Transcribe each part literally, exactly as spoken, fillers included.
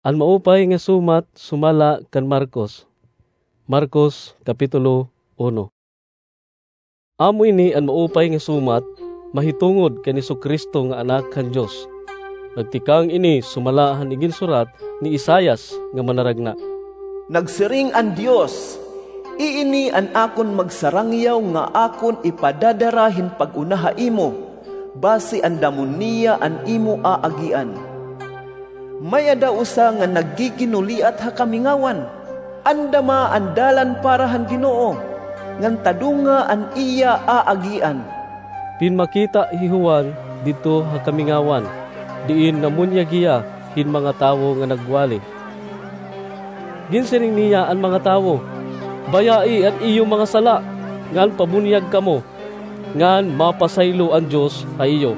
An Maupay nga Sumat sumala kan Marcos. Marcos, Kapitulo uno. Amo ini an Maupay nga Sumat mahitungod kan Jesu-Cristo nga Anak han Dios. Nagtikang ini sumala han iginsurat ni Isaias nga manaragna, "Nagsiring an Dios, 'Iini an akon magsarangyaw nga akon ipadadara hin pag-una ha imo, basi andamon niya an imo aagian.' May-ada usa nga naggiginuliat ha kamingawan. Andama an dalan para han Ginoo, ngan tadunga an iya aagian." Pinmakita hi Juan didto ha kamingawan, diin namunyag hiya hin mga tawo nga nagwali. Ginsiring niya an mga tawo, "Bayai an iyo mga sala, ngan pabunyag kamo, ngan mapasaylo an Dios ha iyo."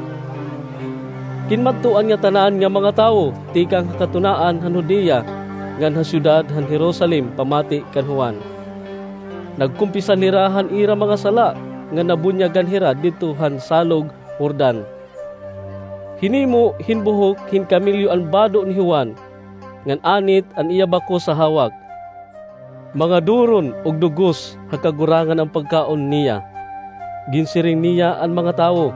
Kinmadto an ngatanan nga mga tawo tikang ha katunaan han Judea ngan ha syudad han Jerusalem pamati kan Juan. Nagkumpisal hira han ira mga sala ngan nabunyagan hira didto han Salog Jordan. Hinimo hin buhok hin kamelyo an bado ni Juan, ngan anit an iya bakos ha hawak. Mga duron ug dugos ha kagurangan an pagkaon niya. Ginsiring niya an mga tawo,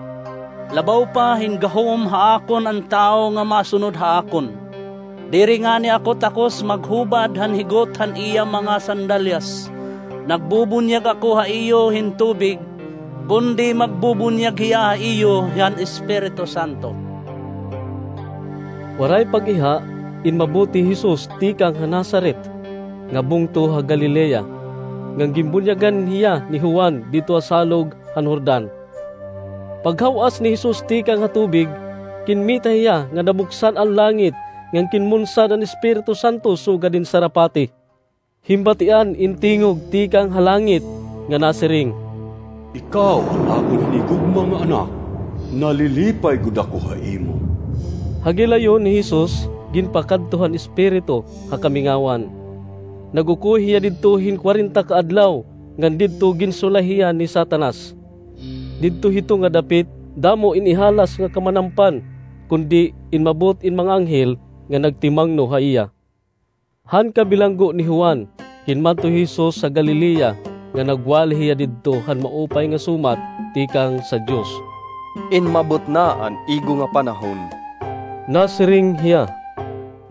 "Labaw pa hin gahom ha akon an tawo nga masunod ha akon. Diri ngani ako takos maghubad han higot han iya mga sandalyas. Nagbubunyag ako ha iyo hin tubig, kundi magbubunyag hiya ha iyo han Espiritu Santo." Waray pag-iha, inmabot hi Jesus tikang ha Nazaret nga bungto ha Galilea, ngan ginbunyagan hiya ni Juan didto ha salog han Jordan. Paghaw-as ni Jesus tikang ha tubig, kinmita hiya nga nabuksan an langit ngan kinmunsad an Espiritu Santo sugad hin sarapati. Hinbatian in tingog tikang ha langit nga nasiring, "Ikaw an akon hinigugma nga Anak, nalilipay gud ako ha imo." Ha gilayon ni Jesus ginpakadto han Espiritu ha kamingawan. Nag-ukoy hiya didto hin kwarenta ka adlaw, ngan didto ginsulay hiya ni Satanas. Didto hito nga dapit, damo in ihalas nga kamanampan, kundi inmabot in mga anghel nga nagtimangno ha iya. Han kabilanggo ni Juan, kinmadto hi Jesus ha Galilea, nga nagwali hiya didto han maupay nga sumat tikang sa Dios. "Inmabot na an igo nga panahon," nasiring hiya,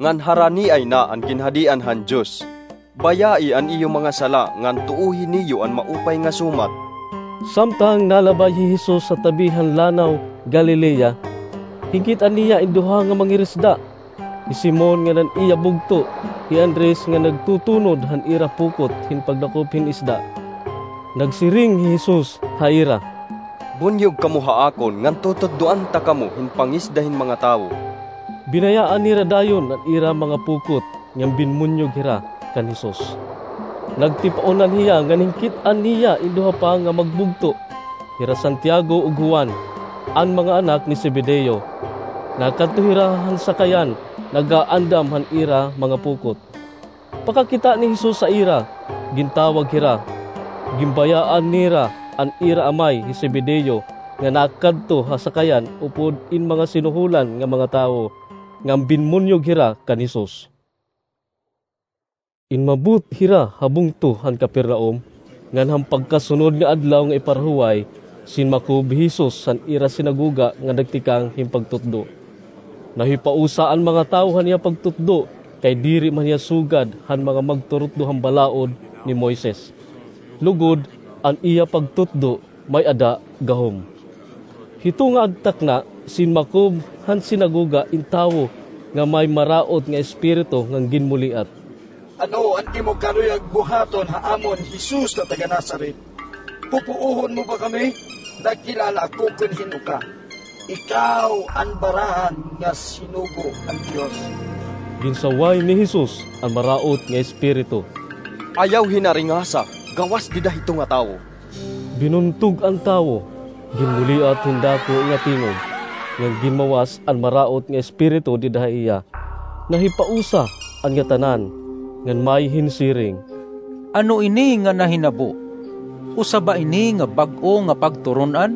"ngan haraniay na an Ginhadian han Dios. Bayai an iyo mga sala ngan tuohi niyo an maupay nga sumat." Samtang nalabay hi Jesus ha tabi han Lanaw Galilea, hinkit-an niya in duha nga mangirisda, hi Simon ngan an iya bugto, hi Andres, nga nagtutunod han ira pukot hin pagdakop hin isda. Nagsiring hi Jesus ha ira, "Bunyog kamo ha akon ngan tututdoan ta kamo hin pangisda hin mga tawo." Binayaan nira dayon an ira mga pukot ngan binmunyog hira kan Jesus. Nagtipaonan hiya ngan hinkit-an niya in duha pa nga magbugto, hira Santiago ug Juan, an mga anak ni Zebedeo. Nakadto hira han sakayan, nagaandam han ira mga pukot. Pakakita ni Jesus ha ira, gintawag hira. Ginbayaan nira an ira amay hi Zebedeo nga nakadto ha sakayan upod in mga sinuholan nga mga tawo, ngan binmunyog hira kan Jesus. Inmabot hira ha bungto han Capernaum, ngan han pagkasunod nga adlaw nga iparahuway, sinmakob hi Jesus han ira sinagoga nga nagtikang hin pagtutdo. Nahipausa an mga tawo han iya pagtutdo, kay diri man hiya sugad han mga magturutdo han balaod ni Moises. Lugod, an iya pagtutdo may-ada gahom. Hito nga agtakna, sinmakob han sinagoga in tawo nga may maraot nga espiritu ngan ginmuliat. "Ano an imo karuyag buhaton ha amon, Jesus nga taga-Nazaret? Pupuohon mo ba kami? Nagkilala ako kon hin-o ka. Ikaw an Barahan nga sinugo han Dios." Ginsaway ni Jesus an maraot nga espiritu. "Ayaw hinaringasa, gawas dida hito nga tawo." Binuntog an tawo, ginmuliat hin dako nga tingog, ngan ginmawas an maraot nga espiritu dida ha iya. Nahipausa an ngatanan, ngan may hinsiring, "Ano ini nga nahinabo? Usa ba ini nga bag-o nga pagturon-an?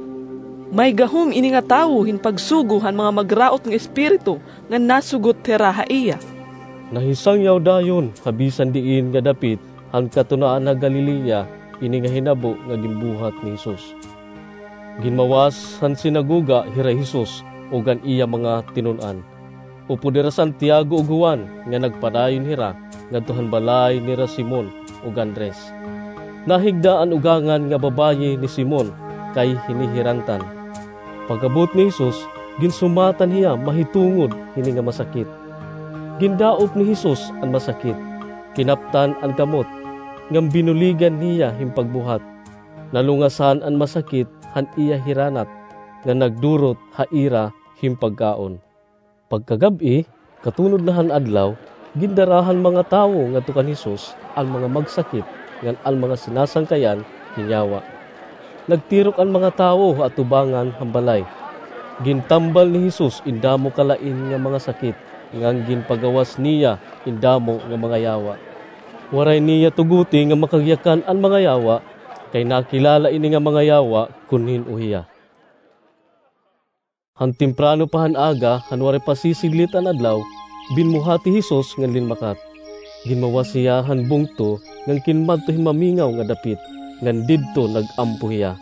May gahom ini nga tawo hin pagsugo han mga magraot nga espiritu ngan nasugot hira ha iya." Nahisangyaw dayon ha bisan diin nga dapit han katunaan ha Galilea ini nga hinabo nga ginbuhat ni Jesus. Ginmawas han sinagoga hira Jesus ug an iya mga tinun-an. Upod hira Santiago ug Juan nga nagpadayon hira ngadto han balay nira Simon ug Andres. Nahigda an ugangan nga babaye ni Simon kay hinihirantan. Pag-abot ni Jesus, ginsumatan hiya mahitungod hini nga masakit. Gindaop ni Jesus an masakit, kinaptan an kamot, ngan binuligan niya hin pagbuhat. Nalungasan an masakit han iya hiranat, nga nagdurot ha ira hin pagkaon. Pagkagab-i, katunod na han adlaw, gindara han mga tawo ngadto kan Jesus an mga magsakit ngan an mga sinasangkayan hin yawa. Nagtirok an mga tawo ha atubangan han balay. Gintambal ni Jesus in damo ka lain nga mga sakit, ngan ginpagawas niya in damo nga mga yawa. Waray niya tuguti nga makagyakan an mga yawa, kay nakilala ini nga mga yawa kun hin-o hiya. Han temprano pa han aga, han waray pa sisiglit an adlaw, binmuhat hi Jesus ngan linmakat. Ginmawas hiya han bungto ngan kinmadto hin mamingaw nga dapit, ngan didto nag-ampo hiya.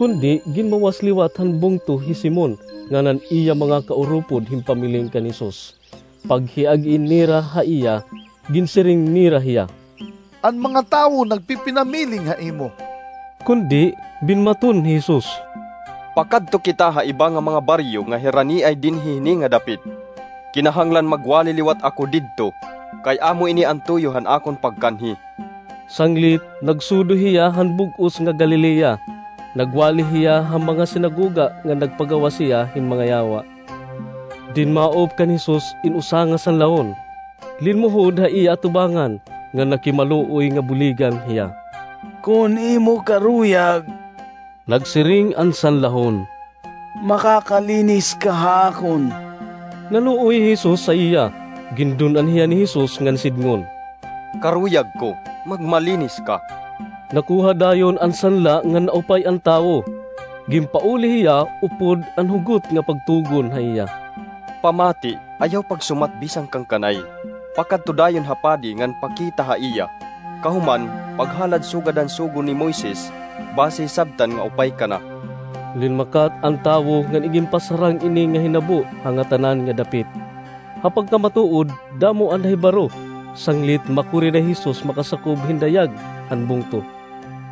Kundi ginmawas liwat han bungto hi Simon ngan an iya mga kaurupod hin pamiling kan Jesus. Paghiag-i nira ha iya, ginsiring nira hiya, "An mga tawo nagpipinamiling ha imo." Kundi binmaton hi Jesus, "Pakadto kita ha iba nga mga baryo nga hiraniay dinhi hini nga dapit. Kinahanglan magwali liwat ako didto, kay amo ini an tuyo han akon pagkanhi." Sanglit, nagsudo hiya han bug-os nga Galilea. Nagwali hiya ha mga sinagoga ngan nagpagawas hiya hin mga yawa. Dinmaop kan Jesus in usa nga sanlahon. Linmuhod ha iya atubangan, ngan nakimaluoy nga buligan hiya. "Kon imo karuyag," nagsiring an sanlahon, "makakalinis ka ha akon." Naluoy hi Jesus ha iya. Gindun-an hiya ni Jesus ngan sidngon, "Karuyag ko, magmalinis ka." Nakuha dayon an sanla ngan naupay an tawo. Ginpauli hiya upod an hugot nga pagtugon ha iya, "Pamati, ayaw pagsumat bisan kan kanay. Pakadto dayon ha padi ngan pakita ha iya. Kahuman, paghalad sugad han sugo ni Moises, basi hisabtan nga upay ka na." Linmakat an tawo ngan iginpasarang ini nga hinabo ha ngatanan nga dapit. Ha pagkamatuod, damo an nahibaro, sanglit makuri na hi Jesus makasakob hin dayag han bungto.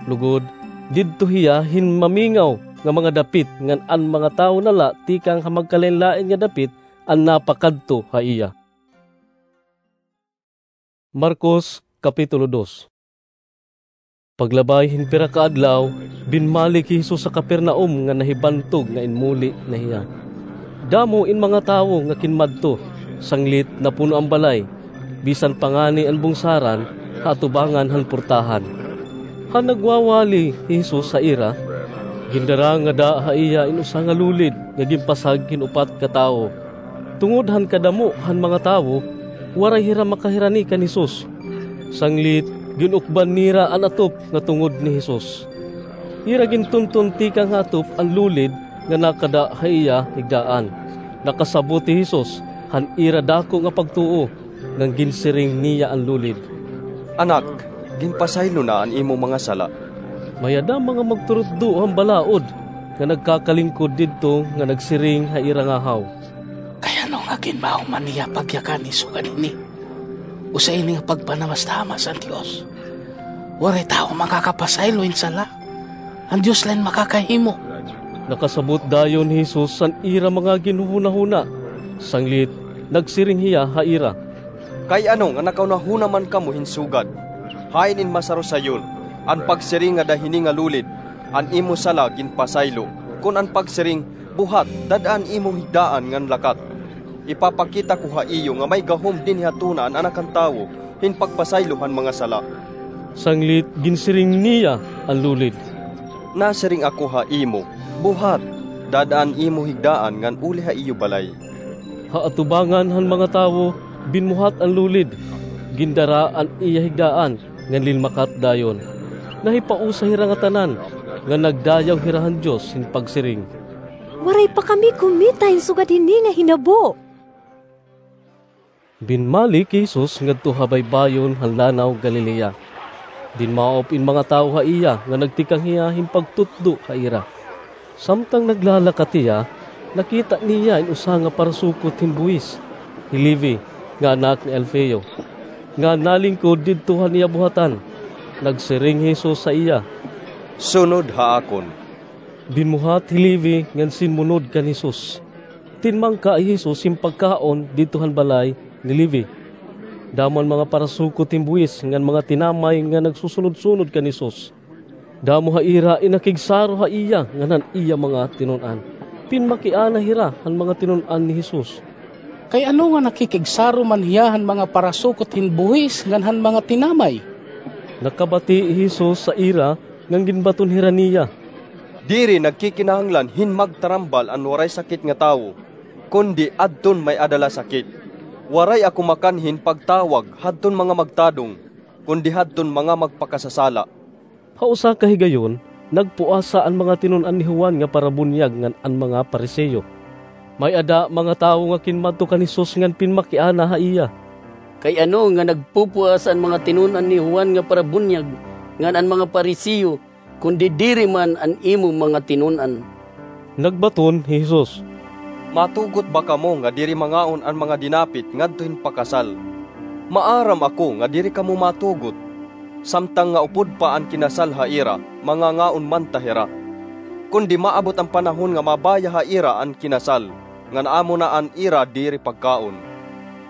Lugod, didto hiya hin mamingaw nga mga dapit ngan an mga tawo na la tikang ha magkalain-lain nga dapit an napakadto ha iya. Marcos, Kapitulo dos. Paglabay hin pira ka adlaw, binmalik hi Jesus ha Capernaum nga nahibantog nga inmuli na hiya. Damo in mga tawo nga kinmadto, sanglit napuno an balay, bisan pa ngani an bungsaran ha atubangan han portahan. Han nagwawali hi Jesus ha ira, gindara ngada ha iya in usa nga lulid nga ginpasag hin upat ka tawo. Tungod han kadamo han mga tawo, waray hira makahirani kan Jesus. Sanglit, gin-ukban nira an atop nga tungod ni Jesus. Ira gintunton tikang ha atop an lulid nga nakada ha iya higdaan. Nakasabot hi Jesus han ira dako nga pagtuo, ngan ginsiring niya an lulid, "Anak, ginpasaylo na an imo mga sala." May-ada mga magturutdo han balaod nga nagkakalingkod didto nga nagsiring ha ira ngahaw, "Kay ano nga ginmahuman niya pagyakan hin sugad hini? Usa ini nga pagpanamastamas han Dios. Waray tawo makakapasaylo hin sala. An Dios la in makakahimo." Nakasabot dayon hi Jesus han ira mga ginhuhunahuna. Sanglit, nagsiring hiya ha ira, "Kay ano nga nakahunahuna man kamo hin sugad? Hain in masaro sayon, an pagsiring ngada hini nga lulid, 'An imo sala ginpasaylo,' kon an pagsiring, 'Buhat, dad-a an imo higdaan ngan lakat'? Ipapakita ko ha iyo nga may gahom dinhi ha tuna an Anak han Tawo hin pagpasaylo han mga sala." Sanglit ginsiring niya an lulid, "Nasiring ako ha imo, buhat, dad-a an imo higdaan ngan uli ha iyo balay." Ha atubangan han mga tawo, binmuhat an lulid, gindara an iya higdaan, ngan linmakat dayon. Nahipausa hira ngatanan, ngan nagdayaw hira han Dios hin pagsiring, "Waray pa kami kumita hin sugad hini nga hinabo." Binmalik hi Jesus ngadto ha baybayon han Lanaw Galilea. Dinmaop in mga tawo ha iya nga nagtikang hiya hin pagtutdo ha ira. Samtang naglalakat hiya, nakita niya in usa nga parasukot hin buhis, hi Levi, nga anak ni Alfeo, nga nalingkod didto han iya buhatan. Nagsiring hi Jesus ha iya, "Sunod ha akon." Binmuhat hi Levi ngan sinmunod kan Jesus. Tinmangka hi Jesus hin pagkaon didto han balay ni Levi. Damo an mga parasukot hin buhis ngan mga tinamay nga nagsusunod-sunod kan Jesus. Damo ha ira in nakigsaro ha iya ngan han iya mga tinun-an. Pinmakiana hira han mga tinun-an ni Jesus, "Kay ano nga nakikigsaro man hiya han mga parasukot hin buhis ngan han mga tinamay?" Nakabati hi Jesus ha ira ngan ginbaton hira niya, "Diri nagkikinahanglan hin magtarambal an waray sakit nga tawo, kundi adton may-ada la sakit. Waray ako makanhi hin pagtawag hadton mga magtadong, kundi hadton mga magpakasasala." Ha usa ka higayon, nagpuasa an mga tinun-an ni Juan nga parabunyag ngan an mga Pariseo. May-ada mga tawo nga kinmadto kan Jesus ngan pinmakiana ha iya, "Kay ano nga nagpupuasa an mga tinun-an ni Juan nga parabunyag ngan an mga Pariseo, kundi diri man an imo mga tinun-an?" Nagbaton hi Jesus, "Matugot ba kamo nga diri mangaon an mga dinapit ngadto hin pakasal? Maaram ako nga diri kamo matugot. Samtang nga upod pa an kinasal ha ira, mangangaon man ta hira. Kundi maabot an panahon nga mabaya ha ira an kinasal, ngan amo na an ira diri pagkaon.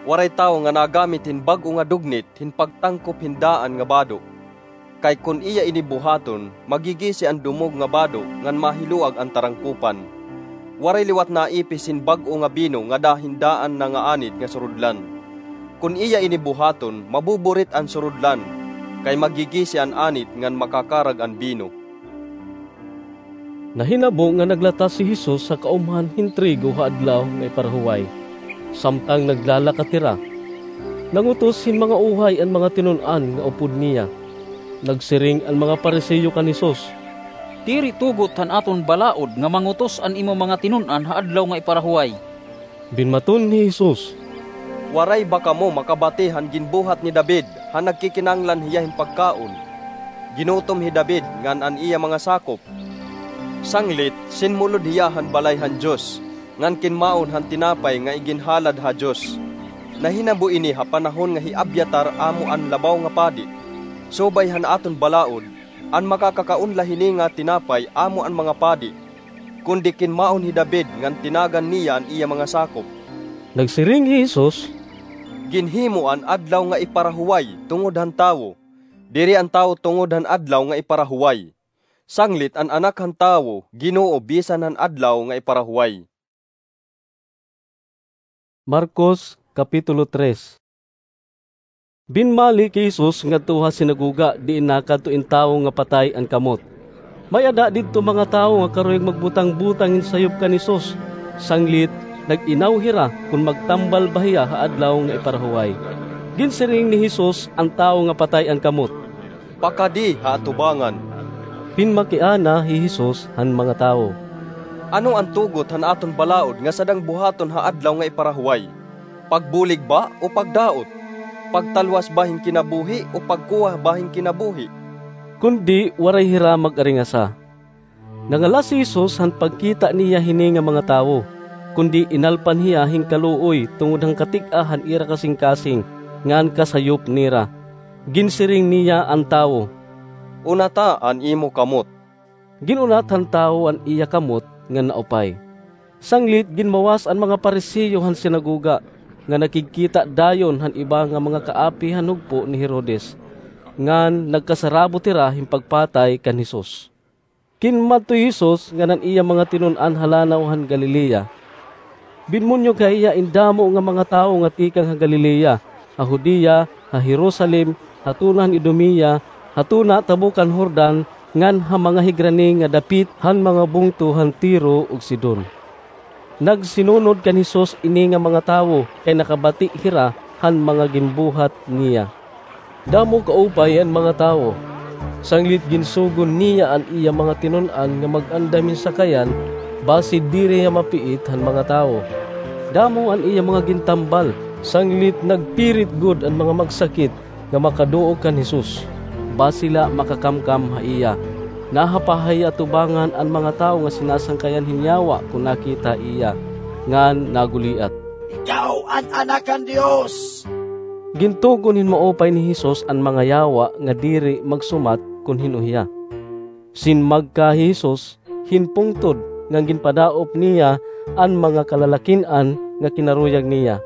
Waray tawo nga nagamit hin bag-o nga dugnit hin pagtangkop hin daan nga bado. Kay kon iya ini buhaton, magigisi an dumog nga bado ngan mahiluag an tarangkopan. Waray liwat naipis hin bag-o nga bino ngada hin daan na nga anit nga surudlan. Kon iya ini buhaton, mabuburit an surudlan, kay magigisi an anit ngan makakarag an bino." Nahinabo nga naglatas hi Jesus ha kaumhan hin trigo ha Adlaw nga Iparahuway. Samtang naglalakat hira, nangutos hin mga uhay an mga tinun-an nga upod niya. Nagsiring an mga Pariseo kan Jesus, "Diri tugot han aton balaod nga mangutos an imo mga tinun-an ha Adlaw nga Iparahuway." Binmaton hi Jesus, "Waray ba kamo makabati han ginbuhat ni David han nagkikinahanglan hiya hin pagkaon? Ginutom hi David ngan an iya mga sakop. Sanglit, sinmulod hiya han balay han Dios, ngan kinmaon han tinapay nga iginhalad ha Dios. Nahinabo ini ha panahon nga hi Abiatar amo an labaw nga padi. Subay han aton balaod, an makakakaon la hini nga tinapay amo an mga padi, kundi kinmaon hi David ngan tinagan niya an iya mga sakop." Nagsiring hi Jesus, "Ginhimo an Adlaw nga Iparahuway tungod han tawo, diri an tawo tungod han Adlaw nga Iparahuway. Sanglit an Anak han Tawo Ginoo bisan han Adlaw nga Iparahuway." Marcos, Kapitulo tres. Binmalik hi Jesus ngadto ha sinagoga diin nakadto in tawo nga patay an kamot. May-ada didto mga tawo nga karuyag magbutang-butang hin sayop kan Jesus, sanglit nag-inaw hira kon magtambal ba hiya ha Adlaw nga Iparahuway. Ginsiring ni Jesus an tawo nga patay an kamot, "Pakadi ha atubangan." Pinmakiana hi Jesus han mga tawo, "Ano an tugot han aton balaod nga sadang buhaton ha Adlaw nga Iparahuway? Pagbulig ba o pagdaot? Pagtalwas ba hin kinabuhi o pagkuha ba hin kinabuhi?" Kundi waray hira mag-aringasa. Nangalas hi Jesus han pagkita niya hini nga mga tawo, kundi inalpan hiya hin kaluoy tungod han katig-a han ira kasingkasing ngan kasayop nira. Ginsiring niya an tawo, "Unata an imo kamot." Gin-unat han tawo an iya kamot ngan naupay. Sanglit ginmawas an mga Pariseo han sinagoga, nga nakigkita dayon han iba nga mga kaapi han hugpo ni Herodes, ngan nagkasarabot hira hin pagpatay kan Jesus. Kinmadto hi Jesus ngan an iya mga tinun-an ha lanaw han Galilea. Binmunyog ha iya in damo nga mga tawo nga tikang ha Galilea, ha Judea, ha Jerusalem, ha tuna han Idumea, ha tuna tabok han Jordan, ngan ha mga higrani nga dapit han mga bungto han Tiro ug Sidon. Nagsinunod kan Jesus ini nga mga tawo kay nakabati hira han mga ginbuhat niya. Damo kaupay an mga tawo. Sanglit ginsugon niya an iya mga tinun-an nga mag-andam hin sakayan basi diri hiya mapiit han mga tawo. Damo an iya mga gintambal, Sanglit nagpirit gud an mga magsakit nga makaduog kan Jesus, basi la makakamkam ha iya. Nahapahay atubangan an mga tawo nga sinasangkayan hin yawa kon nakita iya, ngan naguliat, "Ikaw an Anak kan Dios!" Gintugon hin maupay ni Jesus an mga yawa nga diri magsumat kon hin-o hiya. Sinmagka hi Jesus hin pungtod ngan ginpadaop niya an mga kalalakin-an nga kinaruyag niya.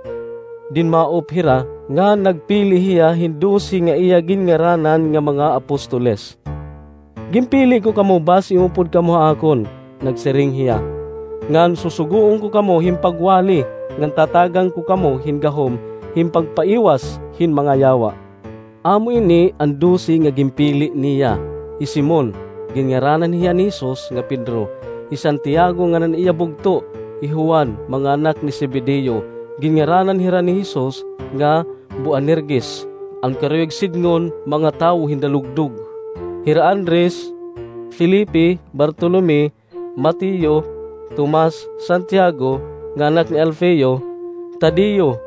Dinmaop hira nga nagpili hiya hin dose nga iya ginngaranan nga mga apostoles. "Ginpili ko kamo basi umupod kamo ha akon," nagsiring hiya, "ngan susugoon ko kamo hin pagwali, ngan tatagan ko kamo hin gahom hin pagpaiwas hin mga yawa." Amo ini an dose nga ginpili niya: hi Simon, ginngaranan hiya ni Jesus, nga Pedro, hi Santiago ngan an iya bugto, hi Juan, mga anak ni Zebedeo. Ginngaranan hira ni Jesus nga Boanerges, an karuyag sidngon, mga tawo hin dalugdog, hira Andres, Felipe, Bartolome, Mateo, Tomas, Santiago nga anak ni Alfeo, Tadeo,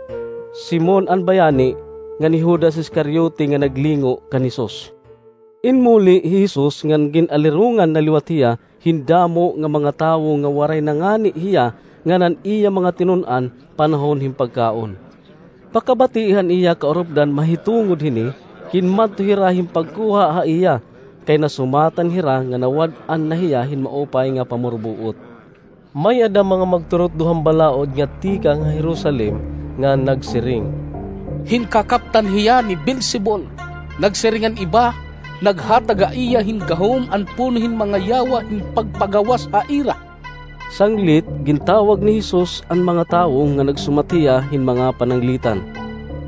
Simon an bayani, ngan hi Judas Iscariote nga naglingo kan Jesus. Inmuli hi Jesus ngan gin-alirongan na liwat hiya hin damo nga mga tawo nga waray nangani hiya ngan an iya mga tinun-an panahon hin pagkaon. Pakabati han iya kaurupdan mahitungod hini, kinmadto hira hin pagkuha ha iya, kay nasumatan hira nga nawad-an na hiya hin maupay nga pamurbuot. May-ada mga magturutdo han balaod nga tikang ha Jerusalem nga nagsiring, "Hinkakaptan hiya ni Beelzebul. Nagsiring an iba, naghatag ha iya hin gahom an puno hin mga yawa hin pagpagawas ha ira." Sanglit, gintawag ni Jesus an mga tawo nga nagsumat hiya hin mga pananglitan.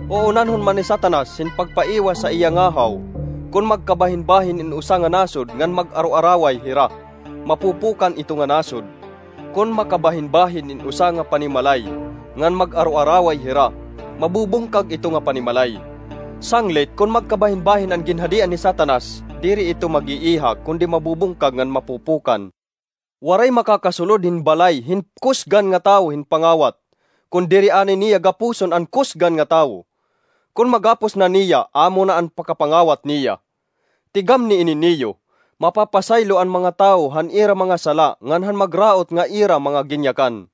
"Uunanhon man ni Satanas hin pagpaiwas ha iya ngahaw. Kon magkabahinbahin in usa nga nasod ngan mag-aroaraway hira, mapupukan ito nga nasod. Kon makabahinbahin in usa nga panimalay ngan mag-aroaraway hira, mabubungkag ito nga panimalay. Sanglit, kon magkabahinbahin an ginhadian ni Satanas, diri ito mag-iiha, kundi mabubungkag ngan mapupukan. Waray makakasulod hin balay hin kusgan nga tawo hin pangawat, kon diri anay niya gapuson an kusgan nga tawo. Kon magapos na niya, amo na an pakapangawat niya. Tigamni ini niyo, mapapasaylo an mga tawo han ira mga sala ngan han magraot nga ira mga ginyakan.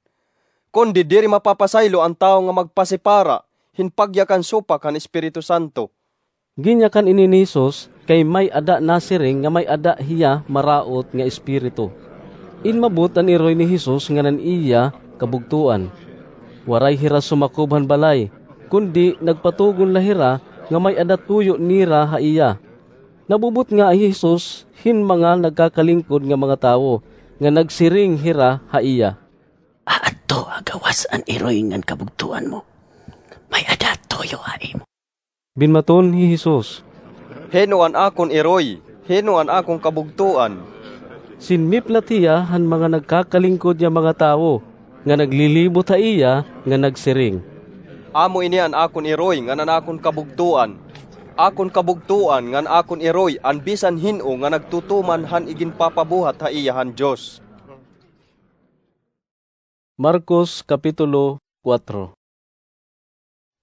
Kundi diri mapapasaylo an tawo nga magpasipara hin pagyakan supak han Espiritu Santo." Ginyakan ini ni Jesus kay may-ada nasiring nga may-ada hiya maraot nga espiritu. Inmabot an iroy ni Jesus ngan an iya kabugtoan. Waray hira sumakob han balay, kundi nagpatugon la hira nga may-ada tuyo nira ha iya. Nabubutnga hi Jesus hin mga nagkakalingkod nga mga tawo, nga nagsiring hira ha iya, "Aadto ha gawas an iroy ngan kabugtoan mo. May-ada tuyo ha imo." Binmaton hi Jesus, "Hin-o an akon iroy? Hin-o an akon kabugtoan?" Sinmiplat hiya han mga nagkakalingkod nga mga tawo nga naglilibot ha iya nga nagsiring, "Amo ini an akon iroy ngan an akon kabugtoan. Akon kabugtoan ngan akon iroy an bisan hin-o nga nagtutuman han iginpapabuhat ha iya han Dios." Marcos, Kapitulo kuwatro.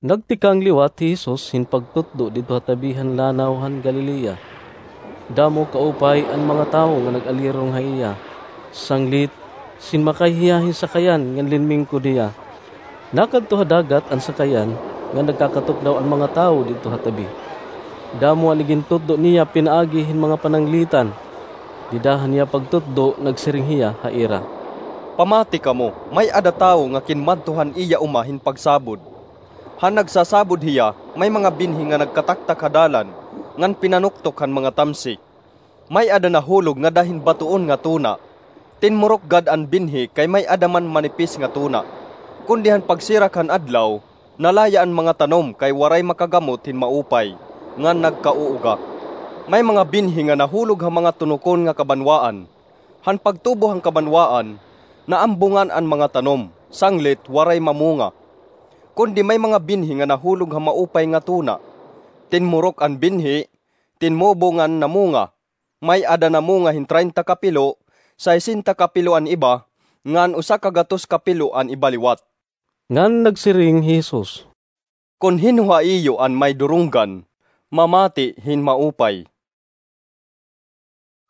Nagtikang liwat hi Jesus hin pagtutdo didto ha tabi han Lanaw han Galilea. Damo kaupay an mga tawo nga nag-alirong ha iya. Sanglit, sinmakay hiya hin sakayan ngan linmingkod hiya. Nakadto ha dagat an sakayan, ngan nagkakatukdaw an mga tawo didto ha tabi. Damo an igintutdo niya pinaagi hin mga pananglitan. Dida han iya pagtutdo, nagsiring hiya ha ira, "Pamati kamo, may-ada tawo nga kinmadto han iya uma hin pagsabod. Han nagsasabod hiya, may mga binhi nga nagkataktak ha dalan ngan pinanuktok han mga tamsik. May-ada nahulog ngada hin batoon nga tuna. Tinmurok gad an binhi kay may-ada man manipis nga tuna. Kundi han pagsirak han adlaw, nalaya an mga tanom kay waray makagamot hin maupay, ngan nagkauuga. May mga binhi nga nahulog ha mga tunokon nga kabanwaan. Han pagtubo han kabanwaan, naambungan an mga tanom, sanglit waray mamunga. Kundi may mga binhi nga nahulog ha maupay nga tuna. Tinmurok an binhi, tinmubo ngan namunga. May-ada namunga hin treinta ka pilo, sesenta ka pilo an iba, ngan usa ka gatos ka pilo an iba liwat." Ngan nagsiring hi Jesus, Kon hin-o ha iyo an may durunggan, mamati hin maupay."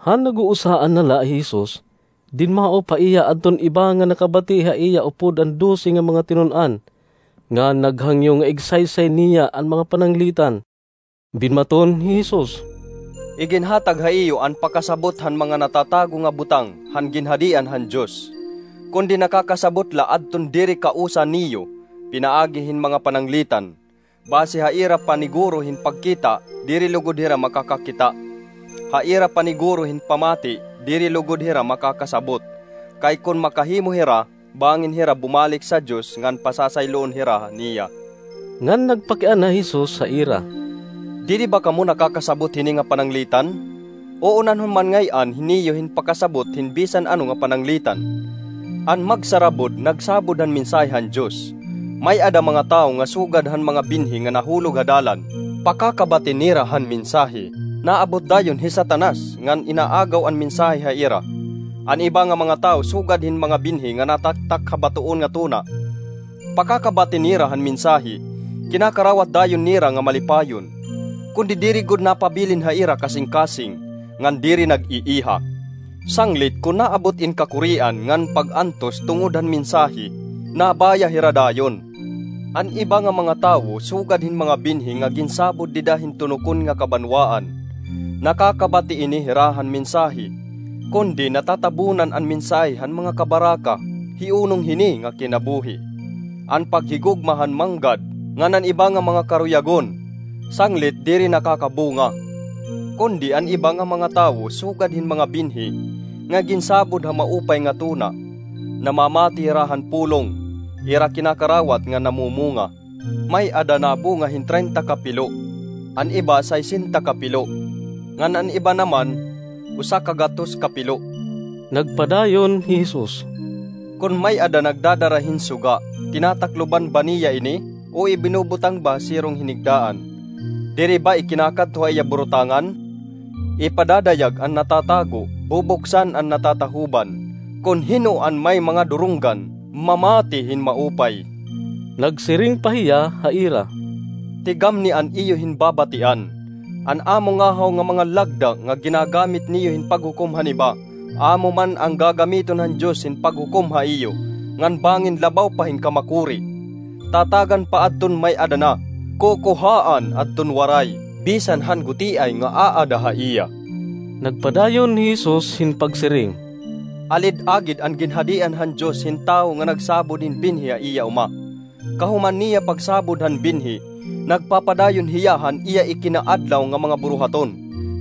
Han nag-uusahan na la hi Jesus, dinmaop ha iya adton iba nga nakabati ha iya upod an dose nga mga tinun-an, ngan naghangyo nga igsaysay niya an mga pananglitan. Binmaton hi Jesus, "Iginhatag ha iyo an pakasabot han mga natatago nga butang han Ginhadian han Dios, kundi nakakasabot la adton diri kausa niyo pinaagi hin mga pananglitan. Basi ha ira paniguro hin pagkita, diri lugod hira makakakita. Ha ira paniguro hin pamati, diri lugod hira makakasabot. Kay kon makahimo hira, bangin hira bumalik sa Dios ngan pasasayloon hira niya." Ngan nagpakiana hi Jesus ha ira, "Diri ba kamo nakakasabot hini nga pananglitan? Uunanhon man ngay-an niyo hin pakasabot hin bisan ano nga pananglitan. An magsarabod nagsabod han mensahe han Dios. May-ada mga tawo nga sugad han mga binhi nga nahulog ha dalan, pakakabati nira han mensahe, naabot dayon hi Satanas ngan inaagaw an mensahe ha ira. An iba nga mga tawo sugad hin mga binhi nga nataktak ha batoon nga tuna, pakakabati nira han mensahe, kinakarawat dayon nira nga malipayon. Kundi diri gud napabilin ha ira kasingkasing, ngan diri nag-iiha. Sanglit kon naabot in kakurian ngan pag-antos tungod han mensahe, nabaya hira dayon. An iba nga mga tawo sugad hin mga binhi nga ginsabod dida hin tunokon nga kabanwaan. Nakakabati ini hira han mensahe, kundi natatabunan an mensahe han mga kabaraka, hiunong hini nga kinabuhi. An paghigugma han manggad ngan an iba nga mga karuyagon, sanglit diri nakakabunga. Kundi an iba nga mga tawo sugad hin mga binhi nga ginsabod ha maupay nga tuna, namamati hira han pulong, ira kinakarawat nga namumunga. May-ada nabunga hin treinta ka pilo, an iba sesenta ka pilo, ngan an iba naman usa ka gatos ka pilo." Nagpadayon hi Jesus, "Kon may-ada nagdadara hin suga, tinatakloban ba niya ini o ibinubutang ba ha sirong hinigdaan? Diri ba ikinakadto ha iya burutangan? Ipadadayag an natatago, bubuksan an natatahuban. Kon hin-o an may mga durunggan, mamati hin maupay." Nagsiring pa hiya ha ira, "Tigamni an iyo hin babatian. An amo ngahaw nga mga lagda nga ginagamit niyo hin paghukom han iba, amo man an gagamiton han Dios hin paghukom ha iyo, ngan bangin labaw pa hin kamakuri. Tatagan pa adton may-ada na, kukuhaan adton waray, bisan han gutiay nga aada ha iya." Nagpadayon hi Jesus hin pagsiring, "Alid-agid an Ginhadian han Dios hin tawo nga nagsabod hin binhi ha iya uma. Kahuman niya pagsabod han binhi, nagpapadayon hiya han iya ikinaadlaw nga mga buruhaton,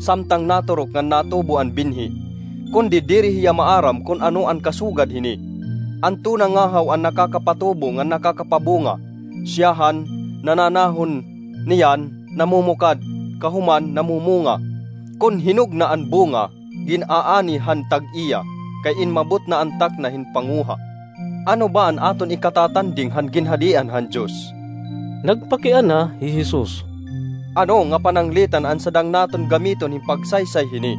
samtang naturok ngan natubo an binhi. Kundi diri hiya maaram kon ano an kasugad hini. An tuna ngahaw an nakakapatubo ngan nakakapabunga. Siyahan, nananahon, niyan, namumukad, kahuman namumunga. Kon hinog na an bunga, gin-aani han tag-iya, kay inmabot na an takna hin panguha. Ano ba an aton ikatatanding han Ginhadian han Dios?" Nagpakiana hi Jesus, "Ano nga pananglitan an sadang naton gamiton hin pagsaysay hini?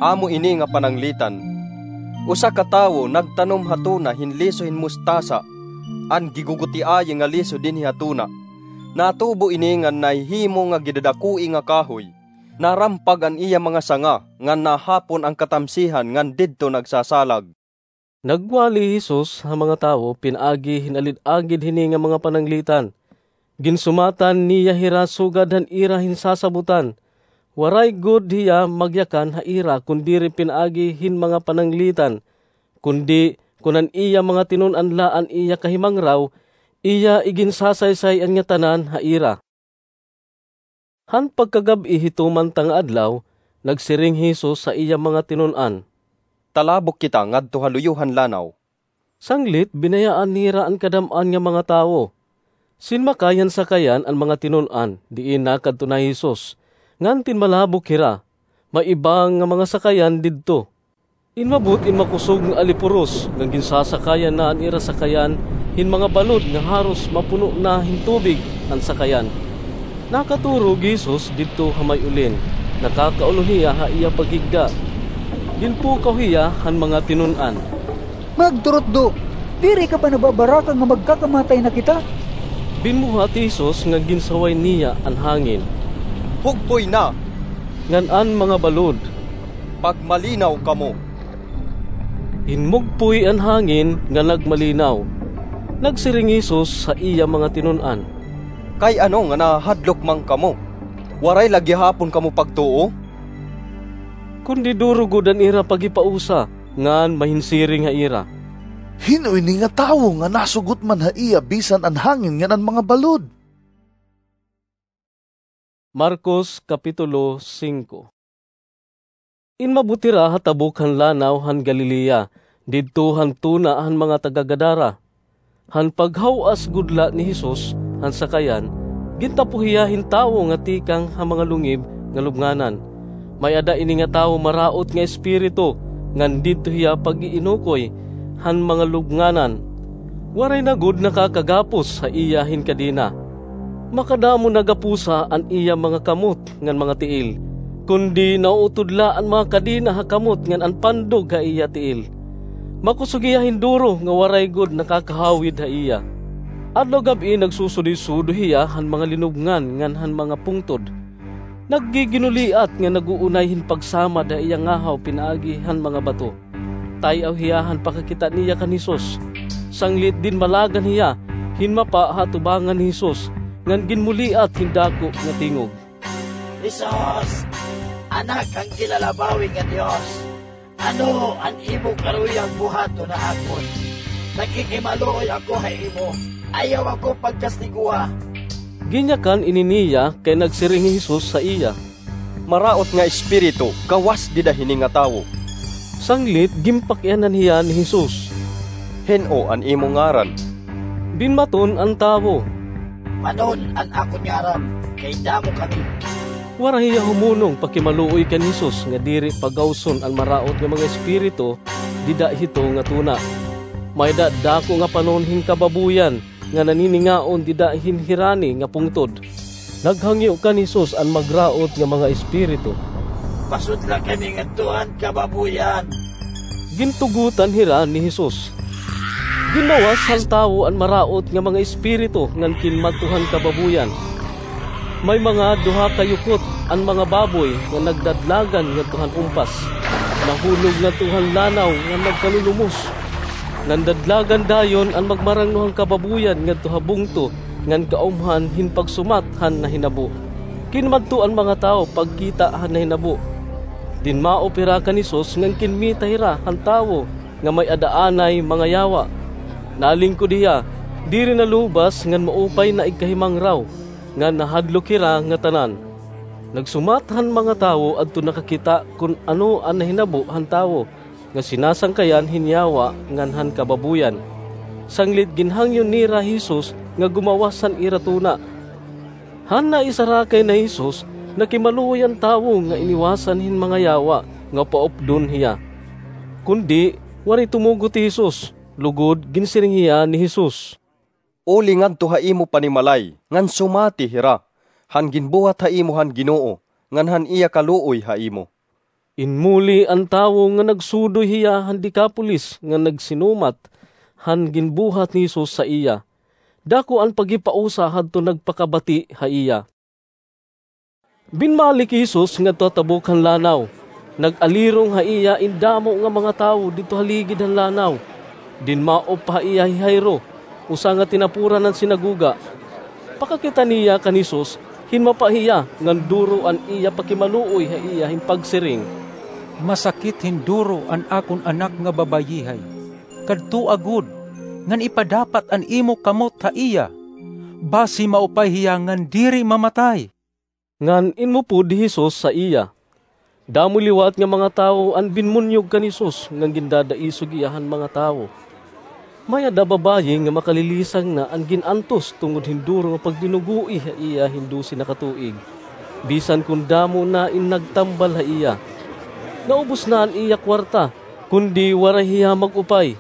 Amo ini nga pananglitan: usa ka tawo nagtanom ha tuna hin liso hin mustasa, an gigugutiayi nga liso dinhi ha tuna. Natubo ini ngan nahihimo nga gidadakoi nga kahoy. Narampag an iya mga sanga, ngan nahapon an katamsihan ngan didto nagsasalag." Nagwali hi Jesus ha mga tawo pinaagi hin alid-agid hini nga mga pananglitan. Ginsumatan niya hira sugad han ira hin sasabotan. Waray gud hiya magyakan ha ira kon diri pinaagi hin mga pananglitan, kundi kon an iya mga tinun-an la an iya kahimangraw, iya iginsasaysay an ngatanan ha ira. Han pagkagab-i hito man ta nga adlaw, nagsiring hi Jesus ha iya mga tinun-an, "Talabok kita ngadto ha luyo han lanaw." Sanglit, binayaan nira an kadam-an nga mga tawo. Sinmakay han sakayan an mga tinun-an, diin nakadto na hi Jesus, ngan tinmalabok hira. May iba nga mga sakayan didto. Inmabot in makusog nga alipuros nga ginsasakayan na an ira sakayan hin mga balod nga haros mapuno na hin tubig an sakayan. Nakaturog hi Jesus didto ha may ulin, nakakaulon hiya ha iya paghigda. Ginpukaw hiya han mga tinun-an, "Magturutdo, diri ka ba nababaraka nga magkakamatay na kita?" Binbuhat hi Jesus nga ginsaway niya an hangin. "Hugpoy na!" ngan an mga balod. "Pagmalinaw kamo!" Hinmugpoy an hangin nga nagmalinaw. Nagsiring hi Jesus ha iya mga tinun-an, "Kay ano nga nahahadlok man kamo? Waray la gihapon kamo pagtuo?" Kundi duro gud an ira paghipausa, ngan mahinsiring ha ira, "Hin-o ini nga tawo nga nasugot man ha iya bisan an hangin ngan an mga balod?" Marcos, Kapitulo singko. Inmabot hira ha tabok han lanaw han Galilea, didto han tuna han mga taga-Gadara. Han paghaw-as gud la ni Jesus han sakayan, gintapo hiya hin tawo nga tikang ha mga lungib nga lubnganan. May-ada ini nga tawo maraot nga espiritu, ngan didto hiya pag-iinukoy han mga lubnganan. Waray na gud nakakagapos ha iya hin kadena. Makadamo na gapusa an iya mga kamot ngan mga tiil, kundi nauutod la an mga kadena ha kamot ngan an pandog ha iya tiil. Makusog hiya hin duro nga waray gud nakakahawid ha iya. Adlaw gab-i nagsusudoy-sudoy hiya han mga linubngan ngan han mga pungtod. Naggiginuliat nga nag-uunay hin pagsamad ha iya ngahaw pinaagi han mga bato. Tay-aw hiya han pakakita niya kan Jesus. Sanglit dinmalagan hiya hin mapa ha atubangan ni Jesus, ngan ginmuliat hin dako nga tingog, "Jesus, Anak han Ginlalabawi nga Dios, ano an imo karuyag buhaton ha akon? Nakikimaluoy ako ha imo. Ayaw ako pagkastigoha." Ginyakan ini niya kay nagsiring hi Jesus ha iya, "Maraot nga espiritu, gawas dida hini nga tawo." Sanglit ginpakianan hiya ni Jesus, "Hin-o an imo ngaran?" Dinmaton an tawo, "Manon an akon ngaran, kay damo kami." Waray hiya humunong pakimaluoy kan Jesus nga diri pagawson an maraot nga mga espiritu dida hito nga tuna. May-ada dako nga panon hin kababuyan nga naniningaon dida hin hirani nga pungtod. Naghangyo kan Jesus an magraot nga mga espiritu, "Pasudla kami ngadto han kababuyan." Gintugotan hira ni Jesus. Ginlawas han tawo an maraot nga mga espiritu ngan kinmadto han kababuyan. May mga duha ka yukot an mga baboy nga nagdadlagan ngadto han umpas. Nahulog ngadto han lanaw nga nagkalulumos. Nandadlagan dayon an magmarangno han kababuyan ngadto ha bungto ngan kaumhan hin pagsumat han nahinabo. Kinmadto an mga tawo pagkita han nahinabo. Dinmaop hira kan Jesus ngan kinmita hira han tawo nga may-ada anay mga yawa. Nalingkod hiya, diri nalubas ngan maupay na igkahimangraw, ngan nahadlok hira ngatanan. Nagsumat han mga tawo adto nakakita kon ano an nahinabo han tawo nga sinasangkayan hin yawa ngan han kababuyan. Sanglit ginhangyo nira hi Jesus nga gumawas han ira tuna. Han naisarakay na hi Jesus, nakimaluoy an tawo nga iniwasan hin mga yawa nga paupdon hiya. Kundi waray tumugot hi Jesus, lugod ginsiring hiya ni Jesus, "Uli ngadto ha imo panimalay ngan sumati hira han ginbuhat ha imo han Ginoo ngan han iya kaluoy ha imo." Inmuli an tawo nga nagsudoy hiya han Decapolis nga nagsinumat han ginbuhat ni Jesus sa iya. Dako an paghipausa hadton nagpakabati ha iya. Binmalik hi Jesus ngadto ha tabok han lanaw. Nag-alirong ha iya in damo nga mga tawo didto ha ligid han lanaw. Dinmaop pa ha iya hi Jairo, usa nga tinapuran han sinagoga. Pakakita niya kan Jesus, hinmapa hiya ngan duro an iya pakimaluoy ha iya hin pagsiring, "Masakit hin duro an akon anak nga babayihay. Kadtoa gud ngan ipadapat an imo kamot ha iya, basi maupay hiya ngan diri mamatay." Ngan inupod hi Jesus ha iya. Damo liwat nga mga tawo an binmunyog kan Jesus ngan gindadaisog hiya han mga tawo. May-ada babayi nga makalilisang na an gin-antos tungod hin duro nga pagdinugoi ha iya hin dose na ka tuig, bisan kon damo na in nagtambal ha iya. Naubos na an iya kuwarta, kundi waray hiya mag-upay.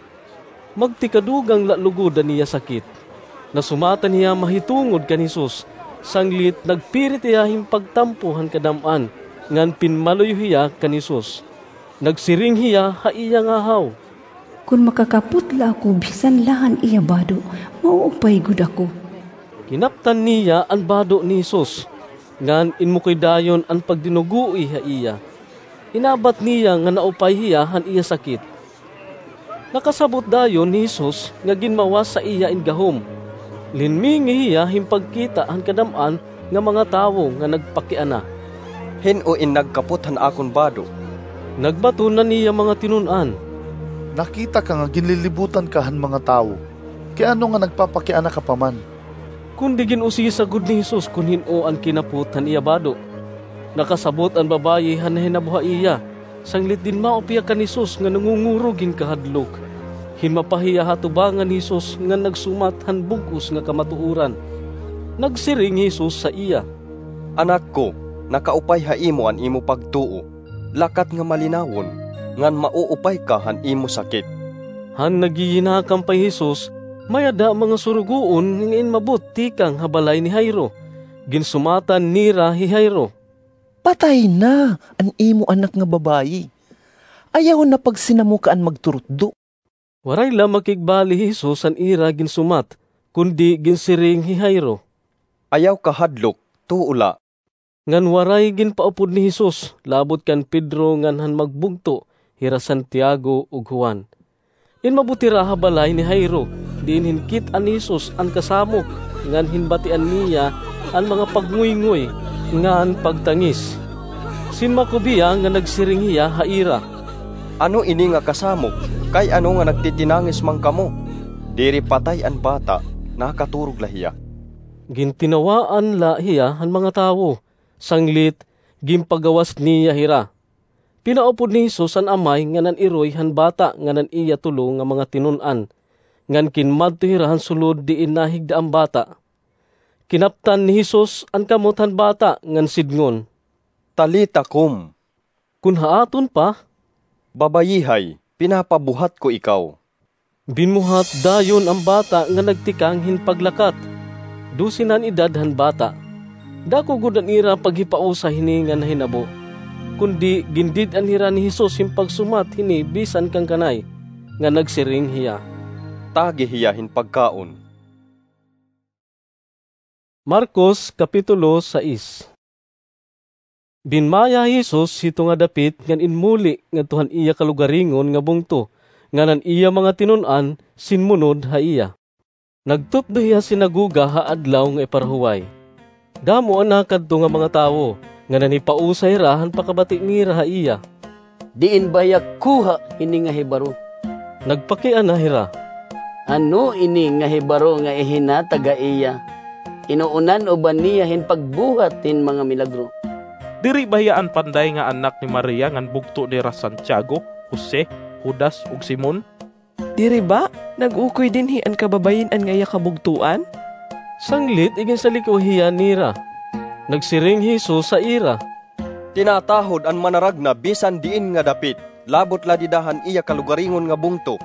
Magtikadugang la lugod an iya sakit. Nasumatan hiya mahitungod kan Jesus, sanglit nagpirit hiya hin pagtampo han kadam-an, ngan pinmaluyo hiya kan Jesus. Nagsiring hiya ha iya ngahaw, "Kon makakapot la ako bisan la han iya bado, mauupay gud ako." Kinaptan niya an bado ni Jesus, ngan inmukoy dayon an pagdinugoi ha iya. Inabat niya nga naupay hiya han iya sakit. Nakasabot dayon ni Jesus nga ginmawas sa iya in gahom. Linmingi hiya hin pagkita han kadam-an nga mga tawo nga nagpakiana. "Hin-o in nagkapot han akon bado?" Nagbaton na niya mga tinun-an. "Nakita ka nga ginlilibutan ka han mga tawo. Kay ano nga nagpapakiana ka pa man?" Kundi gin-usisa gud ni Jesus kon hin-o an kinapot han iya bado. Nakasabot an babaye han nahinabo ha iya, sanglit dinmawop hiya kan Jesus nga nangungurog hin kahadlok. Hinmapa hiya ha atubangan ni Jesus ngan nagsumat han bug-os nga kamatuoran. Nagsiring hi Jesus sa iya, "Anak ko, nakaupay ha imo an imo pagtuo. Lakat nga malinawon, ngan mauupay ka han imo sakit." Han nagyiyinakam pa hi Jesus, may-ada mga surugoon nga inmabot tikang ha balay ni Jairo. Ginsumatan nira hi Jairo, "Patay na an imo anak nga babaye. Ayaw na pagsinamukha an magturutdo." Waray la makigbali hi Jesus han ira ginsumat, kundi ginsiring hi Jairo, "Ayaw kahadlok, tuo la." Ngan waray ginpaupod ni Jesus, labot kan Pedro ngan han magbugto, hira Santiago ug Juan. Inmabot hira ha balay ni Jairo, diin hinkit-an ni Jesus an kasamok, ngan hinbatian niya an mga pagnguyngoy ngan pagtangis. Sinmakob hiya nga nagsiring hiya ha ira, "Ano ini nga kasamok? Kay ano nga nagtitinangis man kamo? Diri patay an bata, nakaturog la hiya." Gintinawaan la hiya han mga tawo, sanglit ginpagawas niya hira. Pinaupod ni Jesus an amay ngan an iroy han bata ngan an iya tulo nga mga tinun-an, ngan kinmadto hira han sulod diin nahigda an bata. Kinaptan ni Jesus an kamot han bata ngan sidngon, "Talita kum," kun ha aton pa, "Babayihay, pinapabuhat ko ikaw." Binmuhat dayon an bata nga nagtikang hin paglakat. Dose na an edad han bata. Dako gud an ira paghipausa hini nga nahinabo. Kundi gindid-an hira ni Jesus hin pagsumat hini bisan kan kanay, nga nagsiring hiya, "Tagi hiya hin pagkaon." Marcos, Kapitulo sais. Binmaya hi Jesus hito nga dapit ngan inmuli ngadto han iya kalugaringon nga bungto, ngan an iya mga tinun-an sinmunod ha iya. Nagtutdo hiya ha sinagoga ha adlaw nga iparahuway. Damo an nakadto nga mga tawo, ngan nanhipausa hira han pakabati nira ha iya. "Diin ba hiya kuha hini nga hibaro?" Nagpakiana hira, "Ano ini nga hibaro nga ihinatag ha iya? Inuunan uban niya hin pagbuhat hin mga milagro. Diri ba hiya an panday nga anak ni Maria ngan bugto nira Santiago, Jose, Judas, ug Simon? Diri ba nag-ukoy dinhi an kababayin-an nga iya kabugtoan?" Sanglit iginsalikwa hiya nira. Nagsiring hi Jesus ha ira, "Tinatahod an manaragna bisan diin nga dapit, labot la dida han iya kalugaringon nga bungto,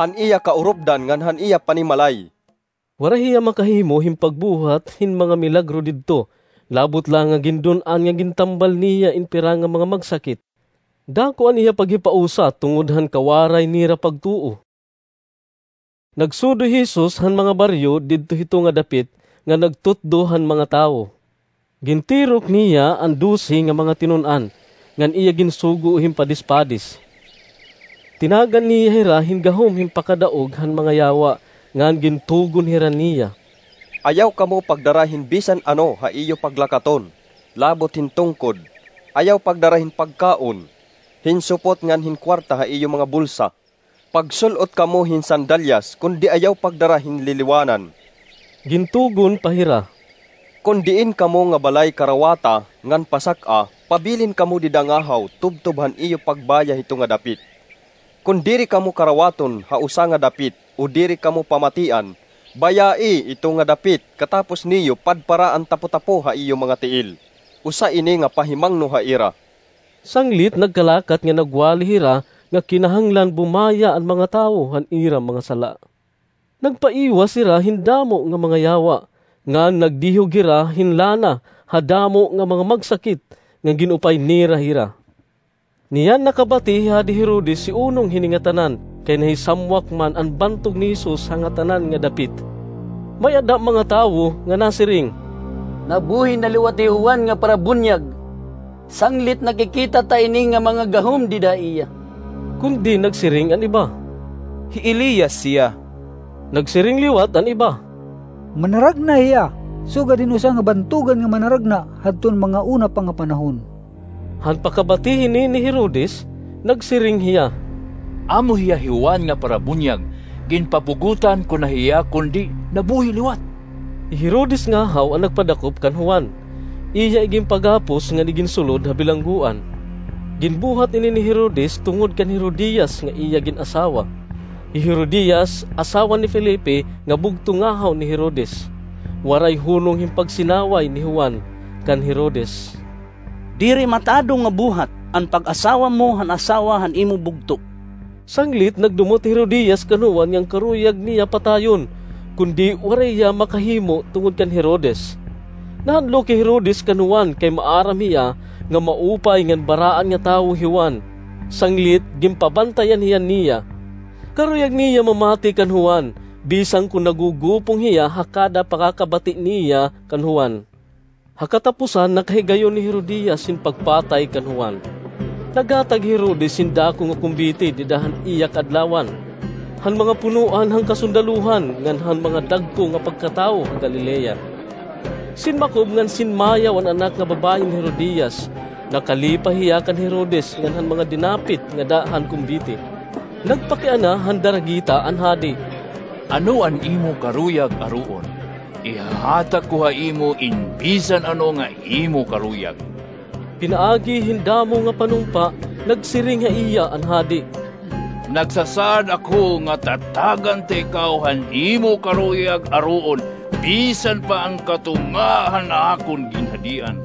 han iya kaurupdan ngan han iya panimalay." Waray hiya makahimo hin pagbuhat hin mga milagro didto, labot la nga gindun-an nga gintambal niya in pira nga mga magsakit. Dako an iya paghipausa tungod han kawaray nira pagtuo. Nagsudoy hi Jesus han mga baryo didto hito nga dapit nga nagtutdo han mga tawo. Gintirok niya an dose nga mga tinun-an, ngan iya ginsugo hin padispadis. Tinagan niya hira hin gahom hin pakadaog han mga yawa, ngan gintugon hira niya, "Ayaw kamo pagdara hin bisan ano ha iyo paglakaton, labot hin tungkod. Ayaw pagdara hin pagkaon, hin supot ngan hin kuwarta ha iyo mga bulsa. Pagsul-ot kamo hin sandalyas, kundi ayaw pagdara hin liliwanan." Gintugon pa hira, "Kon diin kamo nga balay karawata ngan pasak-a, pabilin kamo dida ngahaw tubtob han iyo pagbaya hito nga dapit. Kon diri kamo karawaton ha usa nga dapit o diri kamo pamatian, bayai ito nga dapit katapos niyo padpara an tapotapo ha iyo mga tiil. Usa ini nga pahimangno ha ira." Sanglit nagkalakat nga nagwali hira nga kinahanglan bumaya an mga tawo han ira mga sala. Nagpaiwas hira hin damo nga mga yawa, ngan nagdihog hira hin lana ha damo nga mga magsakit nga gin-upay nira hira. Niyan nakabati hi Hadi Herodes hi unong hini ngatanan, kay nahisamwak man an bantog ni Jesus ha ngatanan nga dapit. May-ada mga tawo nga nasiring, "Nabuhi na liwat hi Juan nga Parabunyag. Sanglit nakikita ta ini nga mga gahom dida ha iya." Kundi nagsiring an iba, "Hi Elias hiya." Nagsiring liwat an iba, "Manaragna hiya, sugad hin usa nga bantogan nga manaragna hadton mga una pa nga panahon." Han pakabati hini ni Herodes, nagsiring hiya, "Amo hiya hi Juan nga Parabunyag, ginpabugotan ko na hiya, kundi nabuhi liwat." Hi Herodes ngahaw an nagpadakop kan Juan. Iya iginpagapos ngan iginsulod ha bilanggoan. Ginbuhat ini ni Herodes tungod kan Herodias nga iya gin-asawa. Hi Herodias, asawa ni Felipe, nga bugto ngahaw ni Herodes. Waray hunong hin pagsinaway ni Juan kan Herodes. "Diri matadong nga buhat an pag-asawa mo han asawa han imo bugto." Sanglit nagdumot hi Herodias kan Juan nga an karuyag niya patayon, kundi waray hiya makahimo tungod kan Herodes. Nahadlok hi Herodes kan Juan kay maaram hiya nga maupay ngan baraan nga tawo hi Juan. Sanglit ginpabantayan hiya niya. Karuyag niya mamati kan Juan, bisan kon nagugupong hiya ha kada pakakabati niya kan Juan. Ha katapusan, nakahigayon hi Herodias hin pagpatay kan Juan. Naghatag hi Herodes hin dako nga kumbite dida han iya kaadlawan, han mga punoan han kasundaluhan ngan han mga dagko nga pagkatawo ha Galilea. Sinmakob ngan sinmayaw an anak nga babaye ni Herodias. Nakalipay hiya kan Herodes ngan han mga dinapit ngada han kumbite. Nagpakiana han daragita an hadi, "Ano an imo karuyag aroon? Ihahatag ko ha imo in bisan ano nga imo karuyag." Pinaagi hin damo nga panumpa, nagsiring ha iya an hadi, "Nagsasaad ako nga tatagan ta ikaw han imo karuyag aroon, bisan pa an katunga han akon ginhadian."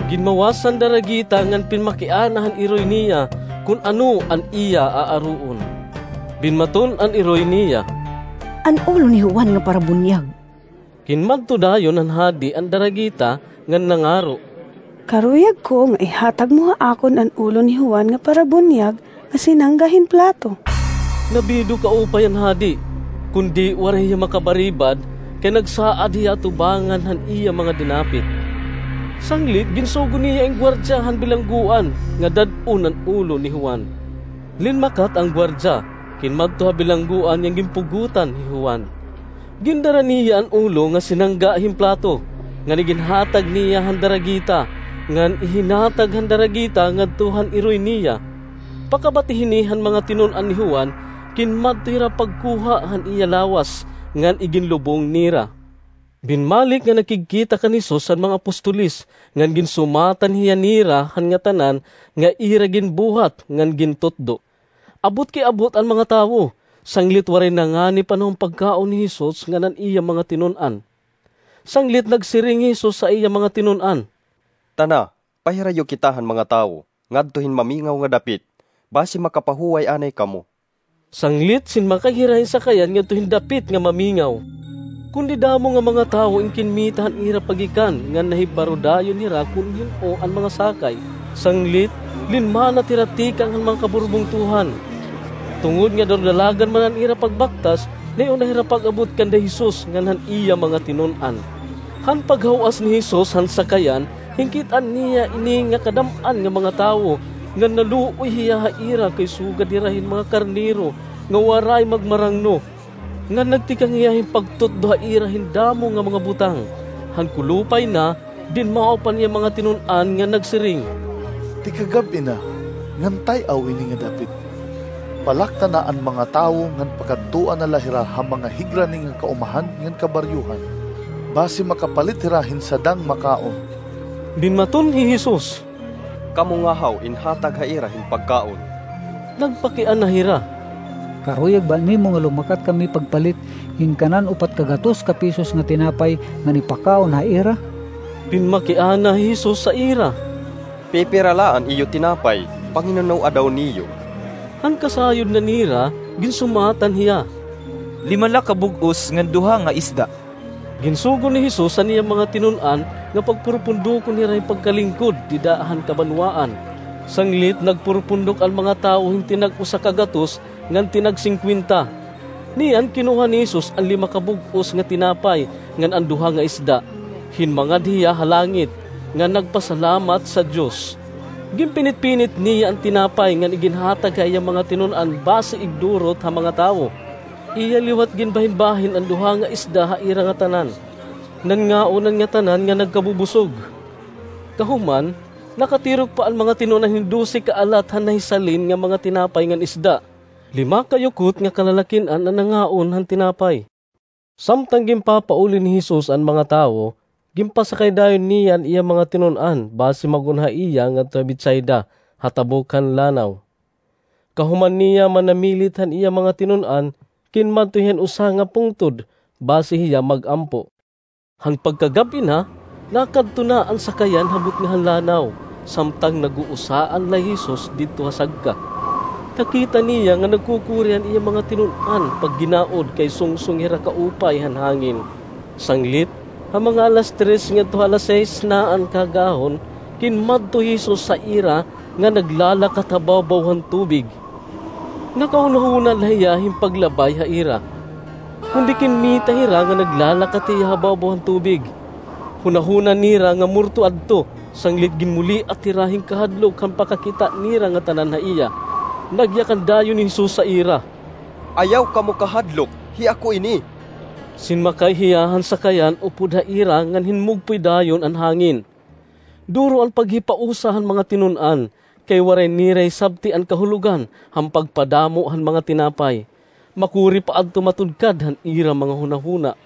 Ginmawas an daragita ngan pinmakiana han iroy niya kon ano an iya aaroon. Binmaton an iroy niya, "An ulo ni Juan nga Parabunyag." Ginmadto dayon han hadi an daragita ngan nangaro, "Karuyag ko nga ihatag mo ha akon an ulo ni Juan nga Parabunyag nga sinangga hin plato." Nabido kaupay an hadi, kundi waray hiya makabaribad, kay nagsaad hiya atubangan han iya mga dinapit. Sanglit ginsugo niya an gwardiya han bilanggoan nga dad-on an ulo ni Juan. Linmakat an gwardiya, kinmadto ha bilanggoan ngan ginpugotan hi Juan. Gindara niya an ulo nga sinangga hin plato, ngan iginhatag niya han daragita, ngan ihinatag han daragita ngadto han iroy niya. Pakabati hini han mga tinun-an ni Juan, kinmadto hira pagkuha han iya lawas, ngan iginlubong nira. Binmalik nga nakigkita kan Jesus han mga apostoles, ngan ginsumatan hiya nira han ngatanan nga ira ginbuhat ngan gintutdo. Abot kay abot an mga tawo, sanglit waray nangani panahon pagkaon ni Jesus ngan an iya mga tinun-an. Sanglit nagsiring hi Jesus sa iya mga tinun-an, "Tana, pahirayo kita han mga tawo ngadto hin mamingaw nga dapit, basi makapahuway anay kamo." Sanglit sinmakay hira hin sakayan ngadto hin dapit nga mamingaw. Kundi damo nga mga tawo in kinmita han ira paggikan ngan nahibaro dayon hira kon hin-o an mga sakay. Sanglit, linmanat hira tikang han mga kaburbungtohan. Tungod nga darudalagan man an ira pagbaktas, naiuna hira pag-abot kanda Jesus ngan han iya mga tinun-an. Han paghaw-as ni Jesus han sakayan, hinkit-an niya ini nga kadam-an nga mga tawo, ngan naluoy hiya ha ira kay sugad hira hin mga karnero nga waray magmarangno. Ngan nagtikang hiya hin pagtutdo ha ira hin damo nga mga butang. Han kulupay na, dinmao pa niya mga tinun-an ngan nagsiring, "Tikagab-i na, ngan tay-aw ini nga dapit. Palakta na an mga tawo ngan pakadtoa na la hira ha mga higrani nga kaumahan ngan kabaryohan, basi makapalit hira hin sadang makaon." Binmaton hi Jesus, "Kamo ngahaw in hatag ha ira hin pagkaon." Nagpakiana hira, "Karuyag ba nimo nga lumakat kami pagpalit hin kanan upat ka gatos ka pisos nga tinapay ngan ipakaon ha ira?" Pinmakiana hi Jesus sa ira, "Pipira la an iyo tinapay? Panginunoa daw niyo?" Han kasayod na nira, ginsumatan hiya, "Lima la ka bug-os ngan duha nga isda." Ginsugo ni Jesus an iya mga tinun-an nga pagpurupundokon hira hin pagkalingkod dida han kabanwaan. Sanglit nagpurupundok an mga tawo hin tinag-usa ka gatos ngan tinag-singkwenta. Niyan kinuha ni Jesus an lima ka bug-os nga tinapay ngan an duha nga isda, hinmangad hiya ha langit, ngan nagpasalamat sa Dios. Ginpinitpinit niya an tinapay ngan iginhatag ha iya mga tinun-an basi igdurot ha mga tawo. Iya liwat ginbahinbahin an duha nga isda ha ira ngatanan. Nanngaon an ngatanan nga nagkabubusog. Kahuman, nakatirok pa an mga tinun-an hin dose ka alat han nahisalin nga mga tinapay ngan isda. Lima ka yukot nga kalalakin-an an nangaon han tinapay. Samtang ginpapauli ni Jesus an mga tawo, ginpasakay dayon niya an iya mga tinun-an basi mag-on ha iya ngadto ha Betsaida, ha tabok han lanaw. Kahuman niya manamilit han iya mga tinun-an, kinmadto hiya han usa nga pungtod basi hiya mag-ampo. Han pagkagab-i na, nakadto na an sakayan ha butnga han lanaw, samtang nag-uusaan la hi Jesus didto ha sagka. Nakita niya nga nagkukuri an iya mga tinun-an pagginaod kay sungsong hira kaupay han hangin. Sanglit, ha mga alas tres ngadto ha alas sais na an kaagahon, kinmadto hi Jesus ha ira nga naglalakat ha bawbaw han tubig. Nakahunahuna la hiya hin paglabay ha ira. Kundi kinmita hira nga naglalakat hiya ha bawbaw han tubig. Hunahuna nira nga morto adto, sanglit ginmuliat hira hin kahadlok han pakakita nira ngatanan ha iya. Nagyakan dayon hi Jesus ha ira. "Ayaw kamo kahadlok, hi ako ini." Sinmakay hiya han sakayan upod ha ira ngan hinmugpoy dayon an hangin. Duro an paghipausa han mga tinun-an, kay waray nira hisabti an kahulogan han pagpadamo han mga tinapay. Makuri pa adto matudkad han ira mga hunahuna.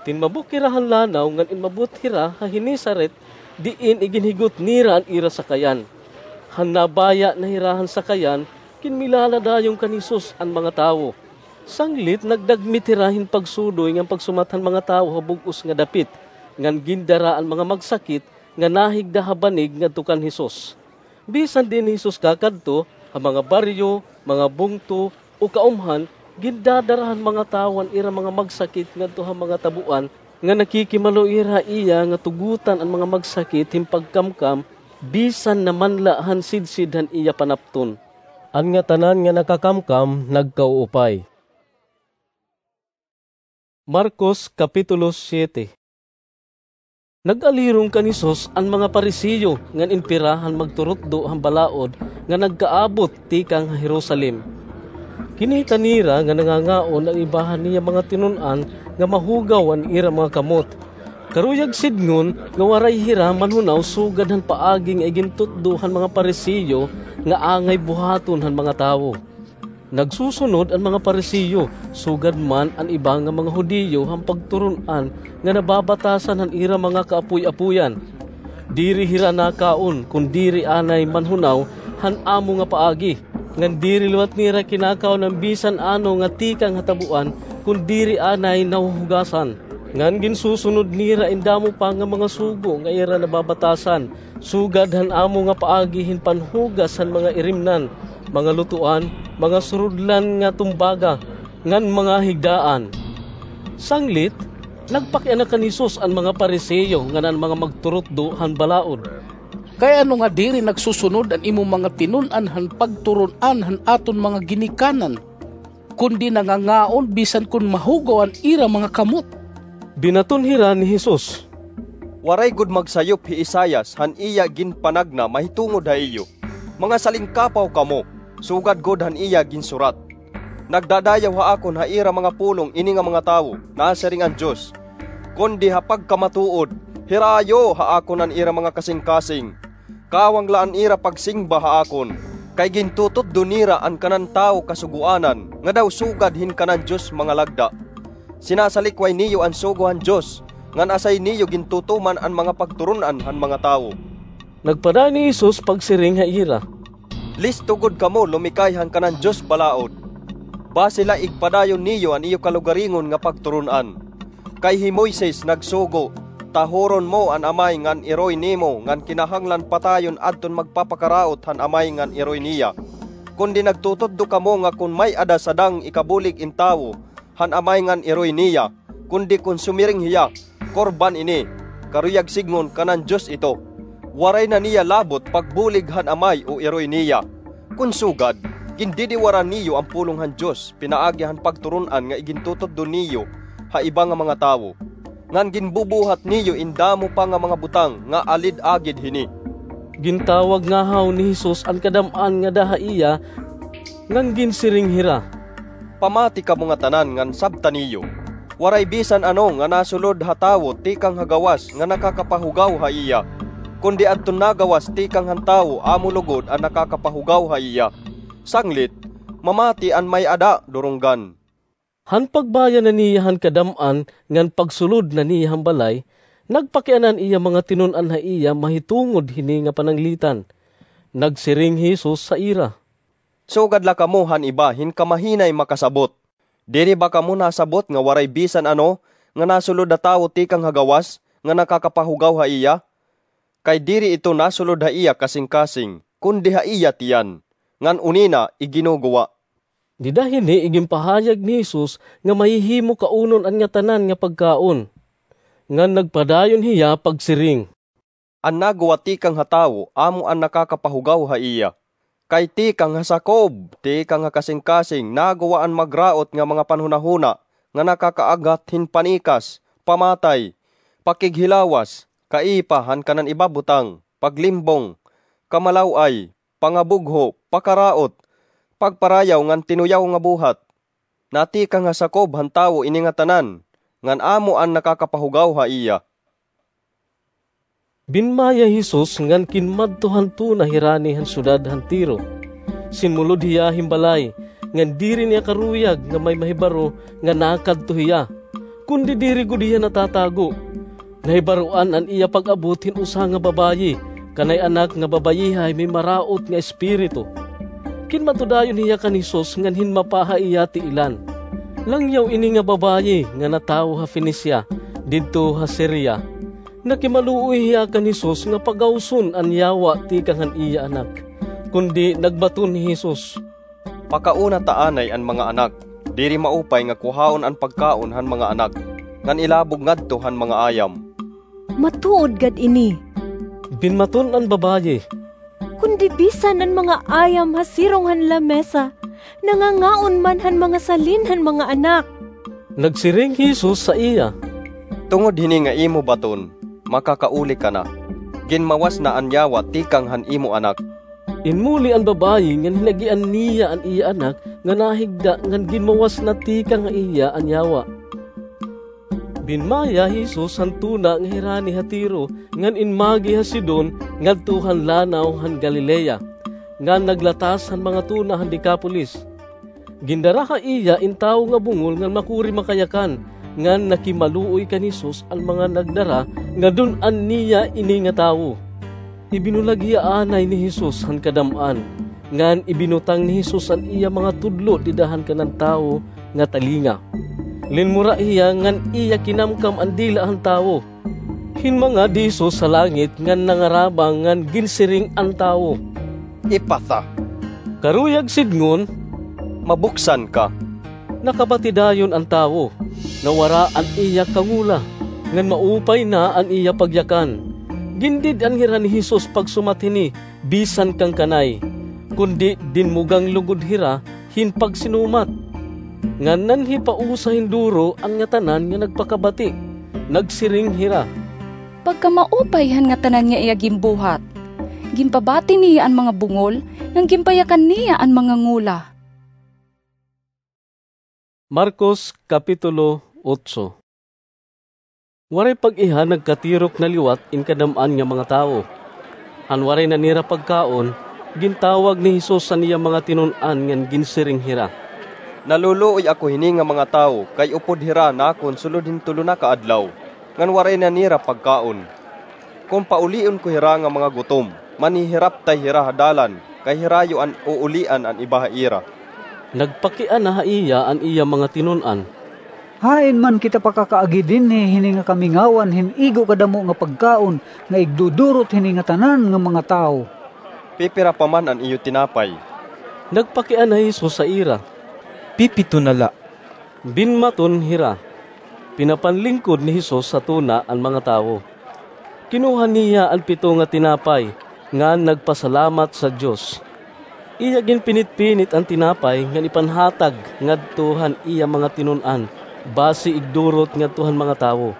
Tinmabok hira han lanaw ngan inabot hira ha Genesaret, diin iginhigot nira an ira sakayan. Han nabaya na hira han sakayan, kinmilala dayon kan Jesus an mga tawo. Sanglit nagdagmit hira hin pagsudoy ngan pagsumat han mga tawo ha bug-os nga dapit, ngan gindara an mga magsakit nga nahigda ha banig ngadto kan Jesus. Bisan diin hi Jesus kakadto, ha mga baryo, mga bungto, o kaumhan, gindadara han mga tawo an ira mga magsakit ngadto ha mga tabuan nga nakikimalo ira ha iya nga tugotan an mga magsakit hin pagkamkam, bisan na man la han sidsid han iya panapton. An ngatanan nga nakakamkam nagkauupay. Marcos Kapitulo siete. Nag-alirong kan Jesus an mga Pariseo ngan inpira han magturutdo han balaod nga nagkaabot tikang ha Jerusalem. Kinita nira nga nangangaon an iba han iya mga tinun-an nga mahugaw an ira mga kamot. Karuyag sidngon nga waray hira manhunaw sugad han paagi nga igintutdo han mga Pariseo nga angay buhaton han mga tawo. Nagsusunod an mga Pariseo, sugad man an iba nga mga Judio han pagturon-an nga nababatasan han ira mga kaapoy-apoyan. Diri hira nakaon kon diri anay manhunaw han amo nga paagi, ngan diri liwat nira kinakaon an bisan ano nga tikang ha tabuan kon diri anay nahuhugasan. Ngan ginsusunod nira in damo pa nga mga sugo nga ira nababatasan, sugad han amo nga paagi hin panhugas han mga irimnan, mga lutoan, mga surudlan nga tumbaga, ngan mga higdaan. Sanglit, nagpakiana kan Jesus an mga Pariseo ngan an mga magturutdo han balaod. Kay ano nga diri nagsusunod an imo mga tinun-an han pagturon-an han aton mga ginikanan, kundi nangangaon bisan kon mahugaw an ira mga kamot? Binaton hira ni Jesus. Waray gud magsayop hi Isaias han iya ginpanagna mahitungod ha iyo. Mga salingkapaw kamo, sugad gud han iya ginsurat. Nagdadayaw ha akon ha ira mga pulong ini nga mga tawo, nasiring an Dios. Kundi ha pagkamatuod, hirayo ha akon an ira mga kasingkasing. Kawang la an ira pagsingba ha akon, kay gintututdo nira an kanan tawo kasugoanan nga daw sugad hin kanan Dios mga lagda. Sinasalikway niyo an sugo han Dios, ngan asay niyo gintutuman an mga pagturon-an han mga tawo. Nagpadayon ni Jesus pagsiring ha ira. Listo gud kamo lumikay han kanan Dios balaod. Basi la igpadayon niyo an iyo kalugaringon nga pagturon-an. Kay hi Moises nagsugo, tahuron mo an amay ngan iroy nimo ngan kinahanglan patayon adton magpapakaraot han amay ngan iroy niya. Kundi nagtututdo kamo nga kon may-ada sadang ikabulig in tawo han amay ngan iroy niya, kundi kon sumiring hiya, korban ini, karuyag sidngon kanan Dios ito. Waray na niya labot pagbulig han amay o iroy niya. Kon sugad, Gindidiwaran niyo an pulong han Dios pinaagi han pagturon-an nga igintututdo niyo ha iba nga mga tawo, ngan ginbubuhat niyo in damo pa nga mga butang nga alid-agid hini." Gintawag ngahaw ni Jesus an kadam-an ngada ha iya, ngan ginsiring hira, "Pamati kamo ngatanan ngan sabta niyo. Waray bisan ano nga nasulod ha tawo tikang ha gawas nga nakakapahugaw ha iya, kundi adton nagawas tikang han tawo amo lugod an nakakapahugaw ha iya. Sanglit, mamati an may-ada durunggan." Han pagbaya na niya han kadam-an ngan pagsulod na niya han balay, nagpakiana an iya mga tinun-an ha iya mahitungod hini nga pananglitan. Nagsiring hi Jesus ha ira, "Sugad la kamo han iba hin kamahinay makasabot. Diri ba kamo nasabot nga waray bisan ano nga nasulod ha tawo tikang ha gawas nga nakakapahugaw ha iya? Kay diri ito nasulod ha iya kasingkasing, kundi ha iya tiyan, ngan unina iginuguwa." Dida hini iginpahayag ni Jesus nga mahihimo kaunon an ngatanan nga pagkaon. Ngan nagpadayon hiya pagsiring, "An naguwa tikang ha tawo amo an nakakapahugaw ha iya. Kay tikang ha sakob, tikang ha kasingkasing naguwa an magraot nga mga panhunahuna nga nakakaaghat hin panikas, pamatay, pakighilawas, kaipa han kanan iba butang, paglimbong, kamalaw-ay, pangabugho, pakaraot, pagparayaw ngan tinuyaw nga buhat. Natikang ha sakob han tawo ini ngatanan, ngan amo an nakakapahugaw ha iya." Binmaya hi Jesus ngan kinmadto han tuna hirani han syudad han Tiro. Sinmulod hiya hin balay, ngan diri niya karuyag nga may mahibaro nga nakadto hiya, kundi diri gud hiya natatago. Nahibaroan an iya pag-abot hin usa nga babayi, kanay anak nga babayihay may maraot nga espiritu. Kinmadto dayon hiya kan Jesus ngan hinmapa ha iya tiilan. Langyaw ini nga babayi nga natawo ha Fenicia, didto ha Siria. Nakimaluoy hiya kan Jesus nga pagawson an yawa tikang han iya anak. Kundi nagbaton hi Jesus, "Pakaona ta anay an mga anak. Diri maupay nga kuhaon an pagkaon han mga anak, ngan ilabog ngadto han mga ayam." "Matuod gad ini," binmaton an babayi, "kundi bisan an mga ayam ha sirong han lamesa, nangangaon man han mga salin han mga anak." Nagsiring hi Jesus ha iya, "Tungod hini nga imo baton, makakauli ka na. Ginmawas na an yawa tikang han imo anak." Inmuli an babayi ngan hinagian niya an iya anak nga nahigda ngan ginmawas na tikang ha iya an yawa. Binmaya hi Jesus han tuna nga hirani ha Tiro ngan inmagi ha Sidon ngadto han lanaw han Galilea, ngan naglatas han mga tuna han Decapolis. Gindara ha iya in tawo nga bungol ngan makuri makayakan, ngan nakimaluoy kan Jesus an mga nagdara nga dun-an niya ini nga tawo. Ibinulag hiya anay ni Jesus han kadam-an, ngan ibinutang ni Jesus an iya mga tudlo dida han kanan tawo nga talinga. Linmura hiya ngan iya kinamkam an dila han tawo. Hinmangad hi Jesus ha langit ngan nangarabang ngan ginsiring an tawo, "Ephphatha," karuyag sidngon, "Mabuksan ka." Nakabati dayon an tawo, nawara an iya kangola, ngan maupay na an iya pagyakan. Gindid-an hira ni Jesus pagsumat hini bisan kan kanay, kundi dinmugang lugod hira hin pagsinumat. Ngan nanhipausa hin duro an ngatanan nga nagpakabati. Nagsiring hira, "Pagkamaupay han ngatanan nga iya ginbuhat! Ginpabati niya an mga bungol, ngan ginpayakan niya an mga ngola." Marcos, Kapitulo otso. Waray pag-iha nagkatirok na liwat in kadam-an nga mga tawo. Han waray na nira pagkaon, gintawag ni Jesus an iya mga tinun-an ngan ginsiring hira, "Naluluoy ako hini nga mga tawo kay upod hira nakon sulod hin tulo na ka adlaw, ngan waray na nira pagkaon. Kon paulion ko hira nga mga gutom, manhihiraptay hira ha dalan, kay hirayo an uulian an iba ha ira." Nagpakiana ha iya an iya mga tinun-an, "Hain man kita pakakaagi dinhi hini nga kamingawan hin igo kadamo nga pagkaon nga igdudurot hini ngatanan nga mga tawo?" "Pipira pa man an iyo tinapay?" Nagpakiana hi Jesus ha ira, "Pipito na la." Binmaton hira. Pinapanlingkod ni Jesus ha tuna an mga tawo. Kinuha niya an pito nga tinapay, ngan nagpasalamat sa Dios. Iya ginpinitpinit an tinapay ngan ipanhatag ngadto han iya mga tinun-an, basi igdurot ngadto han mga tawo.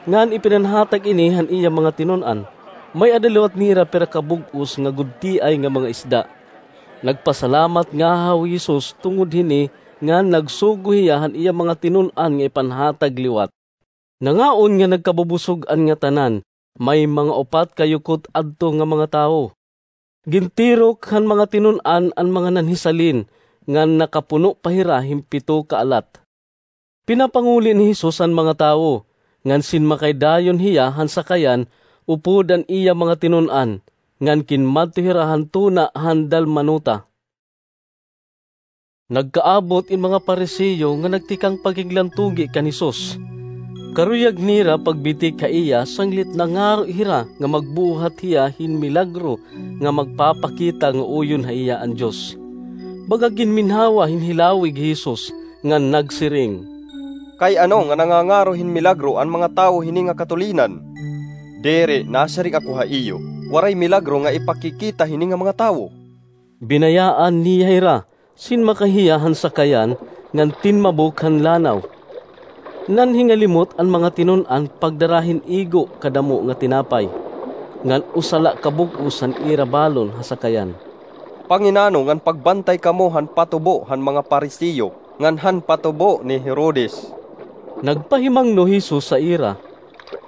Ngan ipinanhatag ini han iya mga tinun-an. May-ada liwat nira pira ka bug-os nga gudtiay nga mga isda. Nagpasalamat ngahaw hi Jesus tungod hini, ngan nagsugo hiya han iya mga tinun-an nga ipanhatag liwat. Nangaon nga nagkabubusog an ngatanan, may mga upat ka yukot adto nga mga tawo. Gintirok han mga tinun-an an mga nanhisalin, ngan nakapuno pa hira hin pito ka alat. Pinapanguli ni Jesus an mga tawo, ngan sinmakay dayon hiya han sakayan upod an iya mga tinun-an, ngan kinmadto hira han tuna han Dalmanuta. Nagkaabot in mga Fariseo nga nagtikang pakiglantugi kan Jesus. Karuyag nira pagbitik ha iya sanglit nangaro hira nga magbuhat hiya hin milagro nga magpapakita nga uyon ha iya an Dios. Baga ginminhawa hin hilawig hi Jesus ngan nagsiring, "Kay ano nga nangangaro hin milagro an mga tawo hini nga katulinan? Diri, nasiring ako ha iyo, waray milagro nga ipakikita hini nga mga tawo." Binayaan niya hira, sinmakay hiya han sakayan, ngan tinmabok han lanaw. Nanhingalimot an mga tinun-an pagdara hin igo kadamo nga tinapay, ngan usa la ka bug-os han ira balon ha sakayan. "Panginano ngan pagbantay kamo han patubo han mga Fariseo ngan han patubo ni Herodes?" Nagpahimangno hi Jesus sa ira.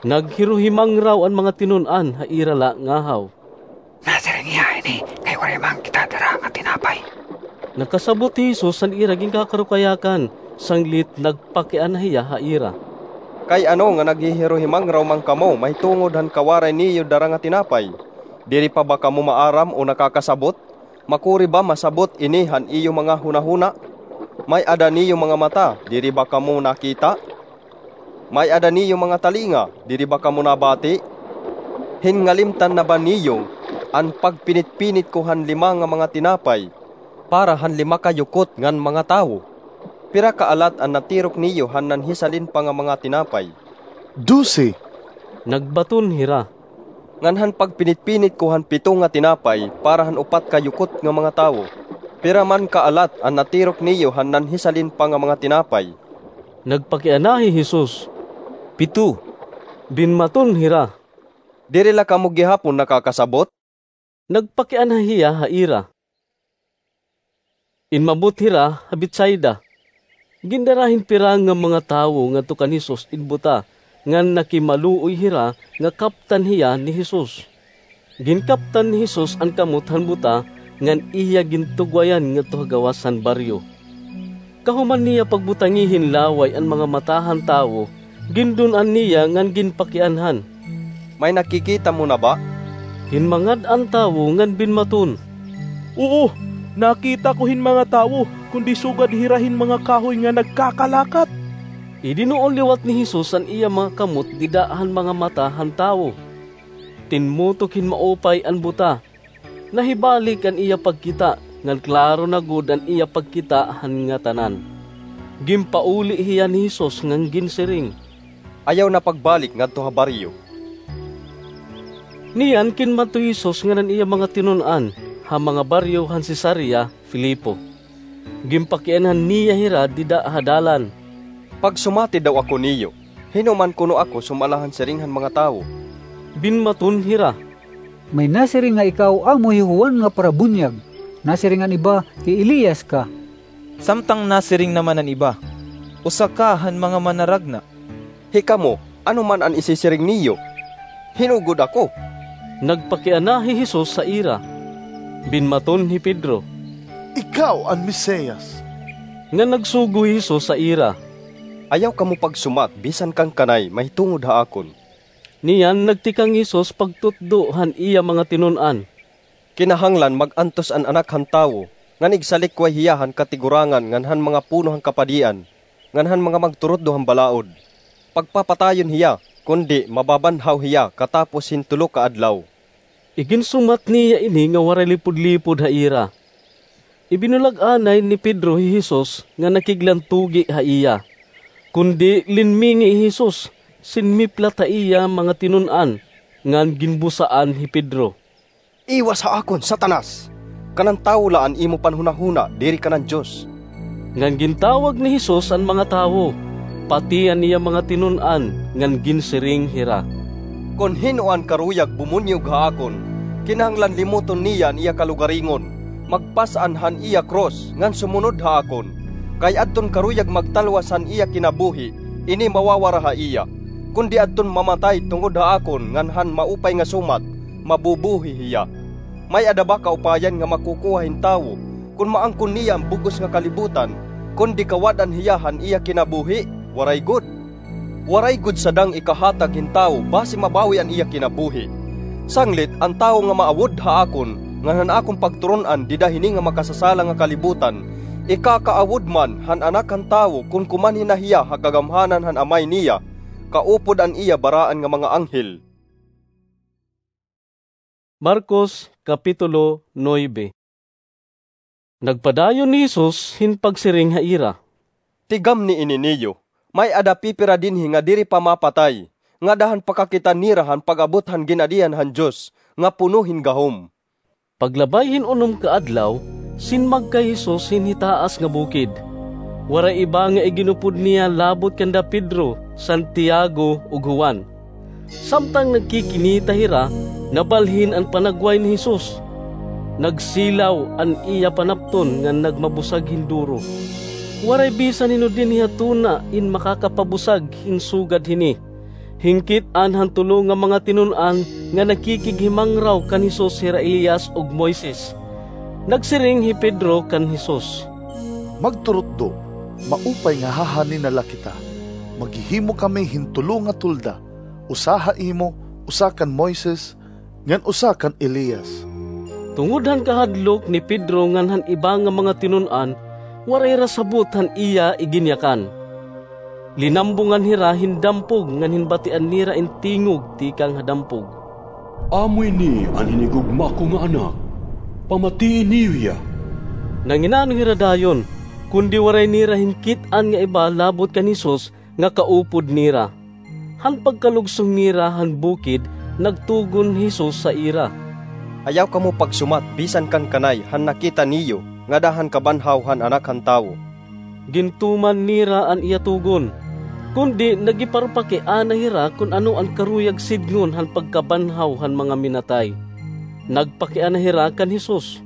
Naghiruhimangraw an mga tinun-an ha ira la ngahaw. "Nasiring hiya ini kay waray man kita dara nga tinapay." Nakasabot hi Jesus han ira ginkakarukayakan, sanglit nagpakiana hiya ha ira. "Kay ano nga naghihiruhimangraw man kamo mahitungod han kawaray niyo dara nga tinapay? Diri pa ba kamo maaram o nakakasabot? Makuri ba masabot ini han iyo mga hunahuna? May-ada niyo mga mata, diri ba kamo nakita? May-ada niyo mga talinga, diri ba kamo nabati? Hingalimtan na ba niyo an pagpinitpinit ko han lima nga mga tinapay para han lima ka yukot ngan mga tawo? Pira ka alat an natirok niyo han nanhisalin pa nga mga tinapay?" "Dose," nagbaton hira. "Ngan han pagpinitpinit ko han pito nga tinapay para han upat ka yukot nga mga tawo, pira man ka alat an natirok niyo han nanhisalin pa nga mga tinapay?" Nagpakiana hi Jesus. "Pito." Binmaton hira. "Diri la kamo gihapon nakakasabot?" Nagpakiana hiya ha ira. Inmabot hira ha Betsaida. Gindara hin pira nga mga tawo ngadto kan Jesus in buta, ngan nakimaluoy hira nga kaptan hiya ni Jesus. Ginkaptan ni Jesus an kamot han buta, ngan iya gintugwayan ngadto ha gawas han baryo. Kahuman niya pagbutangi hin laway an mga mata han tawo, gindun-an niya ngan ginpakianhan, "May nakikita mo na ba?" Hinmangad an tawo ngan binmaton, "Oo, nakita ko hin mga tawo, kundi sugad hira hin mga kahoy nga nagkakalakat." Idinuol liwat ni Jesus an iya mga kamot dida han mga mata han tawo. Tinmutok hin maupay an buta. Nahibalik an iya pagkita, ngan klaro na gud an iya pagkita han ngatanan. Ginpauli hiya ni Jesus ngan ginsiring, "Ayaw na pagbalik ngadto ha baryo." Niyan kinmadto hi Jesus ngan an iya mga tinun-an ha mga baryo han Cesarea Filipo. Ginpakianhan niya hira dida ha dalan. "Pagsumati daw ako niyo, hin-o man kuno ako sumala han siring han mga tawo?" Binmaton hira, "May nasiring nga ikaw amo hi Juan nga parabunyag, nasiring an iba, hi Elias ka." Samtang nasiring naman an iba, "Usa ka han mga manaragna." "Hikamo, ano man an isisiring niyo? Hin-o gud ako?" Nagpakiana hi Jesus sa ira. Binmaton hi Pedro, "Ikaw an Mesias." Ngan nagsugo hi Jesus sa ira, "Ayaw kamo pagsumat bisan kan kanay mahitungod ha akon." Niyan nagtikang hi Jesus pagtutdo han iya mga tinun-an, "Kinahanglan mag-antos an Anak han Tawo, ngan igsalikway hiya han katigurangan ngan han mga puno han kapadian, ngan han mga magturutdo han balaod. Pagpapatayon hiya, kundi mababanhaw hiya katapos hin tulo ka adlaw." Iginsumat niya ini nga waray lipudlipod ha ira. Ibinulag anay ni Pedro hi Jesus nga nakiglantugi ha iya. Kundi linmingi hi Jesus, sinmiplat ha iya mga tinun-an, ngan ginbusaan hi Pedro, "Iwas ha akon, Satanas! Kanan tawo la an imo panhunahuna, diri kanan Dios. Ngan gintawag ni Jesus an mga tawo, pati an iya mga tinun-an, ngan ginsiring hira, "Kon hin-o an karuyag bumunyog ha akon, kinahanglan limoton niya an iya kalugaringon, magpas-an han iya krus, ngan sumunod ha akon. Kay adton karuyag magtalwas han iya kinabuhi, ini mawawara ha iya. Kundi adton mamatay tungod ha akon ngan han maupay nga sumat, mabubuhi hiya. May-ada ba kaupayan nga makukuha hin tawo kon maangkon niya an bug-os nga kalibutan, kundi kawad-an hiya han iya kinabuhi? Waray gud. Waray gud sadang ikahatag hin tawo basi mabawi an iya kinabuhi. Sanglit an tawo nga maawod ha akon ngan han akon pagturun-an dida hini nga makasasala nga kalibutan, ikakaawod man han Anak han Tawo kon kumanhi na hiya ha kagamhanan han Amay niya, kaupod an iya baraan nga mga anghel." Marcos, Kapitulo nuebe. Nagpadayon ni Jesus hin pagsiring ha ira, "Tigamni ini niyo, may-ada pipira dinhi nga diri pa mapatay, ngada han pakakita nira han pag-abot han Ginadian han Dios nga puno hin gahom." Paglabay hin unom ka adlaw, sinmag kay Jesus hin hitaas nga bukid. Waray iba nga iginupod niya labot kanda Pedro, Santiago, ug Juan. Samtang nagkikinita hira, nabalhin an panagway ni Jesus. Nagsilaw an iya panapton ngan nagmabusag hin duro. Waray bisan hin-o dinhi ha tuna in makakapabusag hin sugad hini. Hinkit-an han tulo nga mga tinun-an nga nakikighimangraw kan Jesus hira Elias ug Moises. Nagsiring hi Pedro kan Jesus, "Magturutdo, maupay nga hahanina la kita. Maghihimo kami hin tulo nga tolda, usa ha imo, usa kan Moises, ngan usa kan Elias." Tungod han kahadlok ni Pedro ngan han iba nga mga tinun-an, waray hira sabot han iya iginyakan. Linambungan hira hin dampog ngan hinbatian nira in tingog tikang ha dampog, "Amo ini an hinigugma ko nga Anak. Pamatii niyo hiya." Nanginano hira dayon, kundi waray nira hinkit-an nga iba labot kan Jesus nga kaupod nira. Han pagkalugsong nira han bukid, nagtugon hi Jesus ha ira, "Ayaw kamo pagsumat bisan kan kanay han nakita niyo ngada han kabanhaw han Anak han Tawo." Gintuman nira an iya tugon, kundi nagiparpakiana hira kon ano an karuyag sidngon han pagkabanhaw han mga minatay. Nagpakiana hira kan Jesus,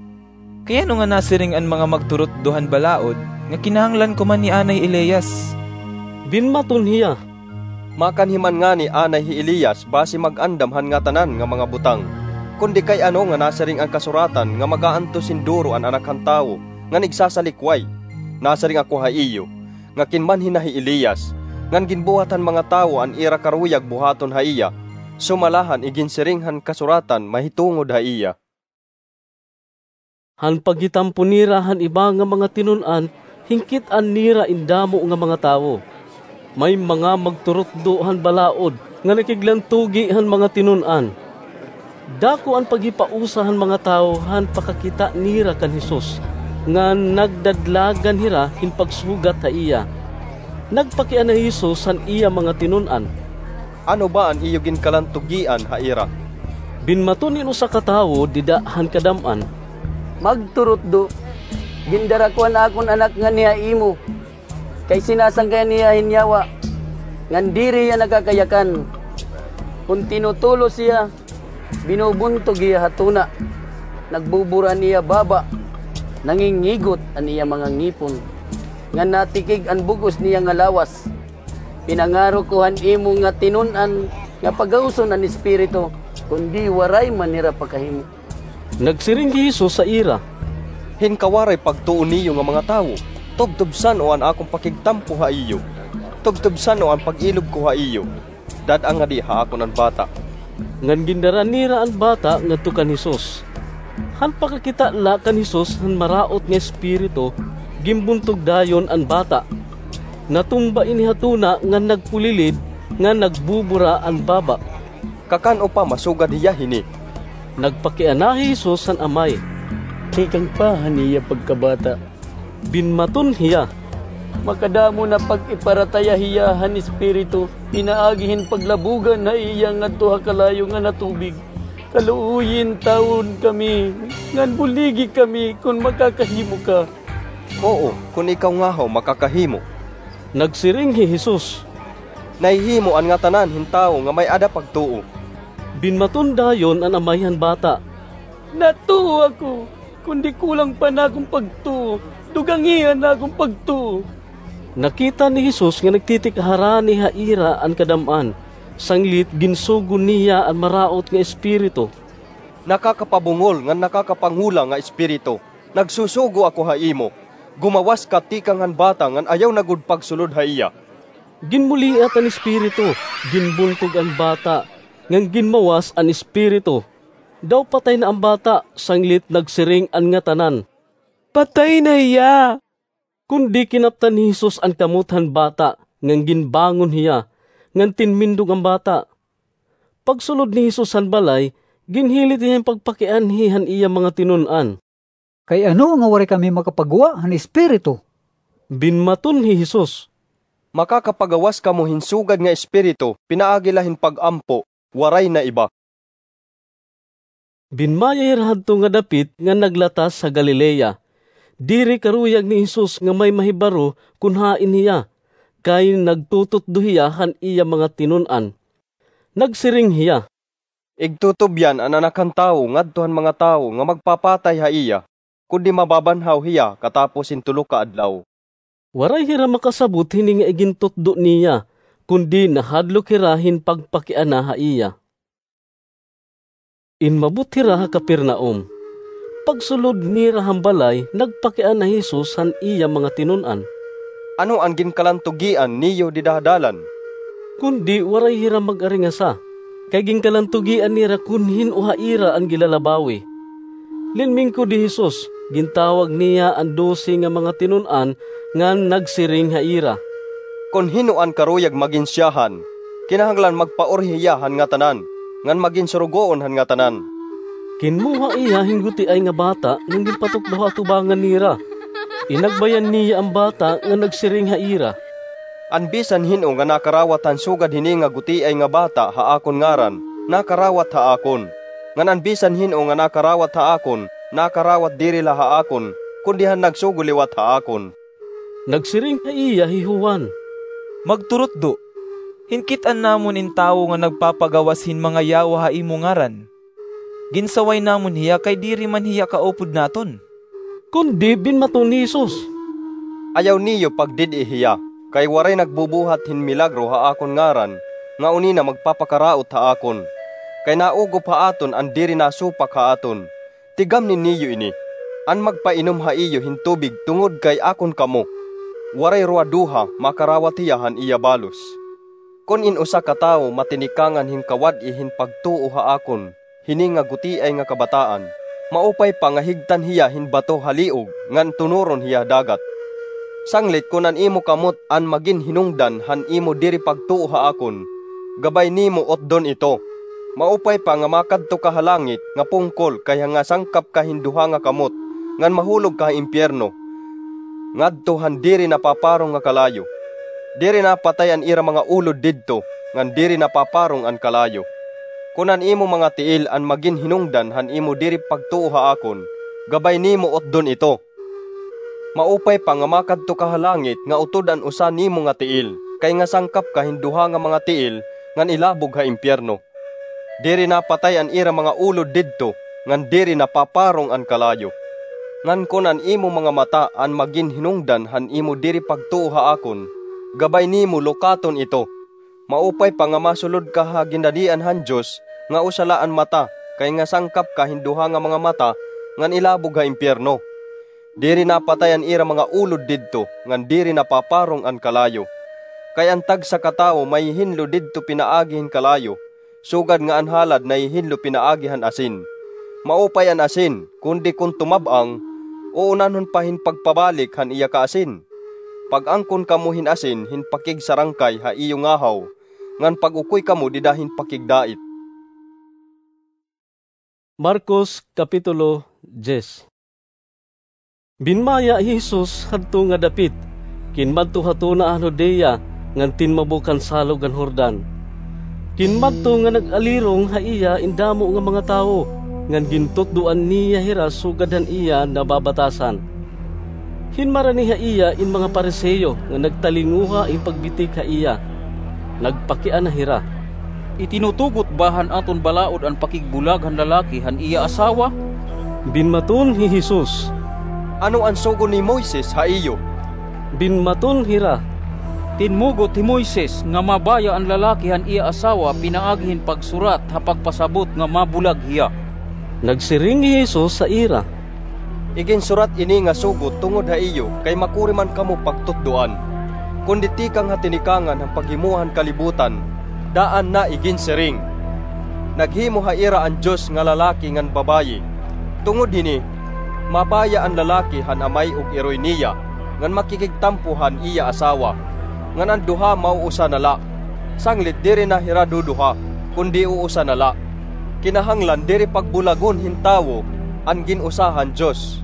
"Kay ano nga nasiring an mga magturutdo han balaod nga kinahanglan kumanhi anay hi Elias?" Binmaton hiya, "Makanhi man ngani anay hi Elias basi mag-andam han ngatanan nga mga butang. Kundi kay ano nga nasiring an kasuratan nga mag-aantos hin duro an Anak han Tawo ngan igsasalikway? Nasiring ako ha iyo nga kinmanhi na hi Elias, ngan ginbuhat han mga tawo an ira karuyag buhaton ha iya, sumala han iginsiring han kasuratan mahitungod ha iya." Han paghitampo nira han iba nga mga tinun-an, hinkit-an nira in damo nga mga tawo. May mga magturutdo han balaod nga nakiglantugi han mga tinun-an. Dako an paghipausa han mga tawo han pakakita nira kan Jesus, ngan nagdadlagan hira hin pagsugat ha iya. Nagpakiana hi Jesus han iya mga tinun-an, "Ano ba an iyo ginkalantugian ha ira?" Binmaton hin usa ka tawo dida han kadam-an, "Magturutdo, gindara ko an akon anak nganhi ha imo, kay sinasangkayan hiya hin yawa, ngan diri hiya nakakayakan. Kon tinutulos hiya, binubuntog hiya ha tuna, nagbubura an iya baba, nangingigot an iya mga ngipon, ngan natikig an bug-os niya nga lawas. Pinangaro ko han imo nga tinun-an nga pagawson an espiritu, kundi waray man hira pakahimo." Nagsiring hi Jesus ha ira, "Hin kawaray pagtuo niyo nga mga tawo, tubtob san-o an akon pakigtampo ha iyo? Tubtob san-o an pag-ilob ko ha iyo? Dad-a ngadi ha akon an bata." Ngan gindara nira an bata ngadto kan Jesus. Han pakakita la kan Jesus han maraot nga espiritu, ginbuntog dayon an bata. Natumba ini ha tuna ngan nagpulilid ngan nagbubura an baba. "Kakan-o pa masugad hiya hini?" Nagpakiana hi Jesus han amay, "Tikang pa han iya pagkabata." Binmaton hiya, "Makadamo na pag-iparataya hiya han espiritu pinaagi hin paglabugan ha iya ngadto ha kalayo nga natubig. Kaluoyi intawon kami, ngan buligi kami kon makakahimo ka. Oo, kon ikaw ngahaw makakahimo. Nagsiring hi Jesus, "Nahihimo an ngatanan hin tawo nga may-ada pagtuo." Binmaton dayon an amay han bata, "Natuo ako, kundi kulang pa an akon pagtuo, dugangi an akon pagtuo." Nakita ni Jesus nga nagtitik-a harani ha ira an kadam-an, sanglit ginsugo niya an maraot nga espiritu. "Nakakapabungol ngan nakakapangula nga espiritu, nagsusugo ako ha imo, gumawas ka tikang han bata ngan ayaw na gud pagsulod ha iya." Ginmuliat an espiritu, ginbuntog an bata, ngan ginmawas an espiritu. Daw patay na an bata, sanglit nagsiring an ngatanan, "Patay na hiya!" Kundi kinaptan ni Jesus an kamot han bata, ngan ginbangon hiya, ngan tinmindog an bata. Pagsulod ni Jesus han balay, ginhilit hiya hin pagpakianhi han iya mga tinun-an. "Kay ano nga waray kami makapagwa han espiritu?" Binmaton hi Jesus, "Makakapagawas kamo hin sugad nga espiritu pinaagi la hin pag-ampo, waray na iba." Binmaya hira hadto nga dapit nga naglatas ha Galilea. Diri karuyag ni Jesus nga may mahibaro kon hain hiya, kay nagtututdo hiya han iya mga tinun-an. Nagsiring hiya, "Igtutubyan an Anak han Tawo ngadto han mga tawo nga magpapatay ha iya, kundi mababanhaw hiya katapos hin tulo ka adlaw." Waray hira makasabot hini nga igintutdo niya, kundi nahadlok hira hin pagpakiana ha iya. Inmabot hira ha Capernaum. Pagsulod nira han balay, nagpakiana hi Jesus han iya mga tinun-an, "Ano an ginkalantugian niyo dida ha dalan?" Kundi waray hira mag-aringasa, kay ginkalantugian nira kon hin-o ha ira an gilalabawi. Linmingkod hi Jesus, gintawag niya an dose nga mga tinun-an ngan nagsiring ha ira, "Kon hin-o an karuyag magin siyahan, kinahanglan magpaurhi hiya han ngatanan, ngan magin surugoon han ngatanan." Kinmoha hiya hin gutiay nga bata ngan ginpatukdo ha atubangan nira. Inagbayan niya an bata ngan nagsiring ha ira, "An bisan hin-o nga nakarawat han sugad hini nga gutiay nga bata ha akon ngaran, nakarawat ha akon. Ngan an bisan hin-o nga nakarawat ha akon, nakarawat diri la ha akon, kundi han nagsugo liwat ha akon." Nagsiring ha iya hi Juan, "Magturutdo, hinkit-an namon in tawo nga nagpapagawas hin mga yawa ha imo ngaran. Ginsaway namon hiya kay diri man hiya kaupod naton." Kundi binmaton ni Jesus, "Ayaw niyo pagdid-i hiya, kay waray nagbubuhat hin milagro ha akon ngaran nga uni na magpapakaraot ha akon, kay naugop ha aton an diri nasupak ha aton. Tigamni niyo ini, an magpainom ha iyo hin tubig tungod kay akon kamo, waray ruwa-duha makarawat hiya han iya balos. Kon in usa ka tawo matinikangan hin kawad-i hin pagtuo ha akon hini nga gutiay nga kabataan, maupay pa nga higtan hiya hin bato ha liog ngan tunuron hiya ha dagat. Sanglit kon an imo kamot an magin hinungdan han imo diri pagtuo ha akon, gabay nimo utdon ito. Maupay pa nga makadto ka ha langit nga pungkol kayha nga sangkap ka hin duha nga kamot ngan mahulog ka ha impiyerno, ngadto han diri napaparong nga kalayo. Diri napatay an ira mga ulod didto, ngan diri napaparong an kalayo. Kon an imo mga tiil an magin hinungdan han imo diri pagtuo ha akon, gabay nimo utdon ito. Maupay pa nga makadto ka ha langit nga utod an usa nimo nga tiil, kay nga sangkap ka hin duha nga mga tiil ngan ilabog ha impiyerno. Diri napatay an ira mga ulod didto, ngan diri napaparong an kalayo. Ngan kon an imo mga mata an magin hinungdan han imo diri pagtuo ha akon, gabay nimo lukaton ito. Maupay pa nga masulod ka ha ginhadian han Dios nga usa la an mata, kay nga sangkap ka hin duha nga mga mata ngan ilabog ha impiyerno. Diri napatay an ira mga ulod didto, ngan diri napaparong an kalayo. Kay an tagsa ka tawo mahihinlo didto pinaagi hin kalayo, sugad nga an halad nahihinlo pinaagi han asin. Maupay an asin, kundi kon tumab-ang, uunanhon pa hin pagpabalik han iya kaasin. Pag-angkon kamo hin asin hin pakigsarangkay ha iyo ngahaw, ngan pag-ukoy kamo dida hin pakigdait." Marcos, Kapitulo diyes. Binmaya hi Jesus hadto nga dapit, kinmadto ha tuna han Judea ngan tinmabok han salog han Jordan. Ginmadto nga nag-alirong ha iya in damo nga mga tawo, ngan gintutdoan niya hira sugad han iya nababatasan. Hinmarani ha iya in mga Fariseo nga nagtalinguha hin pagbitik ha iya. Nagpakiana hira, "Itinutugot ba han aton balaod an pakigbulag han lalaki han iya asawa?" Binmaton hi Jesus, "Ano an sugo ni Moises ha iyo?" Binmaton hira, "Tinmugot hi Moises nga mabaya an lalaki han iya asawa pinaagi hin pagsurat ha pagpasabot nga mabulag hiya." Nagsiring hi Jesus ha ira, "Iginsurat ini nga sugo tungod ha iyo kay makuri man kamo pagtutdoan. Kundi tikang ha tinikangan han paghimoa han kalibutan, daan na iginsiring. Naghimo ha ira an Dios nga lalaki ngan babaye. Tungod hini, mabaya an lalaki han amay ug iroy niya, ngan makikigtampo han iya asawa, ngan an duha mauusa na la. Sanglit diri na hira duduha, kundi uusa na la. Kinahanglan diri pagbulagon hin tawo an gin-usa han Dios."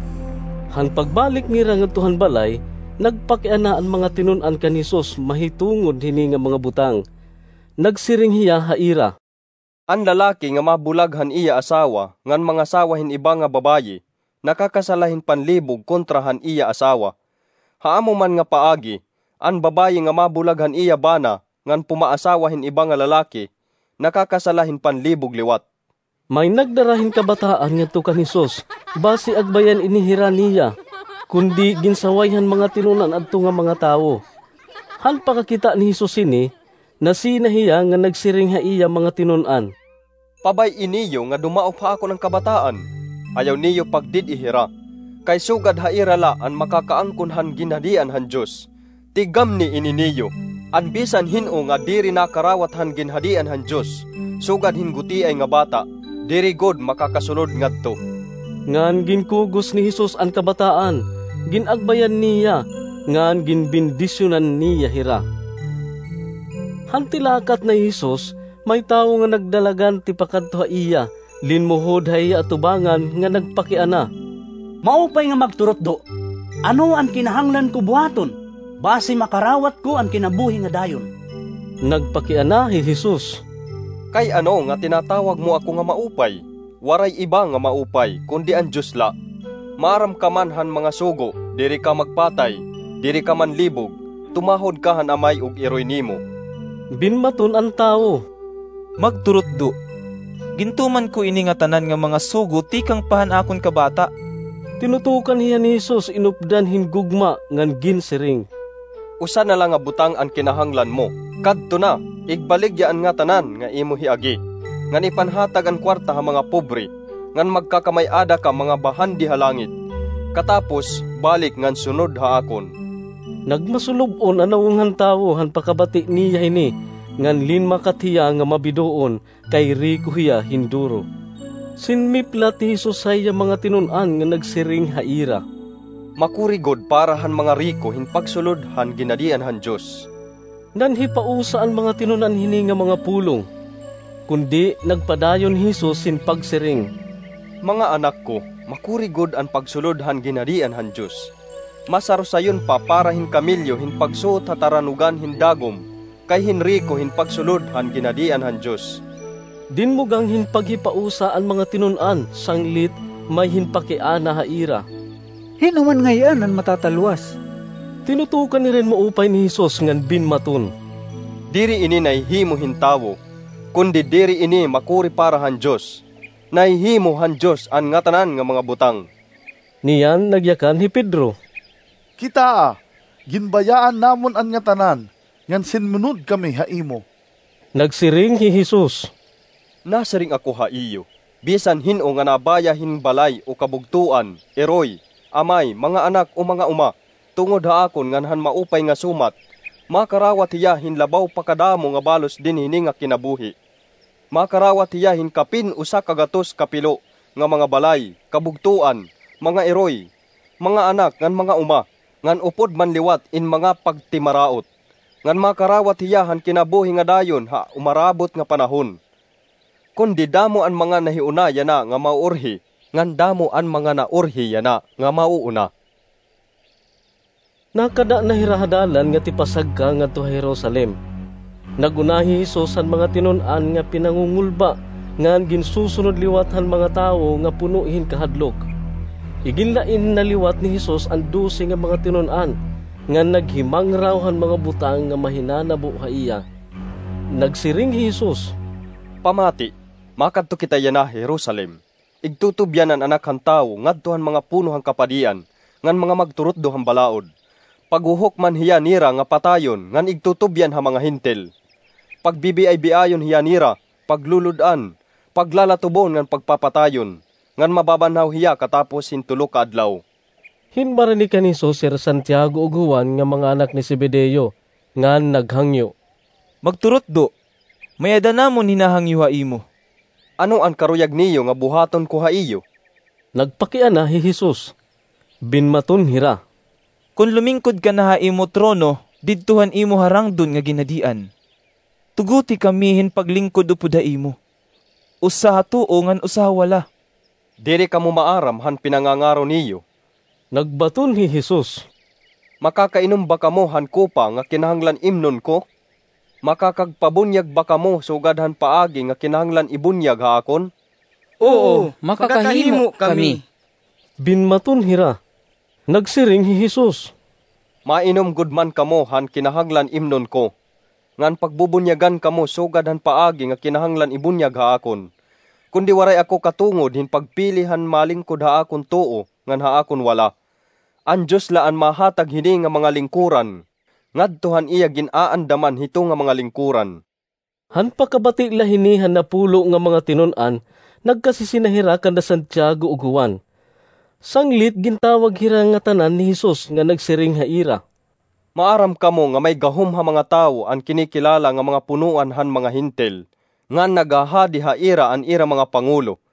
Han pagbalik nira ngadto han balay, nagpakiana an mga tinun-an kan Jesus mahitungod hini nga mga butang. Nagsiring hiya ha ira, "An lalaki nga mabulag han iya asawa ngan mangasawa hin iba nga babaye, nakakasala hin panlibog kontra han iya asawa. Ha amo man nga paagi, an babaye nga mabulag han iya bana ngan pumaasawa hin iba nga lalaki, nakakasala hin panlibog liwat." May nagdara hin kabataan ngadto kan Jesus, basi agbayan ini hira niya, kundi ginsaway han mga tinun-an adto nga mga tawo. Han pakakita ni Jesus hini, nasina hiya ngan nagsiring ha iya mga tinun-an, "Pabay-i niyo nga dumaop ha akon an kabataan. Ayaw niyo pagdid-i hira, kay sugad ha ira la an makakaangkon han ginhadian han Dios. Tigamni ini niyo, an bisan hin-o nga diri nakarawat han ginhadian han Dios, sugad hin gutiay nga bata, diri gud makakasulod ngadto." Ngan ginkugos ni Jesus an kabataan, gin-agbayan niya, ngan ginbendisyonan niya hira. Han tilakat na hi Jesus, may tawo nga nagdalagan tipakadto ha iya, linmuhod ha iya atubangan nga nagpakiana, "Maupay nga magturutdo, ano an kinahanglan ko buhaton, basi makarawat ko an kinabuhi nga dayon?" Nagpakiana hi Jesus, "Kay ano nga tinatawag mo ako nga maupay? Waray iba nga maupay, kundi an Dios la. Maaram ka man han mga sugo, 'Diri ka magpatay, diri ka manlibog, tumahod ka han amay ug iroy nimo.'" Binmaton an tawo, "Magturutdo, gintuman ko ini ngatanan nga mga sugo tikang pa han akon kabata." Tinutukan hiya ni Jesus inupdan hin gugma ngan ginsiring, "Usa na la nga butang an kinahanglan mo. Kadto na, igbaligya an ngatanan nga imo hiagi, ngan ipanhatag an kuwarta ha mga pobre, ngan magkakamay-ada ka mga bahandi ha langit. Katapos, balik ngan sunod ha akon." Nagmasulub-on an nawong han tawo han pakabati niya hini, ngan linmakat hiya nga mabidoon, kay riko hiya hin duro. Sinmiplat hi Jesus ha iya mga tinun-an ngan nagsiring ha ira, "Makuri gud para han mga riko hin pagsulod han ginhadian han Dios." Nanhipausa an mga tinun-an hini nga mga pulong. Kundi nagpadayon hi Jesus hin pagsiring, "Mga anak ko, makuri gud an pagsulod han ginhadian han Dios. Mas harusayon pa para hin kamelyo hin pagsuot ha taranugan hin dagom, kay hin riko hin pagsulod han ginhadian han Dios." Dinmugang hin paghipausa an mga tinun-an, sanglit may hin pakiana ha ira, "Hin-o man ngay-an an matatalwas?" Tinutukan hira hin maupay ni Jesus ngan binmaton, "Diri ini nahihimo hin tawo, kundi diri ini makuri para han Dios. Nahihimo han Dios an ngatanan nga mga butang." Niyan nagyakan hi Pedro, "Kitaa, ginbayaan namon an ngatanan, ngan sinmunod kami ha imo." Nagsiring hi Jesus, "Nasiring ako ha iyo, bisan hin-o nga nabaya hin balay o kabugtoan, iroy, amay, mga anak o mga uma, tungod ha akon ngan han maupay nga sumat, makarawat hiya hin labaw pa kadamo nga balos dinhi hini nga kinabuhi. Makarawat hiya hin kapin usa ka gatos ka pilo nga mga balay, kabugtoan, mga iroy, mga anak ngan mga uma, ngan upod man liwat in mga pagtimaraot. Ngan makarawat hiya han kinabuhi nga dayon ha umarabot nga panahon. Kundi damo an mga nahiuna yana nga mauurhi, ngan damo an mga naurhi yana nga mauuna." Nakada na hira ha dalan nga tipasagka ngadto ha Jerusalem. Nag-una hi Jesus han mga tinun-an nga pinangungulba, ngan ginsusunod liwat han mga tawo nga puno hin kahadlok. Iginlain na liwat ni Jesus an dose nga mga tinun-an, ngan naghimangraw han mga butang nga mahinanabo ha iya. Nagsiring hi Jesus, "Pamati, makadto kita yana ha Jerusalem. Igtutubyan an Anak han Tawo ngadto han mga puno han kapadian ngan mga magturutdo han balaod. Paghuhukman hiya nira nga patayon ngan igtutubyan ha mga Hentil. Pagbibiay-biayon hiya nira, paglulud-an, paglalatubon ngan pagpapatayon, ngan mababanhaw hiya katapos hin tulo ka adlaw." Hin marani kan Jesus Sir Santiago ug Juan nga mga anak ni Zebedeo, ngan naghangyo, "Magturutdo, may-ada namon hinahangyo ha imo." "Ano an karuyag niyo nga buhaton ko ha iyo?" Nagpakiana hi Jesus. Binmaton hira, "Kon lumingkod ka na ha imo trono didto han imo harangdon nga ginhadian, tuguti kami hin paglingkod upod ha imo, usa ha tuo ngan usa ha wala." "Diri kamo maaram han pinangangaro niyo." Nagbaton hi Jesus, "Makakainom ba kamo han kopa nga kinahanglan imnon ko? Makakagpabunyag ba kamo sugad han paagi nga kinahanglan ibunyag ha akon?" "Oo, makakahimo kami." Binmaton hira. Nagsiring hi Jesus, "Mainom gud man kamo han kinahanglan imnon ko, ngan pagbubunyagan kamo sugad han paagi nga kinahanglan ibunyag ha akon. Kundi waray ako katungod hin pagpili han malingkod ha akon tuo ngan ha akon wala. An Dios la an mahatag hini nga mga lingkuran ngadto han iya gin-aandaman hito nga mga lingkuran." Han pakabati la hini han napulo nga mga tinun-an, nagkasisina hira kan da Santiago ug Juan. Sanglit gintawag hira ngatanan ni Jesus nga nagsiring ha ira, "Maaram kamo nga may gahom ha mga tawo an kinikilala nga mga punoan han mga Hentil, ngan naghahadi ha ira an ira mga pangulo.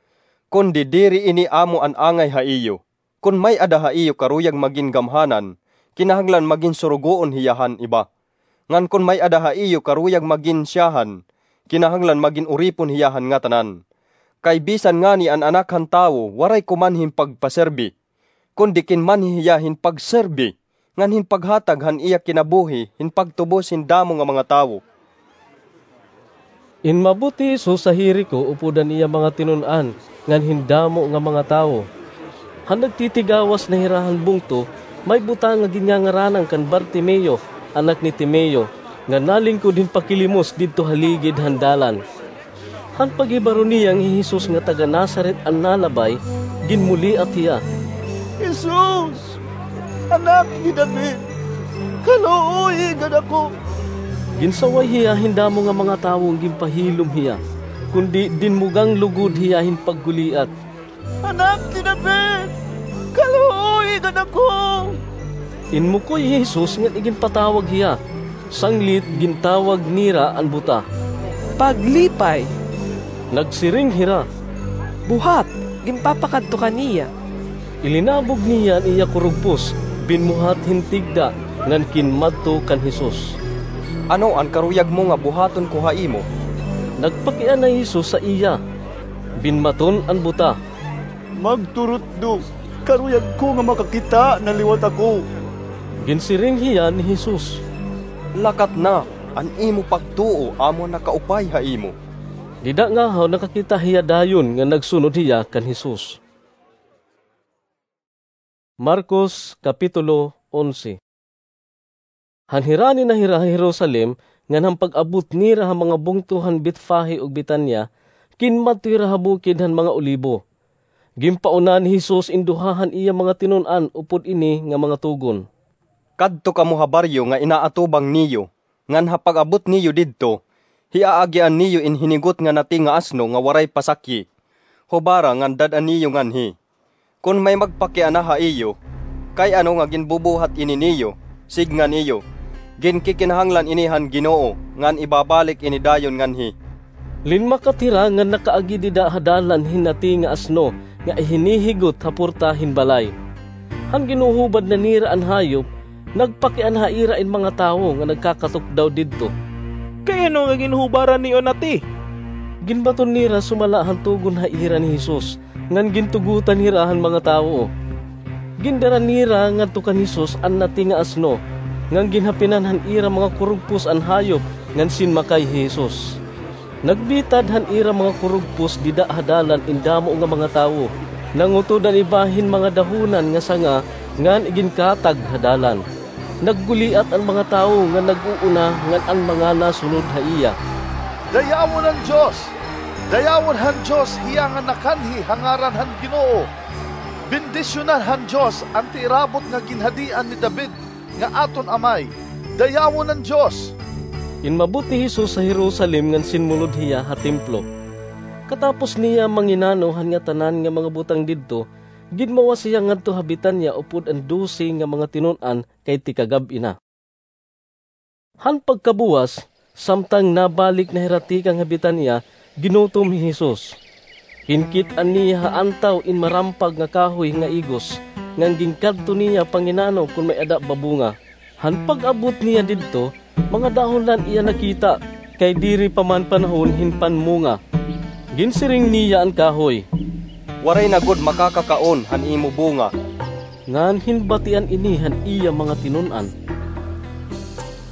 Kundi diri ini amo an angay ha iyo. Kon may-ada ha iyo karuyag magin gamhanan, kinahanglan magin surugoon hiya han iba. Ngan kon may-ada ha iyo karuyag magin syahan, kinahanglan magin uripon hiya han ngatanan. Kay bisan ngani an Anak han Tawo waray kumanhi hin pagpaserbi, kundi kinmanhi hiya hin pagserbi, ngan hin paghatag han iya kinabuhi hin pagtubos hin damo nga mga tawo." Inmabot hi Jesus ha Jerico upod an iya mga tinun-an ngan hin damo nga mga tawo. Han nagtitigawas na hira han bungto, may butang nga ginngangaranan kan Bartimeo, anak ni Timeo, nga nalingkod hin pakilimos didto ha ligid han dalan. Han paghibaro niya nga hi Jesus nga taga-Nazaret an nalabay, ginmuliat hiya, "Jesus, Anak ni David, kaluoyi gad ako." Ginsaway hiya hin damo nga mga tawo nga ginpahilom hiya, kundi dinmugang lugod hiya hin pagguliat, "Anak ni David, kaluoyi gad ako." Inmukoy hi Jesus ngan iginpatawag hiya. Sanglit gintawag nira an buta, "Paglipay." Nagsiring hira, "Buhat, ginpapakadto ka niya." Ilinabog niya an iya kurugpos, binmuhat hin tigda, ngan kinmadto kan Jesus. "Ano an karuyag mo nga buhaton ko ha imo?" Nagpakiana hi Jesus ha iya. Binmaton an buta, "Magturutdo, karuyag ko nga makakita na liwat ako." Ginsiring hiya ni Jesus, "Lakat na, an imo pagtuo amo an nakaupay ha imo." Dida ngahaw nakakita hiya dayon nga nagsunod hiya kan Jesus. Marcos, Kapitulo onse. Han hirani na hira ha Jerusalem, ngan han pag-abot nira ha mga bungto han Betfage ug Betania, kinmadto hira ha bukid han mga Olibo. Ginpauna ni Jesus in duha han iya mga tinun-an upod ini nga mga tugon, "Kadto kamo ha baryo nga inaatubang niyo, ngan ha pag-abot niyo didto, hiaagian niyo in hinigot nga nati nga asno nga waray pasakyi. Hubara ngan dad-a niyo nganhi. Kon may magpakiana ha iyo, 'Kay ano nga ginbubuhat ini niyo?' sidnga niyo, 'Ginkikinahanglan ini han Ginoo, ngan ibabalik ini dayon nganhi.'" Linmakat hira ngan nakaagi dida ha dalan hin nati nga asno nga ihinihigot ha porta hin balay. Han ginhuhubad na nira an hayop, nagpakiana ha ira in mga tawo nga nagkakatukdaw didto, "Kay ano nga ginhubaran niyo an nati?" Ginbaton nira sumala han tugon ha ira ni Jesus, ngan gintugotan hira han mga tawo. Gindara nira ngadto kan Jesus an nati nga asno, ngan ginhapinan han ira mga kurugpos an hayop, ngan sinmakay hi Jesus. Nagbitad han ira mga kurugpos dida ha dalan in damo nga mga tawo. Nangutod an iba hin mga dahonan nga sanga ngan iginkatag ha dalan. Nagguliat an mga tawo nga nag-uuna ngan an mga nasunod ha iya. Dayawon an Dios! Dayawon han Dios hiya nga nakanhi ha ngaran han Ginoo! Bendisyonan han Dios an tiirabot nga ginhadian ni David nga aton amay! Dayawon an Dios! Inmabot hi Jesus ha Jerusalem ngan sinmulod hiya ha templo. Katapos niya manginano han ngatanan nga mga butang didto, ginmawas hiya ngadto ha Betania upod an dose nga mga tinun-an kay tikagab-i na. Han pagkabuwas, samtang nabalik na hira tikang ha Betania, ginutom hi Jesus. Ginkit-an niya ha antaw in marampag nga kahoy nga igos, ngan ginkadto niya panginano kon may-ada ba bunga. Han pag-abot niya didto, mga dahon la an iya nakita, kay diri pa man panahon hin panmunga. Ginsiring niya an kahoy, "Waray na gud makakakaon han imo bunga." Ngan hinbatian ini han iya mga tinun-an.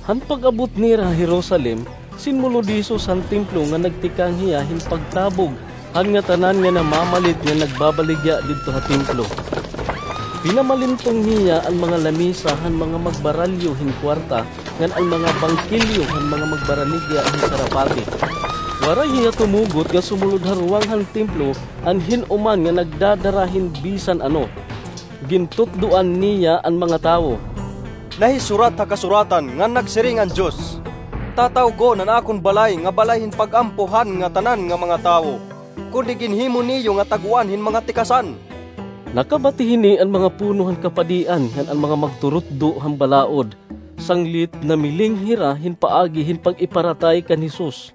Han pag-abot nira ha Jerusalem, sinmulod hi Jesus han templo ngan nagtikang hiya hin pagtabog han ngatanan nga namamalit ngan nagbabaligya didto ha templo. Pinamalintong niya an mga lamesa han mga magbaralyo hin kuwarta ngan an mga bangkilyo han mga magbaralyo hin sarapati. Waray hiya tumugot nga sumulod ha ruwang han templo an hin-o man nga nagdadara hin bisan ano. Gintutdoan niya an mga tawo. Nahisurat ha Kasuratan ngan nagsiring an Dios, 'Tatawgon an akon balay nga balay hin pag-ampo han ngatanan nga mga tawo,' kundi ginhimo niyo nga tagoan hin mga tikasan. Nakabati hini an mga puno han kapadian ngan an mga magturutdo han balaod. Sanglit namiling hira hin paagi hin pag-iparatay kan Jesus.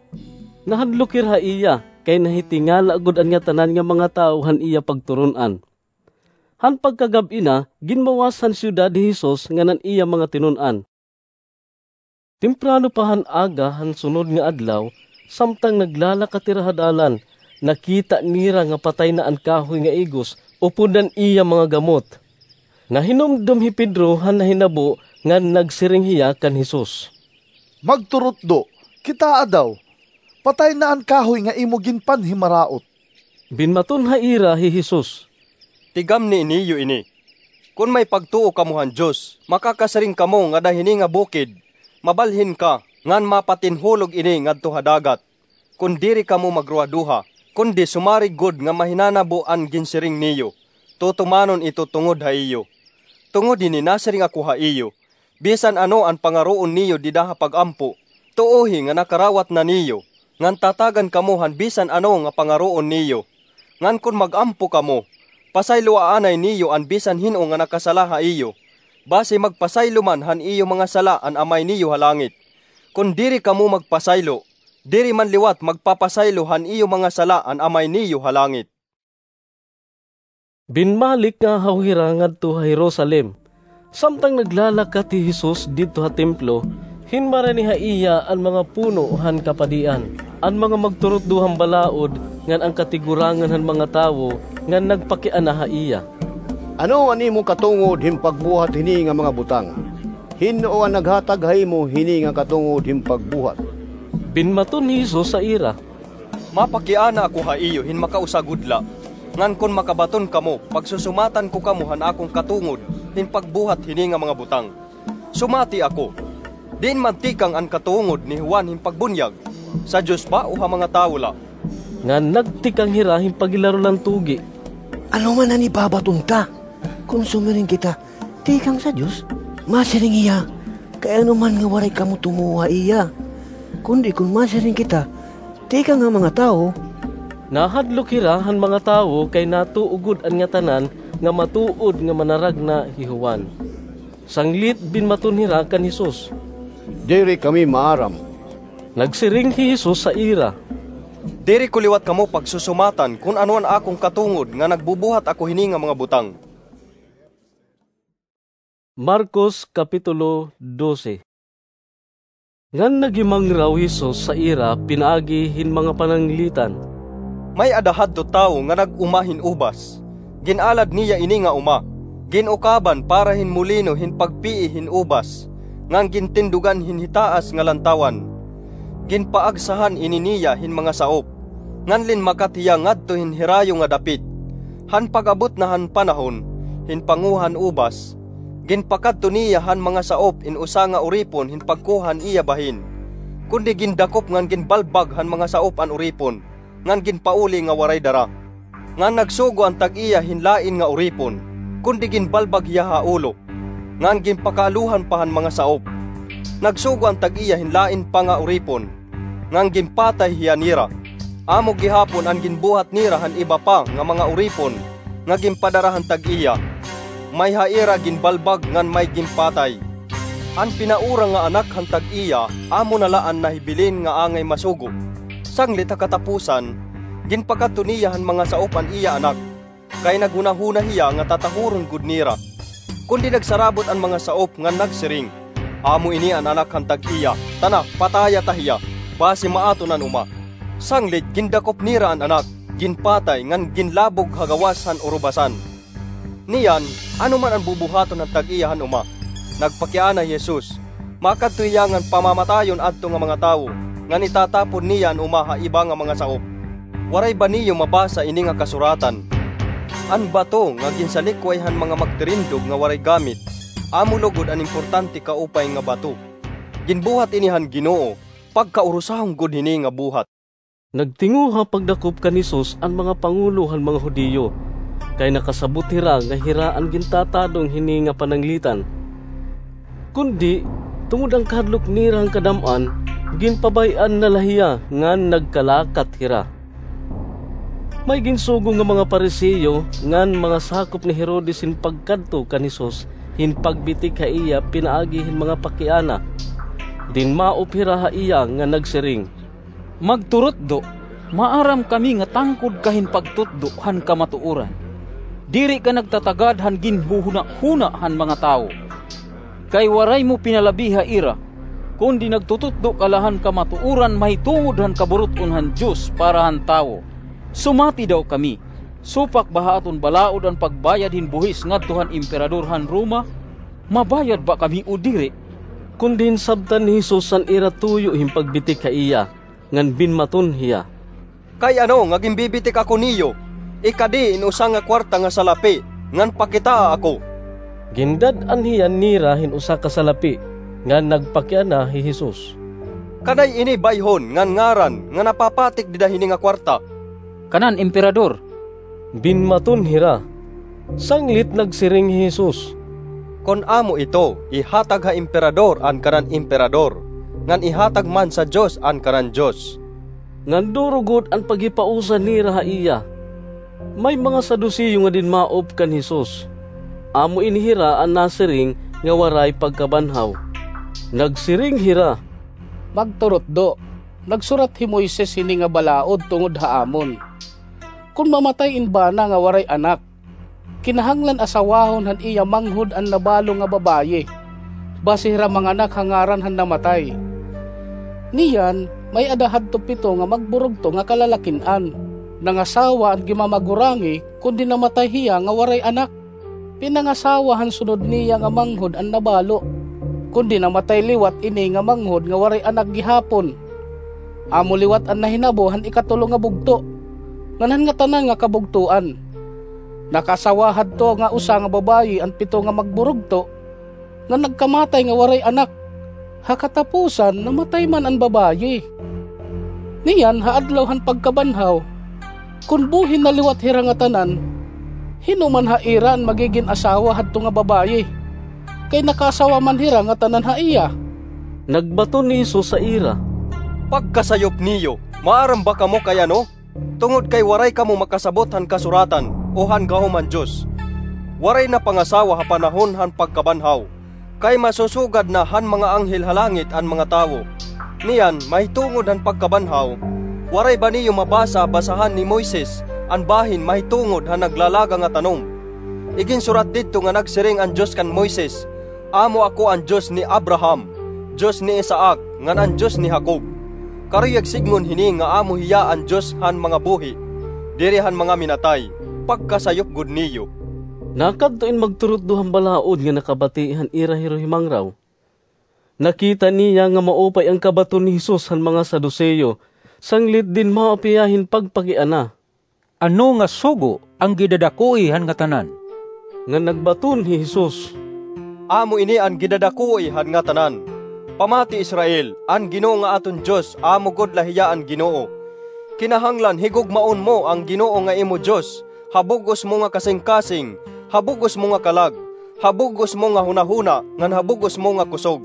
Nahadlok hira ha iya, kay nahitingala gud an ngatanan nga mga tawo han iya pagturun-an. Han pagkagab-i na, ginmawas han syudad hi Jesus ngan an iya mga tinun-an. Temprano pa han aga han sunod nga adlaw, samtang naglalakat hira ha dalan, nakita nira nga patay na an kahoy nga igos upod an iya mga gamot. Nahinumdom hi Pedro han nahinabo ngan nagsiring hiya kan Jesus, "Magturutdo, kitaa daw, patay na an kahoy nga imo ginpanhimaraot." Binmaton ha ira hi Jesus, "Tigamni niyo ini. Kon may pagtuo kamo han Dios, makakasiring kamo ngada hini nga bukid, 'Mabalhin ka ngan mapatinhulog ini ngadto ha dagat,' kon diri kamo magruhaduha, kundi sumarig gud nga mahinanabo an ginsiring niyo, tutumanon ito tungod ha iyo. Tungod hini nasiring ako ha iyo, bisan ano an pangaroon niyo dida ha pag-ampo, tuohi nga nakarawat na niyo, ngan tatagan kamo han bisan ano nga pangaroon niyo. Ngan kon mag-ampo kamo, pasayloa anay niyo an bisan hin-o nga nakasala ha iyo, basi magpasaylo man han iyo mga sala an Amay niyo ha langit. Kon diri kamo magpasaylo, diri man liwat magpapasaylo han iyo mga sala an Amay niyo ha langit." Binmalik nga haw hira ngadto ha Jerusalem. Samtang naglalakat hi Jesus didto ha templo, hinmarani ha iya an mga puno han kapadian, an mga magturutdo han balaod, ngan an katigurangan han mga tawo, ngan nagpakiana ha iya, "Ano an imo katungod hin pagbuhat hini nga mga butang? Hin-o an naghatag ha imo hini nga katungod hin pagbuhat?" Binmaton ni Jesus ha ira, "Mapakiana ako ha iyo hin makausa gud la, ngan kon makabaton kamo, pagsusumatan ko kamo han akon katungod hin pagbuhat hini nga mga butang. Sumati ako, diin man tikang an katungod ni Juan hin pagbunyag? Sa Dios ba o ha mga tawo la?" Ngan nagtikang hira hin paghilaro la han tugi, "Ano man an ibabaton ta? Kon sumiring kita, 'Tikang sa Dios,' masiring hiya, kay ano man nga waray kamo tumuo ha iya. Kundi kon masiring kita, 'Tikang ha mga tawo,'" Nahadlok hira han mga tawo kay natuo gud an ngatanan nga matuod nga manaragna hi Juan. Sanglit binmaton hira kan Jesus, "Diri kami maaram." Nagsiring hi Jesus ha ira, "Diri ko liwat kamo pagsusumatan kon ano an akon katungod nga nagbubuhat ako hini nga mga butang." Marcos, Kapitulo dose. Ngan naghimangraw hi Jesus ha ira pinaagi hin mga pananglitan, "May-ada hadto tawo nga nag-uma hin ubas. Gin-alad niya ini nga uma, gin-ukaban para hin molino hin pagpii hin ubas, ngan gintindugan hin hitaas nga lantawan. ginpaagsahan ini niya hin mga saop, ngan linmakat hiya ngadto hin hirayo nga dapit. Han pag-abot na han panahon hin panguha han ubas, ginpakadto niya han mga saop in usa nga uripon hin pagkuha han iya bahin. Kundi gindakop ngan ginbalbag han mga saop an uripon, ngan ginpauli nga waray dara. Ngan nagsugo an tag-iya hin lain nga uripon, kundi ginbalbag hiya ha ulo, ngan ginpakaalohan pa han mga saop. Nagsugo an tag-iya hin lain pa nga uripon, ngan ginpatay hiya nira. Amo gihapon an ginbuhat nira han iba pa nga mga uripon nga ginpadara han tag-iya. May ha ira ginbalbag ngan may ginpatay. An pinaura nga anak han tag-iya, amo na la an nahibilin nga angay masugo. Sanglit ha katapusan, ginpakadto niya han mga saop an iya anak, kay naghunahuna hiya nga tatahuron gud nira. Kundi nagsarabot an mga saop ngan nagsiring, "Amo ini an anak han tag-iya, tana, pataya ta hiya, basi maaton an uma." Sanglit gindakop nira an anak, ginpatay ngan ginlabog ha gawas han urubasan. Niyan, ano man an bubuhaton han tag-iya han uma? Nagpakiana hi Jesus, makadto hiya ngan pamamatayon adto nga mga tawo, ngan itatapon niya an uma ha iba nga mga saop. Waray ba niyo mabasa ini nga kasuratan? An bato nga ginsalikway han mga magtirindog nga waray gamit, amo lugod an importante kaupay nga bato. Ginbuhat ini han Ginoo, pagkaurusahon gud hini nga buhat. Nagtinguha pagdakop kan Jesus an mga pangulo han mga Judio, kay nakasabot hira nga hira an gintatadong hini nga pananglitan. Kundi, tungod han kahadlok nira han kadam-an, ginpabay-an na la hiya ngan nagkalakat hira. May ginsugo nga mga Pariseo ngan mga sakop ni Herodes hin pagkadto kan Jesus hin pagbitik ha iya pinaagi hin mga pakiana. Dinmaop hira ha iya nga nagsiring, "Magturutdo, maaram kami nga tangkod ka hin pagtutdo han kamatuoran. Diri ka nagtatagad han ginhuhunahuna han mga tawo. Kay waray mo pinalabi ha ira, kundi nagtututdo ka la han kamatuoran mahitungod han kaburut-on han Dios para han tawo. Sumati daw kami, supak ba ha aton balaod an pagbayad hin buhis ngadto han emperador han Roma? Mabayad ba kami o diri?" Kundi hinsabtan ni Jesus an ira tuyo hin pagbitik ha iya, ngan binmaton hiya. "Kay ano nga ginbibitik ako niyo? Ikadi in usa nga kwarta nga salapi, ngan pakitaa ako." Gindad-an hiya nira hin usa ka salapi, ngan nagpakiana hi Jesus. "Kanay ini bayhon ngan ngaran nga napapatik dida hini nga kwarta?" "Kanan Emperador," binmaton hira. Sanglit nagsiring hi Jesus, "Kon amo ito, ihatag ha Emperador an kanan Emperador, ngan ihatag man sa Dios an kanan Dios." Ngan duro gud an paghipausa nira ha iya. May mga Saduceo nga dinmaop kan Jesus. Amo ini hira an nasiring nga waray pagkabanhaw. Nagsiring hira, "Magturutdo, nagsurat hi Moises hini nga balaod tungod ha amon. Kon mamatay in bana nga waray anak, kinahanglan asawahon han iya manghod an nabalo nga babaye, basi hira manganak ha ngaran han namatay. Niyan, may-ada hadto pito nga magburugto nga kalalakin-an. Nangasawa an gimamagurangi, kundi namatay hiya nga waray anak. Pinangasawa han sunod niya nga manghod an nabalo, kundi namatay liwat ini nga manghod nga waray anak gihapon. Amo liwat an nahinabo han ikatulo nga bugto, ngan han ngatanan nga kabugtoan. Nakaasawa hadto nga usa nga babaye an pito nga magburugto, ngan nagkamatay nga waray anak. Ha katapusan, namatay man an babaye. Niyan, ha adlaw han pagkabanhaw, kon buhi na liwat hira ngatanan, hin-o man ha ira an magigin asawa hadto nga babaye? Kay nakaasawa man hira ngatanan ha iya." Nagbaton ni Jesus ha ira, "Pagkasayop niyo, maaram ba kamo kay ano? Tungod kay waray kamo makasabot han Kasuratan o han gahom han Dios. Waray na pangasawa ha panahon han pagkabanhaw, kay masusugad na han mga anghel ha langit an mga tawo. Niyan, mahitungod han pagkabanhaw, waray ba niyo mabasa ha basahan ni Moises an bahin mahitungod han naglalaga nga tanom? Iginsurat didto nga nagsiring an Dios kan Moises, 'Amo ako an Dios ni Abraham, Dios ni Isaac, ngan an Dios ni Jacob.' Karuyag sidngon hini nga amo hiya an Dios han mga buhi, diri han mga minatay. Pagkasayop gud niyo." Nakadto in magturutdo han balaod nga nakabati han ira hiruhimangraw. Nakita niya nga maupay an kabaton ni Jesus han mga Saduceo, sanglit dinmaop hiya hin pagpakiana. Ano nga sugo an gidadakoi han ngatanan? Ngan nagbaton hi Jesus, Amo ini an gidadakoi han ngatanan. Pamati, Israel, an Ginoo nga aton Dios, amo gud la hiya an Ginoo. Kinahanglan higugmaon mo an Ginoo nga imo Dios ha bug-os mo nga kasingkasing, ha bug-os mo nga kalag, ha bug-os mo nga hunahuna, ngan ha bug-os mo nga kusog.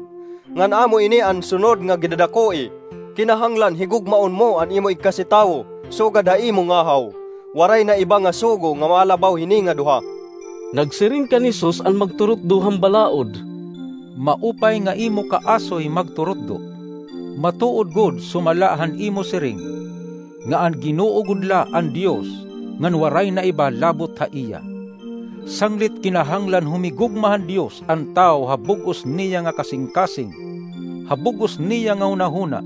Ngan amo ini an sunod nga gidadakoi, kinahanglan higugmaon mo an imo igkasitawo sugad ha imo ngahaw. Waray na iba nga sugo nga malabaw hini nga duha. Nagsiring kan Jesus an magturutdo han balaod, Maupay nga imo kaasoy magturutdo. Matuod gud sumala han imo siring, nga an Ginoo gud la an Dios, ngan waray na iba labot ha iya. Sanglit kinahanglan humigugma han Dios an tawo ha bug-os niya nga kasingkasing, ha bug-os niya nga hunahuna,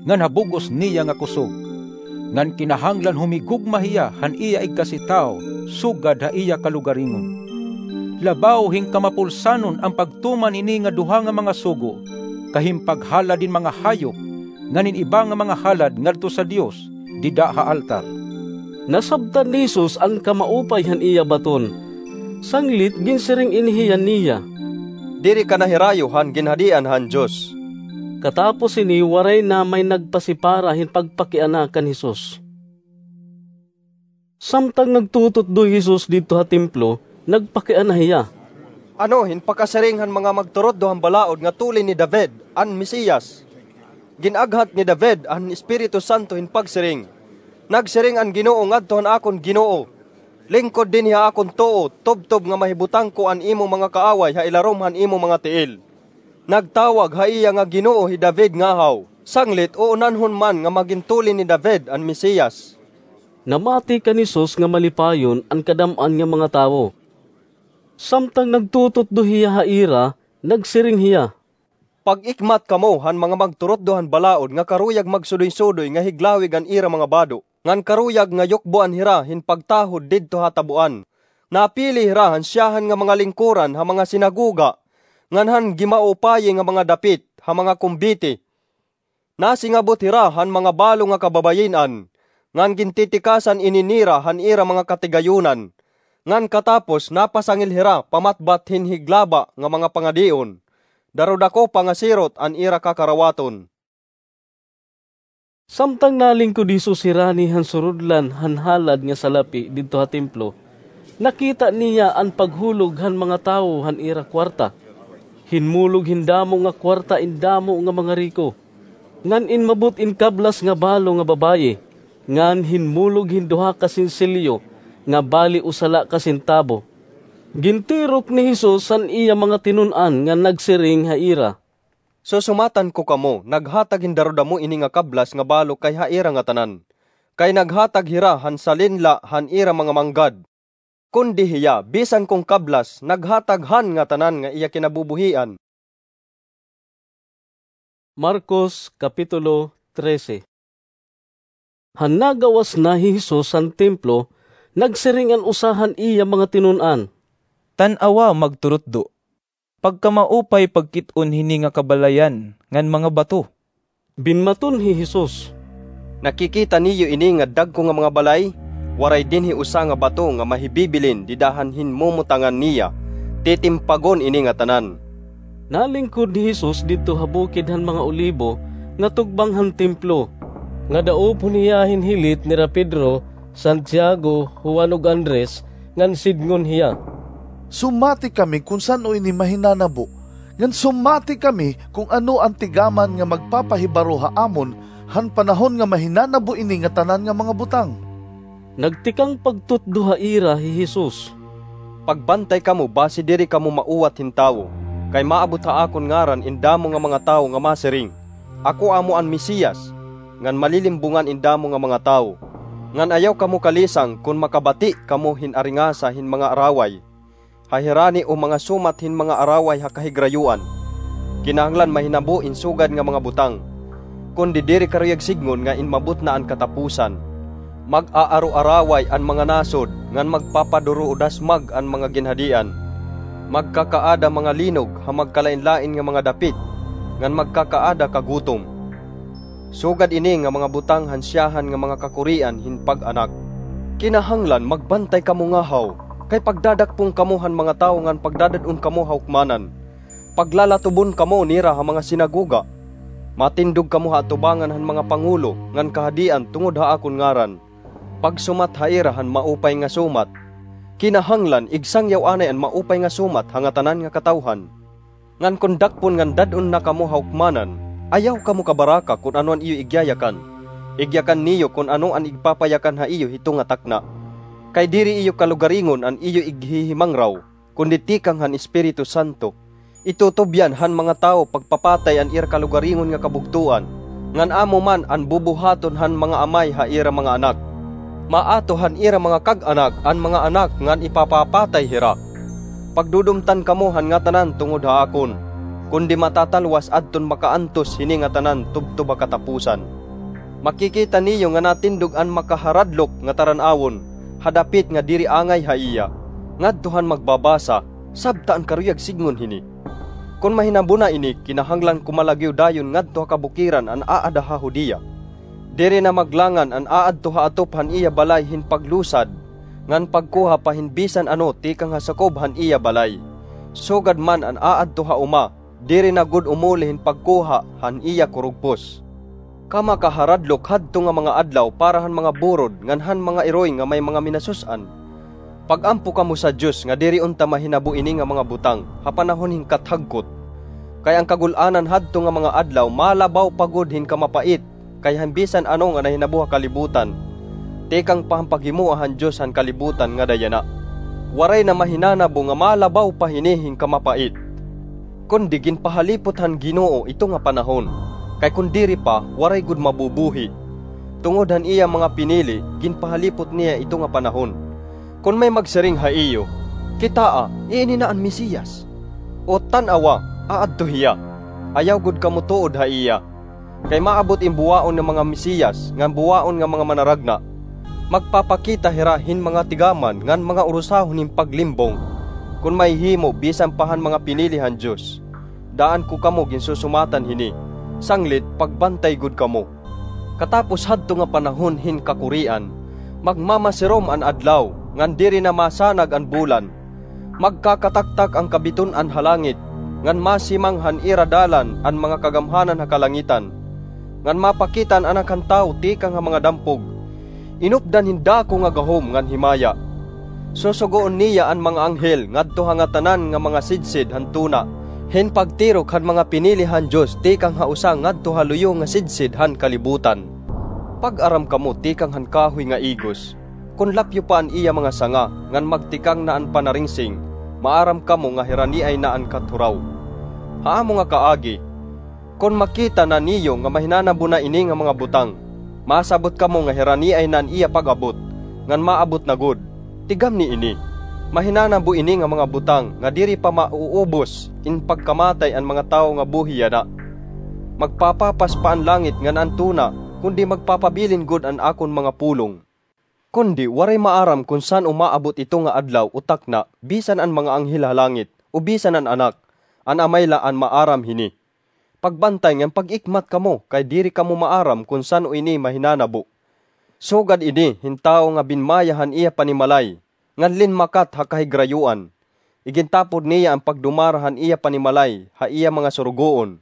ngan ha bug-os niya nga kusog. Ngan kinahanglan humigugma hiya han iya igkasitawo sugad ha iya kalugaringon. Labaw hin kamapulsanon an pagtuman ini nga duha nga mga sugo, kay hin paghalad hin mga hayop ngan hin iba nga mga halad ngadto sa Dios dida ha altar. Nasabtan ni Jesus an kamaupay han iya baton. Sanglit ginsiring ini hiya niya, Diri ka nahirayo han ginhadian han Dios. Katapos hini, waray na may nagpasipara hin pagpakiana kan Jesus. Samtang nagtututdo hi Jesus didto ha templo, nagpakiana hiya, Ano hin pakasiring han mga magturutdo han balaod nga tulin ni David an Mesiyas? Gin-aghat ni David an Espiritu Santo hin pagsiring, 'Nagsiring an Ginoo ngadto han akon Ginoo, lingkod dinhi ha akon tuo, tubtob nga mahibutang ko an imo mga kaaway ha ilarom han imo mga tiil.' Nagtawag ha iya nga Ginoo hi David ngahaw, sanglit uunanhon man nga magin tulin ni David an Mesiyas." Namati kan Jesus nga malipayon an kadam-an nga mga tawo. Samtang nagtututdo hiya ha ira, nagsiring hiya, "Pag-ikmat kamo han mga magturutdo han balaod nga karuyag magsudoy-sudoy nga higlawig an ira mga bado, ngan karuyag nga yukboan hira hin pagtahod didto ha taboan. Napili hira han syahan nga mga lingkoran ha mga sinagoga, ngan han gimaupayi nga mga dapit ha mga kumbite. Nasingabot hira han mga balo nga kababayin-an, ngan gintitikasan ini nira han ira mga katigayonan, ngan katapos napasangil hira pamatbat hin higlaba nga mga pangadion. Darudakopa nga sirot an ira kakarawaton." Samtang nalingkod hi Jesus hirani han surudlan han halad nga salapi didto ha templo, nakita niya an paghulog han mga tawo han ira kuwarta. Hinmulog hin damo nga kuwarta in damo nga mga riko, ngan inmabot in kablas nga balo nga babaye, ngan hinmulog hin duha ka sensilyo nga bali usa la ka sentabo. Gintirok ni Jesus an iya mga tinun-an ngan nagsiring ha ira, "Susumatan ko kamo, naghatag hin darudamo ini nga kablas nga balo kay ha ira ngatanan, kay naghatag hira han salin la han ira mga manggad. Kundi hiya, bisan kon kablas, naghatag han ngatanan nga iya kinabubuhian." Marcos, Kapitulo trese. Han nagawas na hi Jesus han templo, nagsiring an usa han iya mga tinun-an, "Tan-awa, magturutdo, pagkamaupay pagkit-on hini nga kabalayan ngan mga bato." Binmaton hi Jesus, "Nakikita niyo ini nga dagko nga mga balay? Waray dinhi usa nga bato nga mahibibilin dida han hinmumutangan niya. Titimpagon ini ngatanan." Nalingkod hi Jesus didto ha bukid han mga Olibo nga tugbang han templo, nga daopon hiya hin hilit nira Pedro, Santiago, Juan ug Andres, ngan sidngon hiya, "Sumati kami kon san-o ini mahinanabo, ngan sumati kami kon ano an tigaman nga magpapahibaro ha amon han panahon nga mahinanabo ini ngatanan nga mga butang." Nagtikang pagtutdo ha ira hi Jesus, "Pagbantay kamo basi diri kamo mauwat hin tawo, kay maabot ha akon ngaran in damo nga mga tawo nga masiring, 'Ako amo an Mesiyas,' ngan malilimbongan in damo nga mga tawo. Ngan ayaw kamo kalisang kon makabati kamo hin aringasa hin mga araway ha hirani o mga sumat hin mga araway ha kahigrayoan. Kinahanglan mahinabo in sugad nga mga butang, kundi diri karuyag sidngon nga inmabot na an kataposan. Mag-aaroaraway an mga nasod, ngan magpapaduro-dasmag an mga ginhadian. Magkakaada mga linog ha magkalainlain nga mga dapit, ngan magkakaada ka gutom. Sugad ini nga mga butang han siyahan nga mga kakurian hin pag-anak. Kinahanglan magbantay kamo ngahaw, kay pagdadakpon kamo han mga tawo ngan pagdadad-on kamo ha hukmanan. Paglalatubon kamo nira ha mga sinagoga. Matindog kamo ha atubangan han mga pangulo ngan kahadian tungod ha akon ngaran. Pagsumat ha ira han maupay nga sumat. Kinahanglan igsangyaw anay an maupay nga sumat ha ngatanan nga katawhan. Ngan kon dakpon ngan dad-on na kamo ha hukmanan, ayaw kamo kabaraka kon ano an iyo igyayakan. Igyakan niyo kon ano an igpapayakan ha iyo hito nga takna. Kay diri iyo kalugaringon an iyo ighihimangraw, kundi tikang han Espiritu Santo. Itutubyan han mga tawo pagpapatay an ira kalugaringon nga kabugtoan, ngan amo man an bubuhaton han mga amay ha ira mga anak. Maato han ira mga kag-anak an mga anak ngan ipapapatay hira. Pagdudumtan kamo han ngatanan tungod ha akon, kundi matatalwas adton makaantos hini ngatanan tubtob ha katapusan. Makikita niyo nga natindog an makaharadlok nga taran-awon ha dapit nga diri angay ha iya, ngadto han magbabasa, sabta an karuyag sidngon hini. Kon mahinabo na ini, kinahanglan kumalagyo dayon ngadto ha kabukiran an aada ha Judea. Diri na maglangan an aadto ha atop han iya balay hin paglusad, ngan pagkuha pa hin bisan ano tikang ha sakob han iya balay. Sugad man an aadto ha uma, diri na gud umuli hin pagkuha han iya kurugpos. Kamakaharadlok hadto nga mga adlaw para han mga burod ngan han mga iroy nga may mga minasus-an. Pag-ampo kamo sa Dios nga diri unta mahinabo ini nga mga butang ha panahon hin kathagkot. Kay an kagul-anan hadto nga mga adlaw malabaw pa gud hin kamapait kay han bisan ano nga nahinabo ha kalibutan. Tikang pa han paghimoa han Dios han kalibutan ngada yana, waray na mahinanabo nga malabaw pa hini hin kamapait. Kundi ginpahalipot han Ginoo ito nga panahon, kay kon diri pa, waray gud mabubuhi. Tungod han iya mga pinili, ginpahalipot niya ito nga panahon. Kon may magsiring ha iyo, "Kitaa, iini na an Mesiyas," o, "Tan-awa, aadto hiya," ayaw gud kamo tuod ha iya. Kay maabot in buwaon nga mga Mesiyas ngan buwaon nga mga manaragna. Magpapakita hira hin mga tigaman ngan mga urusahon hin paglimbong. Kon mahihimo bisan pa han mga pinili han Dios, daan ko kamo ginsusumatan hini, sanglit pagbantay gud kamo. Katapos hadto nga panahon hin kakurian, magmamasirom an adlaw ngan diri na masanag an bulan. Magkakataktak an kabiton-an ha langit, ngan masimang han ira dalan an mga kagamhanan ha kalangitan, ngan mapakita an Anak han Tawo tikang ha mga dampog, inupdan hin dako nga gahom ngan himaya. Susugoon niya an mga anghel ngadto ha ngatanan nga mga sidsid han tuna, hin pagtirok han mga pinili han Dios tikang ha usa ngadto ha luyo nga sidsid han kalibutan. Pag-aram kamo tikang han kahoy nga igos. Kon lapyo pa an iya mga sanga ngan magtikang na an panaringsing, maaram kamo nga hiraniay na an kathuraw. Ha amo nga kaagi, kon makita na niyo nga mahinanabo na ini nga mga butang, masabot kamo nga hiraniay na an iya pag-abot, ngan maabot na gud. Tigamni ini, mahinanabo ini nga mga butang nga diri pa mauubos in pagkamatay an mga tawo nga buhi yana. Magpapapas pa an langit ngan an tuna, kundi magpapabilin gud an akon mga pulong. Kundi waray maaram kon san-o maabot ito nga adlaw o takna bisan an mga anghel ha langit o bisan an Anak, an Amay la an maaram hini. Pagbantay ngan pag-ikmat kamo kay diri kamo maaram kon san-o ini mahinanabo. Sugad ini hin tawo nga binmaya han iya panimalay, ngan linmakat ha kahigrayoan. Igintapod niya an pagdumara han iya panimalay ha iya mga surugoon.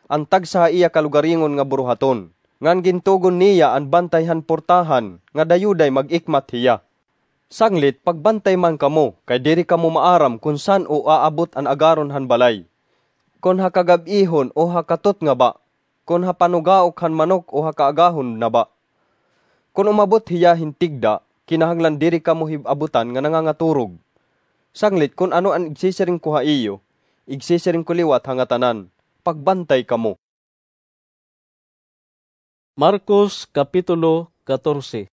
An tagsa ha iya kalugaringon nga buruhaton, ngan gintugon niya an bantay han portahan nga dayuday mag-ikmat hiya. Sanglit pagbantay man kamo, kay diri kamo maaram kon san-o aabot an agaron han balay, kon ha kagab-ihon o ha katutnga ba, kon ha panugaok han manok o ha kaagahon na ba. Kon umabot hiya hin tigda, kinahanglan diri kamo hib-abutan nga nangangaturog. Sanglit kon ano an igsisiring ko ha iyo, igsisiring ko liwat ha ngatanan, pagbantay kamo. Marcos, Kapitulo katorse.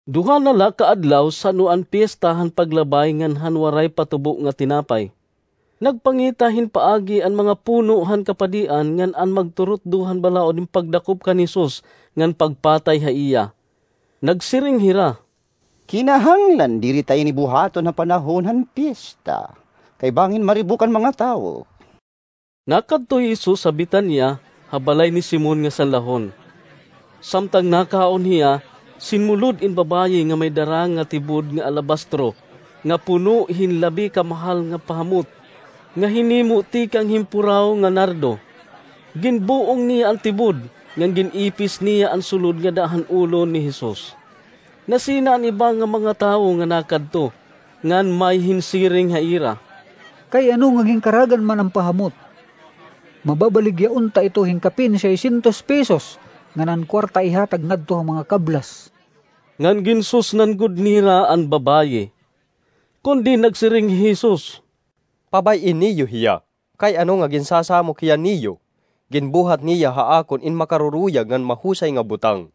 Duha na la ka adlaw san-o an piyesta han Paglabay ngan han Waray Patubo nga Tinapay. Nagpangita hin paagi an mga puno han kapadian ngan an magturutdo han balaod hin pagdakop kan Jesus ngan pagpatay ha iya. Nagsiring hira, "Kinahanglan diri ta ini buhaton ha panahon han piyesta, kay bangin maribok an mga tawo." Nakadto hi Jesus ha Betania, ha balay ni Simon nga sanlahon. Samtang nakaon hiya, sinmulod in babaye nga may dara nga tibod nga alabastro nga puno hin labi ka mahal nga pahamot, nga hinimo tikang hin puraw nga nardo. Ginbuong niya an tibod, ngan gin-ipis niya an sulod ngada han ulo ni Jesus. Nasina an iba nga mga tawo nga nakadto, ngan may hinsiring ha ira, "Kay ano nga ginkaragan man an pahamot? Mababaligya unta ito hin kapin seiscientos pesos, ngan an kuwarta ihatag ngadto ha mga kablas." Ngan ginsusnan gud nira an babaye. Kundi nagsiring hi Jesus, "Pabay-i niyo hiya, kay ano nga ginsasamok hiya niyo? Ginbuhat niya ha akon in makaruruyag ngan mahusay nga butang.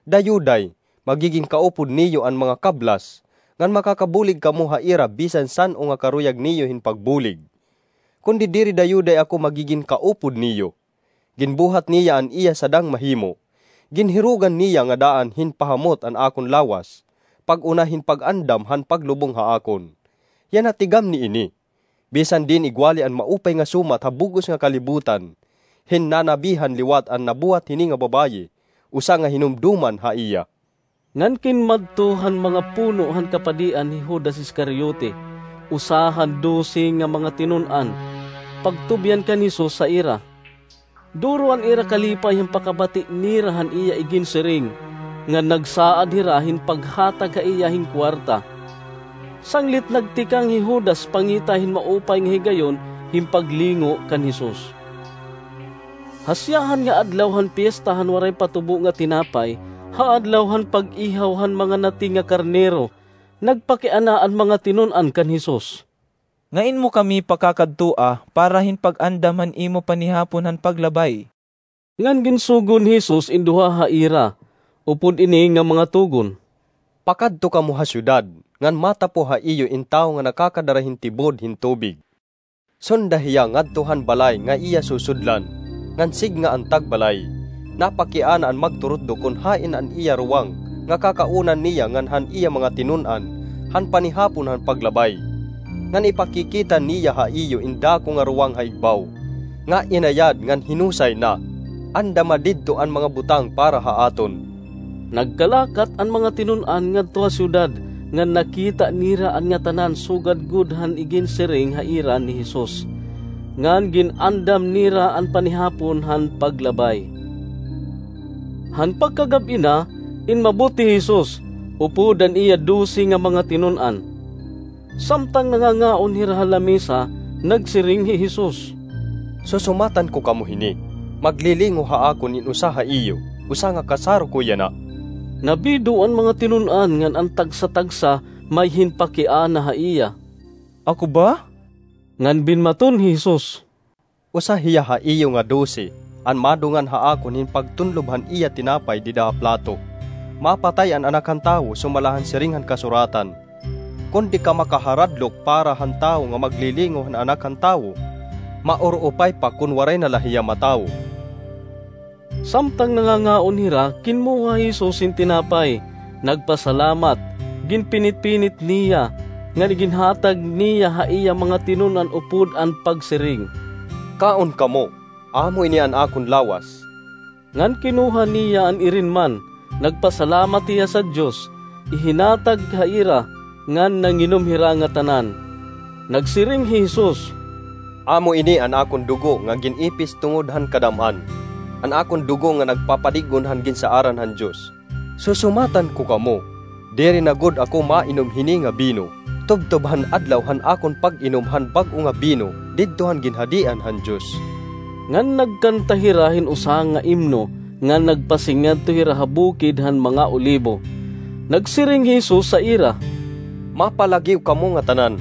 Dayuday, magigin kaupod niyo an mga kablas, ngan makakabulig kamo ha ira bisan san-o nga karuyag niyo hin pagbulig. Kundi diri dayuday ako magigin kaupod niyo. Ginbuhat niya an iya sadang mahimo. Ginhirugan niya nga daan hin pahamot an akon lawas, pag-una hin pag-andam han paglubong ha akon." Yana, tigam niini, bisan diin igwali an maupay nga sumat ha bug-os nga kalibutan, hinnanabihan liwat an nabuhat hini nga babaye, usa nga hinumdoman ha iya. Ngan kinmadto han mga puno han kapadian hi Judas Iscariote, usa han dose nga mga tinun-an, pagtubyan kan Jesus sa ira. Duro an ira kalipay han pakabati nira han iya iginsiring, ngan nagsaad hira hin paghatag ha iya hin kuwarta. Sanglit nagtikang hi Judas pangita hin maupay nga higayon hin paglingo kan Jesus. Ha siyahan nga adlaw han piyesta han waray pa tubo nga tinapay, ha adlaw han pag-ihaw han mga nati nga karnero, nagpakiana an mga tinun-an kan Jesus, "Ngain mo kami pakakadtoa para hin pag-andam han imo panihapon han paglabay?" Ngan ginsugo ni Jesus in duha ha ira, upod ini nga mga tugon, "Pakadto kamo ha syudad, ngan matapo ha iyo in tawo nga nakakadara hin tibod hin tubig. Sunda hiya ngadto han balay nga iya susudlan, ngan sidnga an tagbalay. Napakiana an magturutdo kon hain an iya ruwang nga kakaunan niya ngan han iya mga tinun-an han panihapon han paglabay. Ngan ipakikita niya ha iyo in dako nga ruwang ha igbaw, nga inayad ngan hinusay na. Andama didto an mga butang para ha aton." Nagkalakat an mga tinun-an ngadto ha syudad, ngan nakita nira an ngatanan sugad gud han iginsiring ha ira ni Jesus, ngan gin-andam nira an panihapon han paglabay. Han pagkagab-i na, inmabot hi Jesus, upod an iya dose nga mga tinun-an. Samtang nangangaon hira ha lamesa, nagsiring hi Jesus, "Susumatan ko kamo hini, maglilingo ha akon in usa ha iyo, usa nga kasaro ko yana." Nabido an mga tinun-an ngan an tagsa-tagsa may hinpakiana ha iya. "Ako ba?" Ngan binmaton hi Jesus, "Usa hiya ha iyo nga dose, an madungan ha akon hin pagtunlob han iya tinapay dida ha plato. Mapatay an Anak han Tawo sumala han siring han kasuratan. Kon di ka makaharadlok para han tawo nga maglilingo han Anak han Tawo, maur-upay pa kon waray na la hiya matawo." Samtang nangangaon hira, kinmuha hi Jesus hin tinapay, nagpasalamat, ginpinit-pinit niya, ngan iginhatag niya ha iya mga tinun-an upod an pagsiring, "Kaon kamo, amo ini an akon lawas." Ngan kinuha niya an irin man, nagpasalamat hiya sa Dios, ihinatag ha ira, ngan nanginom hira ngatanan. Nagsiring hi Jesus, "Amo ini an akon dugo nga gin-ipis tungod han kadam-an, an akon dugo nga nagpapadig-on han ginsaaran han Dios. Susumatan ko kamo, diri na gud ako mainom hini nga bino, tubtob han adlaw han akon pag-inom han bag-o nga bino didto han ginhadian han Dios." Ngan nagkanta hira hin usa nga imno, ngan nagpasingadto hira ha bukid han mga olibo. Nagsiring hi Jesus sa ira, "Mapalagiw kamo ngatanan,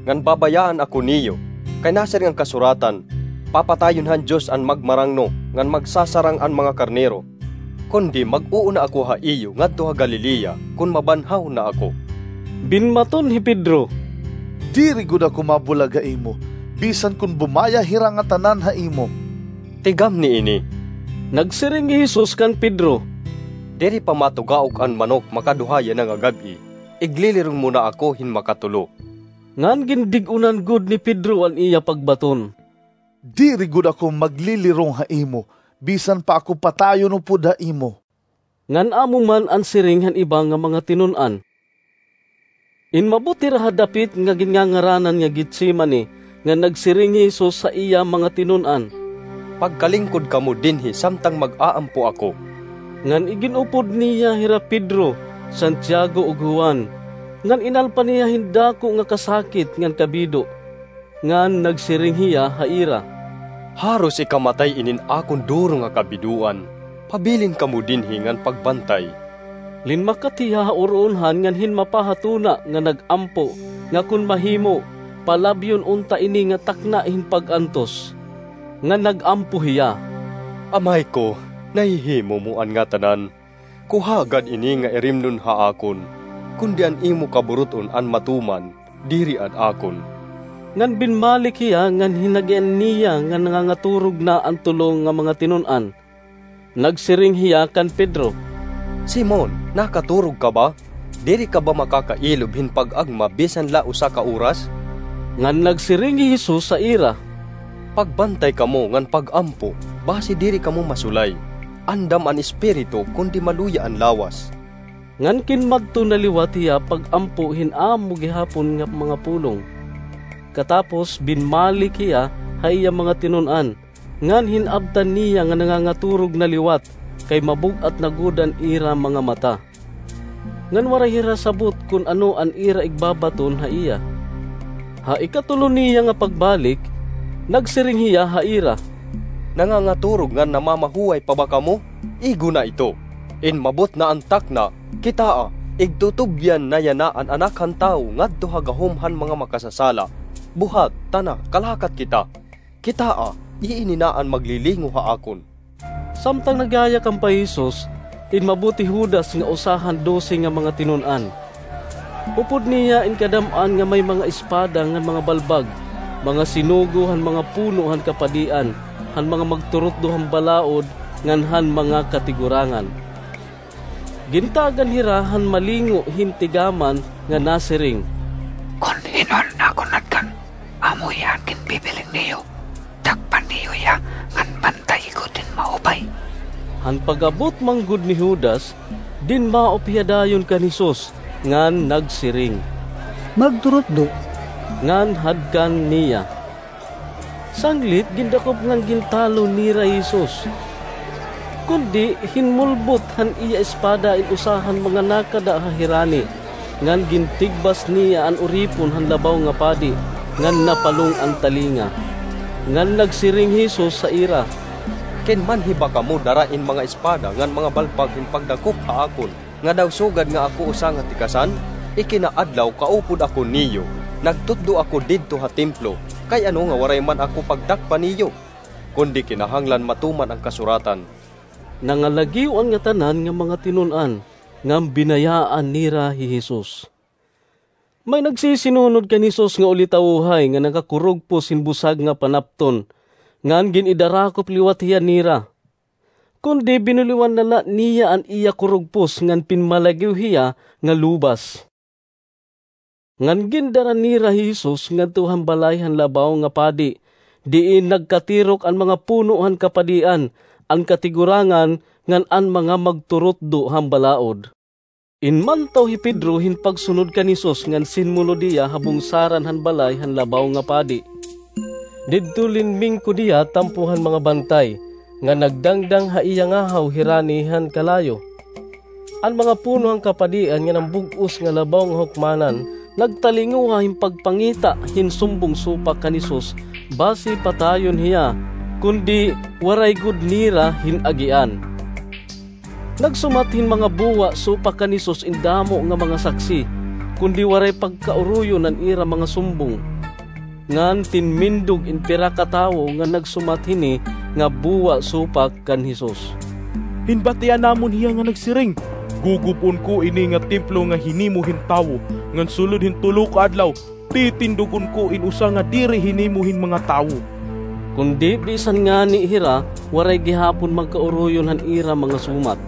ngan babayaan ako niyo, kay nasiring an kasuratan, 'Papatayon han Dios an magmarangno, ngan magsasarang an mga karnero.' Kundi mag-uuna ako ha iyo ngadto ha Galilea kon mabanhaw na ako." Binmaton hi Pedro, "Diri gud ako mabulag ha imo, bisan kon bumaya hira ngatanan ha imo." "Tigam niini," nagsiring hi Jesus kan Pedro, "diri pa matugaok an manok makaduha yana nga gab-i, iglilirong mo na ako hin makatulo." Ngan gindig-onan gud ni Pedro an iya pagbaton. Diri gud ako maglilirong ha imo, bisan pa ako patayon upod ha imo. Ngan amo man an siring han iba nga mga tinun-an. Inmabot hira ha dapit nga ginngangaranan nga Getsemane, ngan nagsiring hi Jesus ha iya mga tinun-an, "Pagkalingkod kamo dinhi samtang mag-aampo ako." Ngan igin-upod niya hira Pedro, Santiago, ug Juan, ngan inalpan hiya hin dako nga kasakit ngan kabido. Ngan nagsiring hiya ha ira, "Haros ikamatay inin akon duro nga kabidoan. Pabilin kamo dinhi ngan pagbantay." Linmakat hiya ha uroonhan ngan hinmapa ha tuna nga nag-ampo, nga kon mahimo, palabyon unta ini nga takna hin pag-antos. Ngan nag-ampo hiya, "Amay ko, nahihimo mo an ngatanan. Kuhaa gad ini nga irimnon ha akon, kundi an imo kaburut-on an matuman, diri an akon." Ngan binmalik hiya ngan hinagian niya nga nangangaturog na an tulo nga mga tinun-an. Nagsiring hiya kan Pedro, "Simon, nakaturog ka ba? Diri ka ba makakailob hin pag-agma bisan la usa ka oras?" Ngan nagsiring hi Jesus ha ira, "Pagbantay kamo ngan pag-ampo, basi diri kamo masulay. Andam an espiritu, kundi maluya an lawas." Ngan kinmadto na liwat hiya pag-ampo hin amo gihapon nga mga pulong. Katapos, binmalik hiya ha iya mga tinun-an, ngan hin-abtan niya nga nangangaturog na liwat, kay mabug-at na gud an ira mga mata. Ngan waray hira sabot kon ano an ira igbabaton ha iya. Ha ikatulo niya nga pagbalik, nagsiring hiya ha ira, "Nangangaturog ngan namamahuway pa ba kamo? Igo na ito. Inmabot na an takna. Kitaa, igtutubyan na yana an Anak han Tawo ngadto ha gahom han mga makasasala. Buhat, tana, kalakat kita. Kitaa, iini na an maglilingaw ha akon." Samtang nagyayakan pa hi Jesus, inmabot hi Judas nga usa han dose nga mga tinun-an. Upod niya in kadam-an nga may mga espada ngan mga balbag, mga sinugo han mga puno han kapadian, han mga magturutdo han balaod, ngan han mga katigurangan. Gintagan hira han malingo hin tigaman nga nasiring, "Kon hin-o an akon natgan, amo hiya an ginbibiling niyo. Dakpan niyo hiya ngan bantayi gud hin maupay." Han pag-abot man gud ni Judas, dinmaop hiya dayon kan Jesus ngan nagsiring, "Magturutdo," ngan hadkan niya. Sanglit gindakop ngan gintalo nira hi Jesus. Kundi hinmulbot han iya espada in usa han mga nakada ha hirani, ngan gintigbas niya an uripon han labaw nga padi, ngan napalong an talinga. Ngan nagsiring hi Jesus ha ira, "Kinmanhi ba kamo dara in mga espada ngan mga balbag hin pagdakop ha akon, nga daw sugad nga ako usa nga tikasan? Ikinaadlaw kaupod ako niyo, nagtutdo ako didto ha templo, kay ano nga waray man ako pagdakpan niyo? Kundi kinahanglan matuman an kasuratan." Nangalagiw an ngatanan nga mga tinun-an, ngan binayaan nira hi Jesus. May nagsisinunod kan Jesus nga ulitawohay nga nakakurugpos hin busag nga panapton, ngan gin-idarakop liwat hiya nira. Kundi binuliwan na la niya an iya kurugpos ngan pinmalagiw hiya nga lubas. Ngan gindara nira hi Jesus ngadto han balay han labaw nga padi, diin nagkatirok an mga puno han kapadian, an katigurangan, ngan an mga magturutdo han balaod. Inmantaw hi Pedro hin pagsunod kan Jesus ngan sinmulod hiya ha bungsaran han balay han labaw nga padi. Didto linmingkod hiya tampo han mga bantay, nga nagdangdang ha iya ngahaw hirani han kalayo. An mga puno han kapadian ngan an bug-os nga labaw nga hukmanan nagtalinguha hin pagpangita hin sumbong supak kan Jesus, basi patayon hiya, kundi waray gud nira hin-agian. Nagsumat hin mga buwa supak kan Jesus in damo nga mga saksi, kundi waray pagkauroyon an ira mga sumbong. Ngan tinmindog in pira ka tawo nga nagsumat hini nga buwa supak kan Jesus. Hinbatian namon hiya nga nagsiring, "Gugub-on ko ini nga templo nga hinimo hin tawo, ngan sulod hin tulo ka adlaw, titindog-on ko in usa nga diri hinimo hin mga tawo." Kundi bisan ngani hira, waray gihapon magkauroyon han ira mga sumat.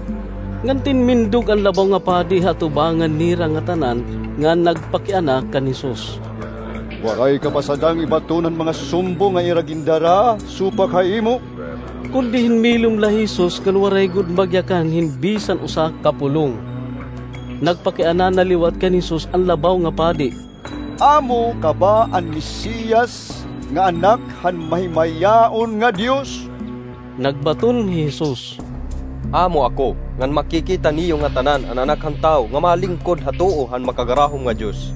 Ngan tinmindog an labaw nga padi ha atubangan nira ngatanan, ngan nagpakiana kan Jesus, Waray ka ba sadang ibaton han mga sumbong nga ira gindara supak ha imo? Kundi hinmilom la hi Jesus ngan waray gud magyakan hin bisan usa ka pulong. Nagpakiana na liwat kan Jesus an labaw nga padi, "Amo ka ba an Mesiyas nga Anak han Mahimayaon nga Dios?" Nagbaton hi Jesus, "Amo ako, ngan makikita niyo ngatanan an Anak han Tawo nga malingkod ha tuo han Makagarahom nga Dios,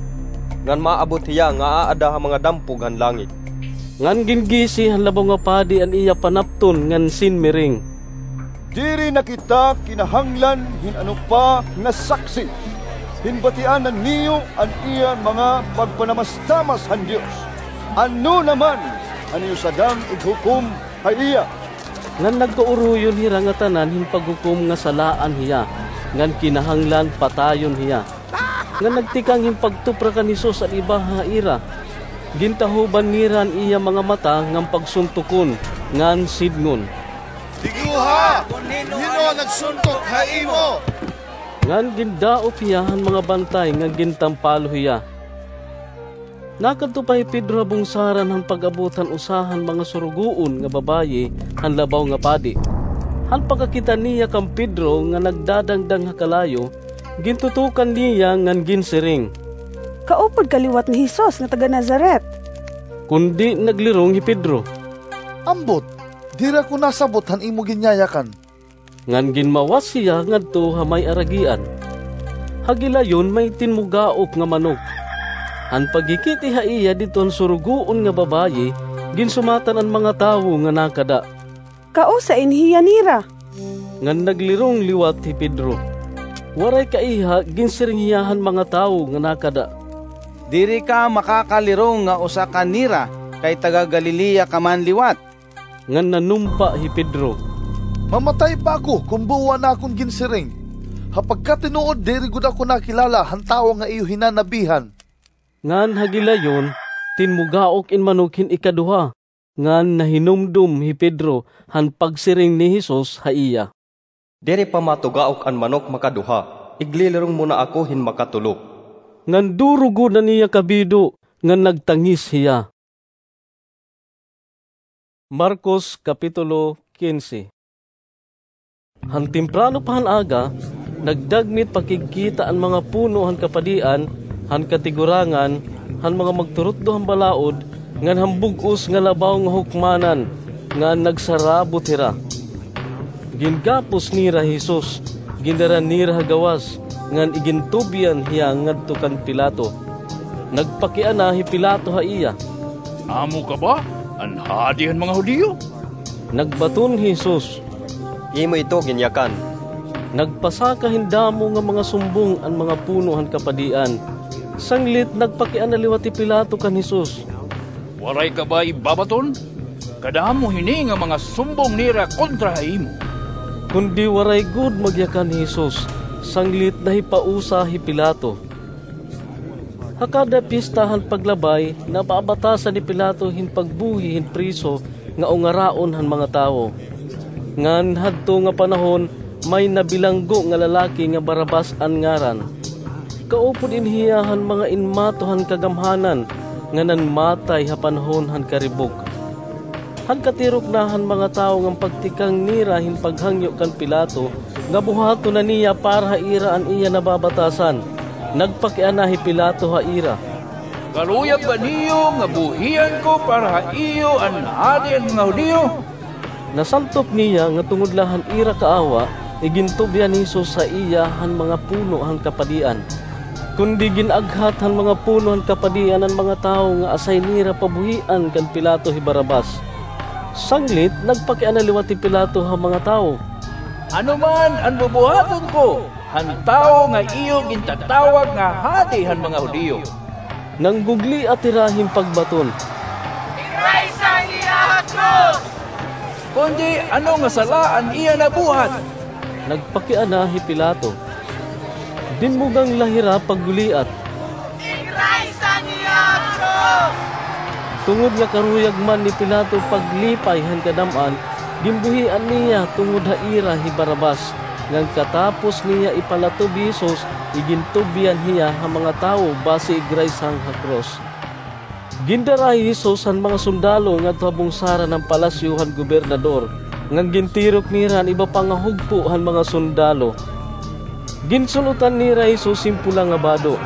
ngan maabot hiya nga aada ha mga dampog han langit." Ngan gingisi han labaw nga padi an iya panapton ngan sinmiring, "Diri na kita kinahanglan hin ano pa nga saksi. Hinbatian na niyo an iya mga pagpanamastamas han Dios. Ano naman an iyo sadang ighukom ha iya?" Ngan nagkauroyon hira ngatanan hin paghukom nga salaan hiya, ngan kinahanglan patayon hiya. Ngan nagtikang hin pagtupra kan Jesus an iba ha ira. Gintahoban nira an iya mga mata ngan pagsuntokon, ngan sidngon, "Tiguha kon hin-o an nagsuntok ha imo." Ngan gindaop hiya han mga bantay ngan gintampalo hiya. Nakadto pa hi Pedro ha bungsaran han pag-abot han usa han mga surugoon nga babaye han labaw nga padi. Han pagkakita niya kan Pedro nga nagdadangdang ha kalayo, gintutukan niya ngan ginsiring, "Kaupod ka liwat ni Jesus nga taga-Nazaret." Kundi naglirong hi Pedro, "Ambot, diri ako nasabot han imo ginyayakan." Ngan ginmawas hiya ngadto ha may aragian. Ha gilayon may tinmugaok nga manok. Han paghikit-i ha iya didto han surugoon nga babaye, ginsumatan an mga tawo nga nakada, "Kausa in hiya nira." Ngan naglirong liwat hi Pedro. Waray kaiha, ginsiring hiya han mga tawo nga nakada, "Diri ka makakalirong nga usa ka nira, kay taga-Galilea ka man liwat." Ngan nanumpa hi Pedro, "Mamatay pa ako kon buo an akon ginsiring. Ha pagkatinuod, diri gud ako nakilala han tawo nga iyo hinanabihan." Ngan ha gilayon, tinmugaok in manok hin ikaduha, ngan nahinumdom hi Pedro han pagsiring ni Jesus ha iya, "Diri pa matugaok an manok makaduha, iglilirong mo na ako hin makatulo." Ngan durugod an iya kabido, ngan nagtangis hiya. Marcos, Kapitulo quince. Han temprano pa han aga, nagdagmit pakigkita an mga puno han kapadian, han katigurangan, han mga magturutdo han balaod, ngan han bug-os nga labaw nga hukmanan, ngan nagsarabot hira. Gingapos nira hi Jesus, gindara nira ha gawas, ngan igintubyan hiya ngadto kan Pilato. Nagpakiana hi Pilato ha iya, "Amo ka ba an hadi han mga Judio?" Nagbaton hi Jesus, "Imo ito ginyakan." Nagpasaka hin damo nga mga sumbong an mga puno han kapadian. Sanglit nagpakiana liwat hi Pilato kan Jesus, "Waray ka ba ibabaton? Kadamo hini nga mga sumbong nira kontra ha imo." Kundi waray gud magyakan hi Jesus, sanglit nahipausa hi Pilato. Ha kada pista han paglabay, nababatasan ni Pilato hin pagbuhi hin preso nga ungaraon han mga tawo. Ngan hadto nga panahon, may nabilanggo nga lalaki nga Barrabas an ngaran. Kaupod in hiya han mga inmato han kagamhanan nga nanmatay ha panahon han karibok. Han katirok na han mga tawo ngan pagtikang nira hin paghangyo kan Pilato nga buhaton na niya para ha ira an iya nababatasan, nagpakiana hi Pilato ha ira, "Karuyag ba niyo nga buhian ko para ha iyo an hadi han mga Judio?" Nasantop niya nga tungod la han ira kaawa, igintubyan ni Jesus ha iya han mga puno han kapadian. Kundi gin-aghat han mga puno han kapadian an mga tawo nga asay nira pabuhian kan Pilato hi Barrabas. Sanglit, nagpakiana liwat hi Pilato ha mga tawo, "Ano man an bubuhaton ko han tawo nga iyo gintatawag nga hadi han mga Judio?" Nanggugliat hira hin pagbaton, "Igraysa niya ha krus!" "Kundi ano nga sala an iya nabuhat?" nagpakiana hi Pilato. Dinmugan la hira pagguliat, "Igraysa niya ha krus!" Tungod nga karuyag man ni Pilato paglipay han kadam-an, ginbuhian niya tungod ha ira hi Barrabas, ngan katapos niya ipalatob hi Jesus, igintubyan hiya ha mga tawo basi igraysang ha krus. Gindara hi Jesus han mga sundalo ngadto ha bungsaran han palasyo han gobernador, ngan gintirok nira an iba pa nga hugpo han mga sundalo. Ginsul-otan nira hi Jesus hin pula nga bado.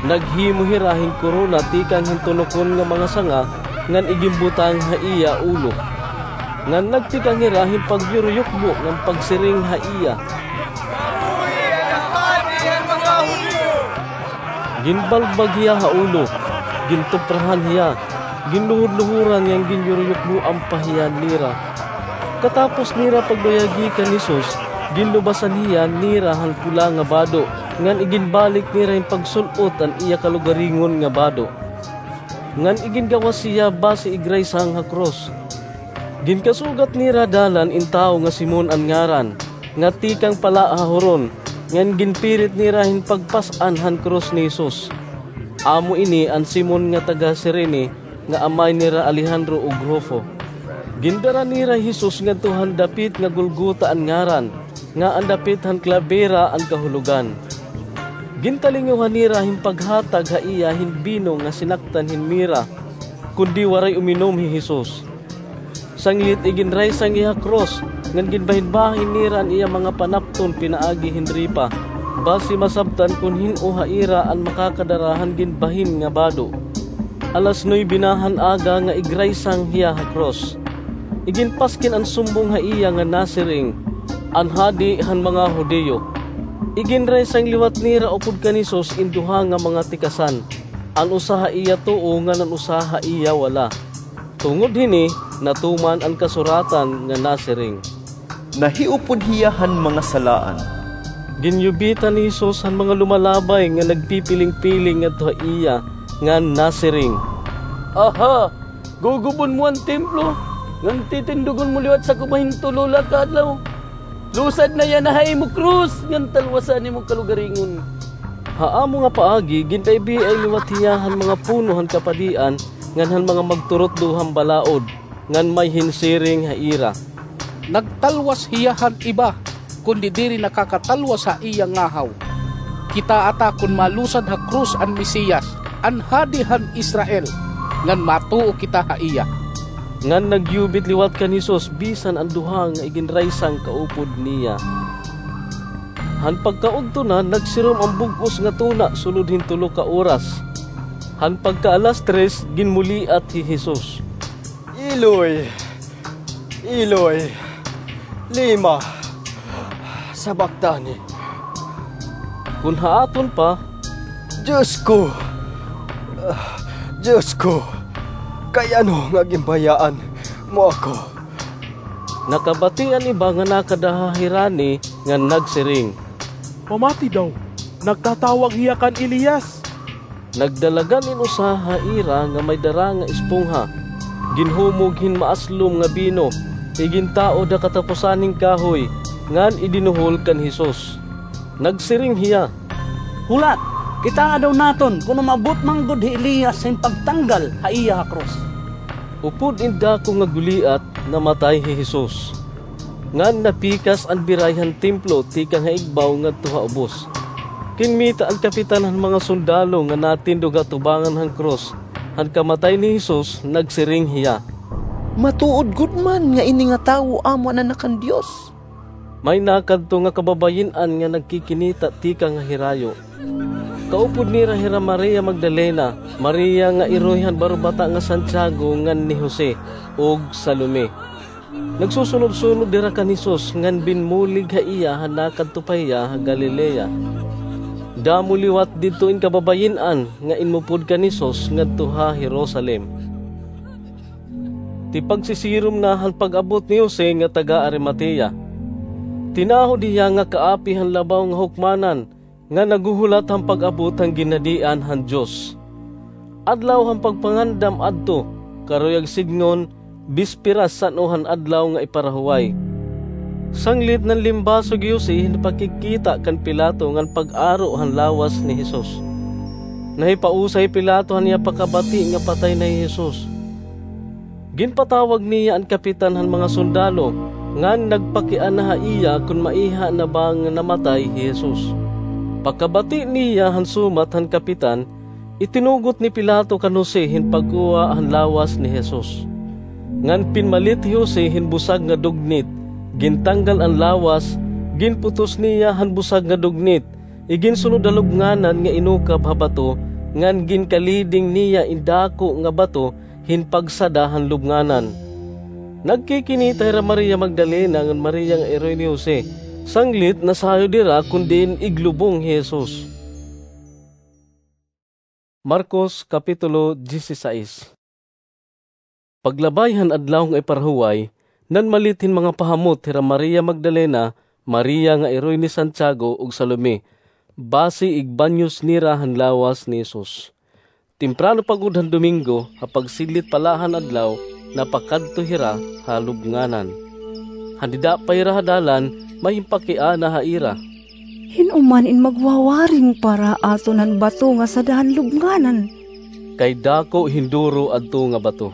Naghimo hira hin korona tikang hin tunokon nga mga sanga, ngan iginbutang ha iya ulo. Ngan nagtikang hira hin pagyuruyukbo ngan pagsiring ha iya, Ginbalbag hiya ha ulo, gintuprahan hiya, ginluhod-luhoran ngan ginyuruyukboan pa hiya nira. Katapos nira pagduyagi kan Jesus, ginlubasan hiya nira han pula nga bado, ngan iginbalik nira hin pagsul-ot an iya kalugaringon nga bado. Ngan igingawas hiya basi igraysang ha krus. Ginkasugat nira dalan in tawo nga Simon an ngaran, nga tikang pala ha Horon, ngan ginpirit nira hin pagpas-an han krus ni Jesus. Amo ini an Simon nga taga-Cirene, nga amay nira Alejandro ug Rufo. Gindara nira hi Jesus ngadto han dapit nga Golgota an ngaran, nga an dapit han klabera an kahulogan. Gintalinguhan nira hin paghatag ha iya hin bino nga sinaktan hin mira, kundi waray uminom hi Jesus. Sanglit iginraysang iya ha krus, ngan ginbahinbahin nira an iya mga panapton pinaagi hin ripa, basi masabtan kon hin-o ha ira an makakadara han ginbahin nga bado. Alas nuebe na han aga nga igraysang hiya ha krus. Iginpaskin an sumbong ha iya nga nasiring, "An Hadi han mga Judio." Iginraysang liwat nira upod kan Jesus in duha nga mga tikasan, an usa ha iya tuo ngan an usa ha iya wala. Tungod hini, natuman an kasuratan nga nasiring, "Nahiupod hiya han mga salaan." Ginyubitan ni Jesus han mga lumalabay nga nagpipiling-piling ngadto ha iya, ngan nasiring, "Aha, gugubon mo an templo, ngan titindugon mo liwat sa kumahin tulo la ka adlaw? Lusad na yana ha imo krus, ngan talwasa an imo kalugaringon." Ha amo nga paagi, gin-ibiay liwat hiya han mga puno han kapadian, ngan han mga magturutdo han balaod, ngan may hinsiring ha ira, "Nagtalwas hiya han iba, kundi diri nakakatalwas ha iya ngahaw. Kitaa ta kon malusad ha krus an Mesiyas, an Hadi han Israel, ngan matuo kita ha iya." Ngan nagyubit liwat kan Jesus bisan an duha nga iginraysang kaupod niya. Han pagkaudto na, nagsirom an bug-os nga tuna sulod hin tulo ka oras. Han pagka-alas tres, ginmuliat hi Jesus, "Eloi, Eloi, lema sabactani?" Kon ha aton pa, "Dios ko, Dios ko, kay ano nga ginbayaan mo ako?" Nakabati an iba nga nakada ha hirani ngan nagsiring, "Pamati daw, nagtatawag hiya kan Elias." Nagdalagan in usa ha ira nga may dara nga espongha, ginhumog hin maaslom nga bino, igintaod ha kataposan hin kahoy, ngan idinuhol kan Jesus. Nagsiring hiya, "Hulat, kitaa daw naton kon umabot man gud hi Elias hin pagtanggal ha iya ha krus." Upod in dako nga guliat, namatay hi Jesus. Ngan napikas an biray han templo tikang ha igbaw ngadto ha ubos. Kinmita an kapitan han mga sundalo nga natindog ha tubangan han krus han kamatay ni Jesus, nagsiring hiya, "Matuod gud man nga ini nga tawo amo an Anak han Dios." May nakadto nga kababayin-an nga nagkikinita tikang ha hirayo. Kaupod nira hira Maria Magdalena, Maria nga iroy han barbata nga Santiago ngan ni Jose, ug Salome. Nagsusunod-sunod dira kan Jesus ngan binmulig ha iya han nakadto pa hiya ha Galilea. Damo liwat didto in kababayin-an nga inmupod kan Jesus ngadto ha Jerusalem. Tipagsisirom na han pag-abot ni Jose nga taga-Arimatea. Tinahod hiya nga kaapi han labaw nga hukmanan nga naghuhulat han pag-abot han ginhadian han Dios. Adlaw han pagpangandam adto, karuyag sidngon, bisperas san-o han adlaw nga iparahuway. Sanglit nanlimbasog hi Jose hin pakigkita kan Pilato ngan pag-aro han lawas ni Jesus. Nahipausay hi Pilato han iya pakabati nga patay na hi Jesus. Ginpatawag niya an kapitan han mga sundalo, ngan nagpakiana ha iya kon maiha na ba nga namatay hi Jesus. Pakabati niya han sumat han kapitan, Itinugot ni Pilato kan Jose hin pagkuha han lawas ni Jesus. Ngan pinmalit hi Jose hin busag nga dugnit, gintanggal an lawas, ginputos niya han busag nga dugnit, iginsulod ha lubnganan nga inukab ha bato, ngan ginkaliding niya in dako nga bato hin pagsada han lubnganan. Nagkikinita hira Maria Magdalena ngan Maria nga iroy ni Jose, sanglit nasayod hira kon diin iglubong hi Jesus. Marcos, Kapitulo dieciséis. Paglabay han adlaw nga iparahuway, nanmalit hin mga pahamot hira Maria Magdalena, Maria nga iroy ni Santiago, ug Salome, basi igbanyos nira han lawas ni Jesus. Temprano pa gud han Domingo, ha pagsidlit pa la han adlaw, napakadto hira ha lubnganan. Han dida pa hira ha dalan, may himpakiana ha ira. Hin-o man in magwawaring para aton han bato nga sada han lubnganan? Kay dako hin duro adto nga bato.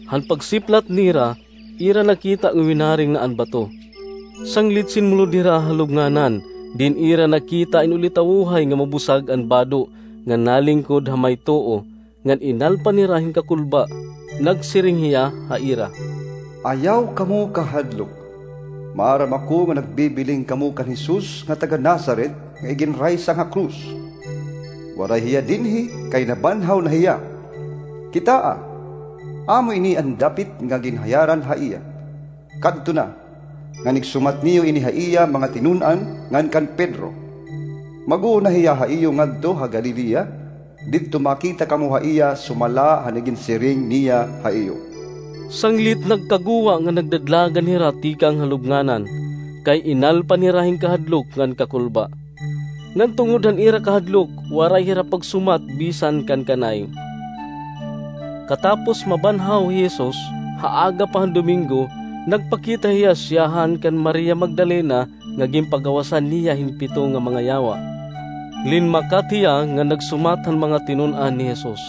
Han pagsiplat nira, ira nakita nga winaring na an bato. Sanglit sinmulod hira ha lubnganan, diin ira nakita in ulitawohay nga mabusag an bado nga nalingkod ha may tuo, ngan inalpan hira hin kakulba. Nagsiring hiya ha ira, "Ayaw kamo kahadlok. Maaram ako nga nagbibiling kamo kan Jesus nga taga Nazaret nga iginraysang ha krus. Waray hiya dinhi, kay nabanhaw na hiya. Kitaa, amo ini an dapit nga ginhayaran ha iya. Kadto na, ngan igsumat niyo ini ha iya mga tinun-an ngan kan Pedro. Mag-uuna hiya ha iyo ngadto ha Galilea, didto makita kamo ha iya sumala han iginsiring niya ha iyo." Sanglit nagkaguwa nga nagdadlagan hira tikang ha lubnganan, kay inalpan hira hin kahadlok ngan kakulba. Ngan tungod han ira kahadlok, waray hira pagsumat bisan kan kanay. Katapos mabanhaw hi Jesus, ha aga pa han Domingo, nagpakita hiya siyahan kan Maria Magdalena nga ginpagawasan niya hin pito nga mga yawa. Linmakat hiya nga nagsumat han mga tinun-an ni Jesus.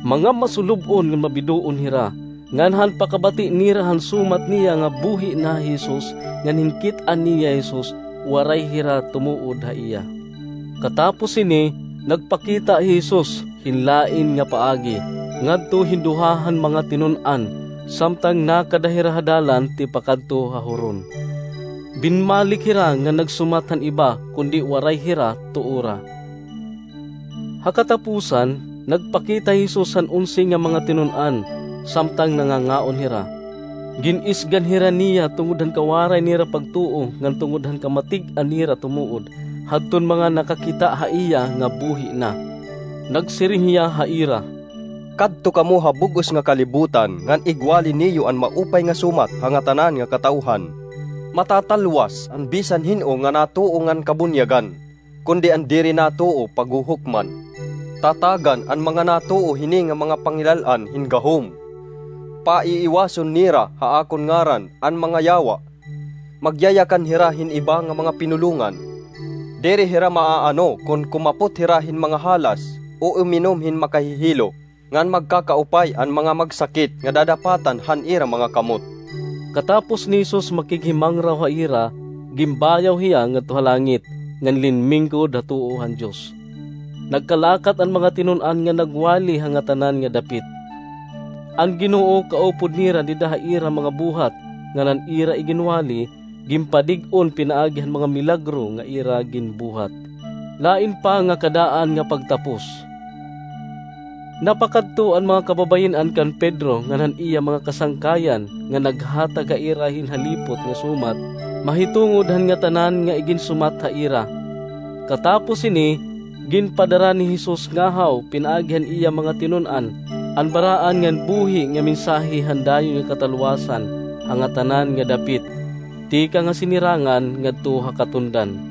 Mga masulub-on ngan mabidoon hira, ngan han pakabati nira han sumat niya nga buhi na hi Jesus, ngan hin kit-an niya hi Jesus, waray hira tumuod ha iya. Katapos hini, nagpakita hi Jesus hin lain nga paagi ngadto hin duha han mga tinun-an, samtang nakada hira ha dalan tipakadto ha huron. Binmalik hira nga nagsumat han iba, kundi waray hira tuora. Ha katapusan, nagpakita hi Jesus han onse nga mga tinun-an, samtang nangangaon hira. Gin-isgan hira niya tungod han kawaray nira pagtuo ngan tungod han kamatig-an nira tumuod, hadton mga nakakita ha iya nga buhi na. Nagsiring hiya ha ira, "Kadto kamo ha bug-os nga kalibutan ngan igwali niyo an maupay nga sumat ha ngatanan nga katawhan. Matatalwas an bisan hin-o nga natuo ngan kabunyagan, kundi an diri natuo paghuhukman. Tatagan an mga natuo hini nga mga pangilal-an hin gahom. Paiiwason nira ha akon ngaran an mga yawa. Magyayakan hira hin iba nga mga pinulongan. Diri hira maaano kon kumapot hira hin mga halas o uminom hin makahihilo, ngan magkakaupay an mga magsakit nga dadapatan han ira mga kamot." Katapos ni Jesus makighimangraw ha ira, ginbayaw hiya ngadto ha langit, ngan linmingkod ha tuo han Dios. Nagkalakat an mga tinun-an nga nagwali ha ngatanan nga dapit. An Ginoo kaupod nira dida ha ira mga buhat, ngan an ira iginwali, ginpadig-on pinaagi han mga milagro nga ira ginbuhat. Lain pa nga kadaan nga pagtapos. Napakadto an mga kababayin-an kan Pedro ngan han iya mga kasangkayan nga naghatag ha ira hin halipot nga sumat mahitungod han ngatanan nga iginsumat ha ira. Katapos hini, ginpadara ni Jesus ngahaw pinaagi han iya mga tinun-an an baraan ngan buhi nga mensahe han dayon nga katalwasan ha ngatanan nga dapit, tikang ha sinirangan ngadto ha katundan.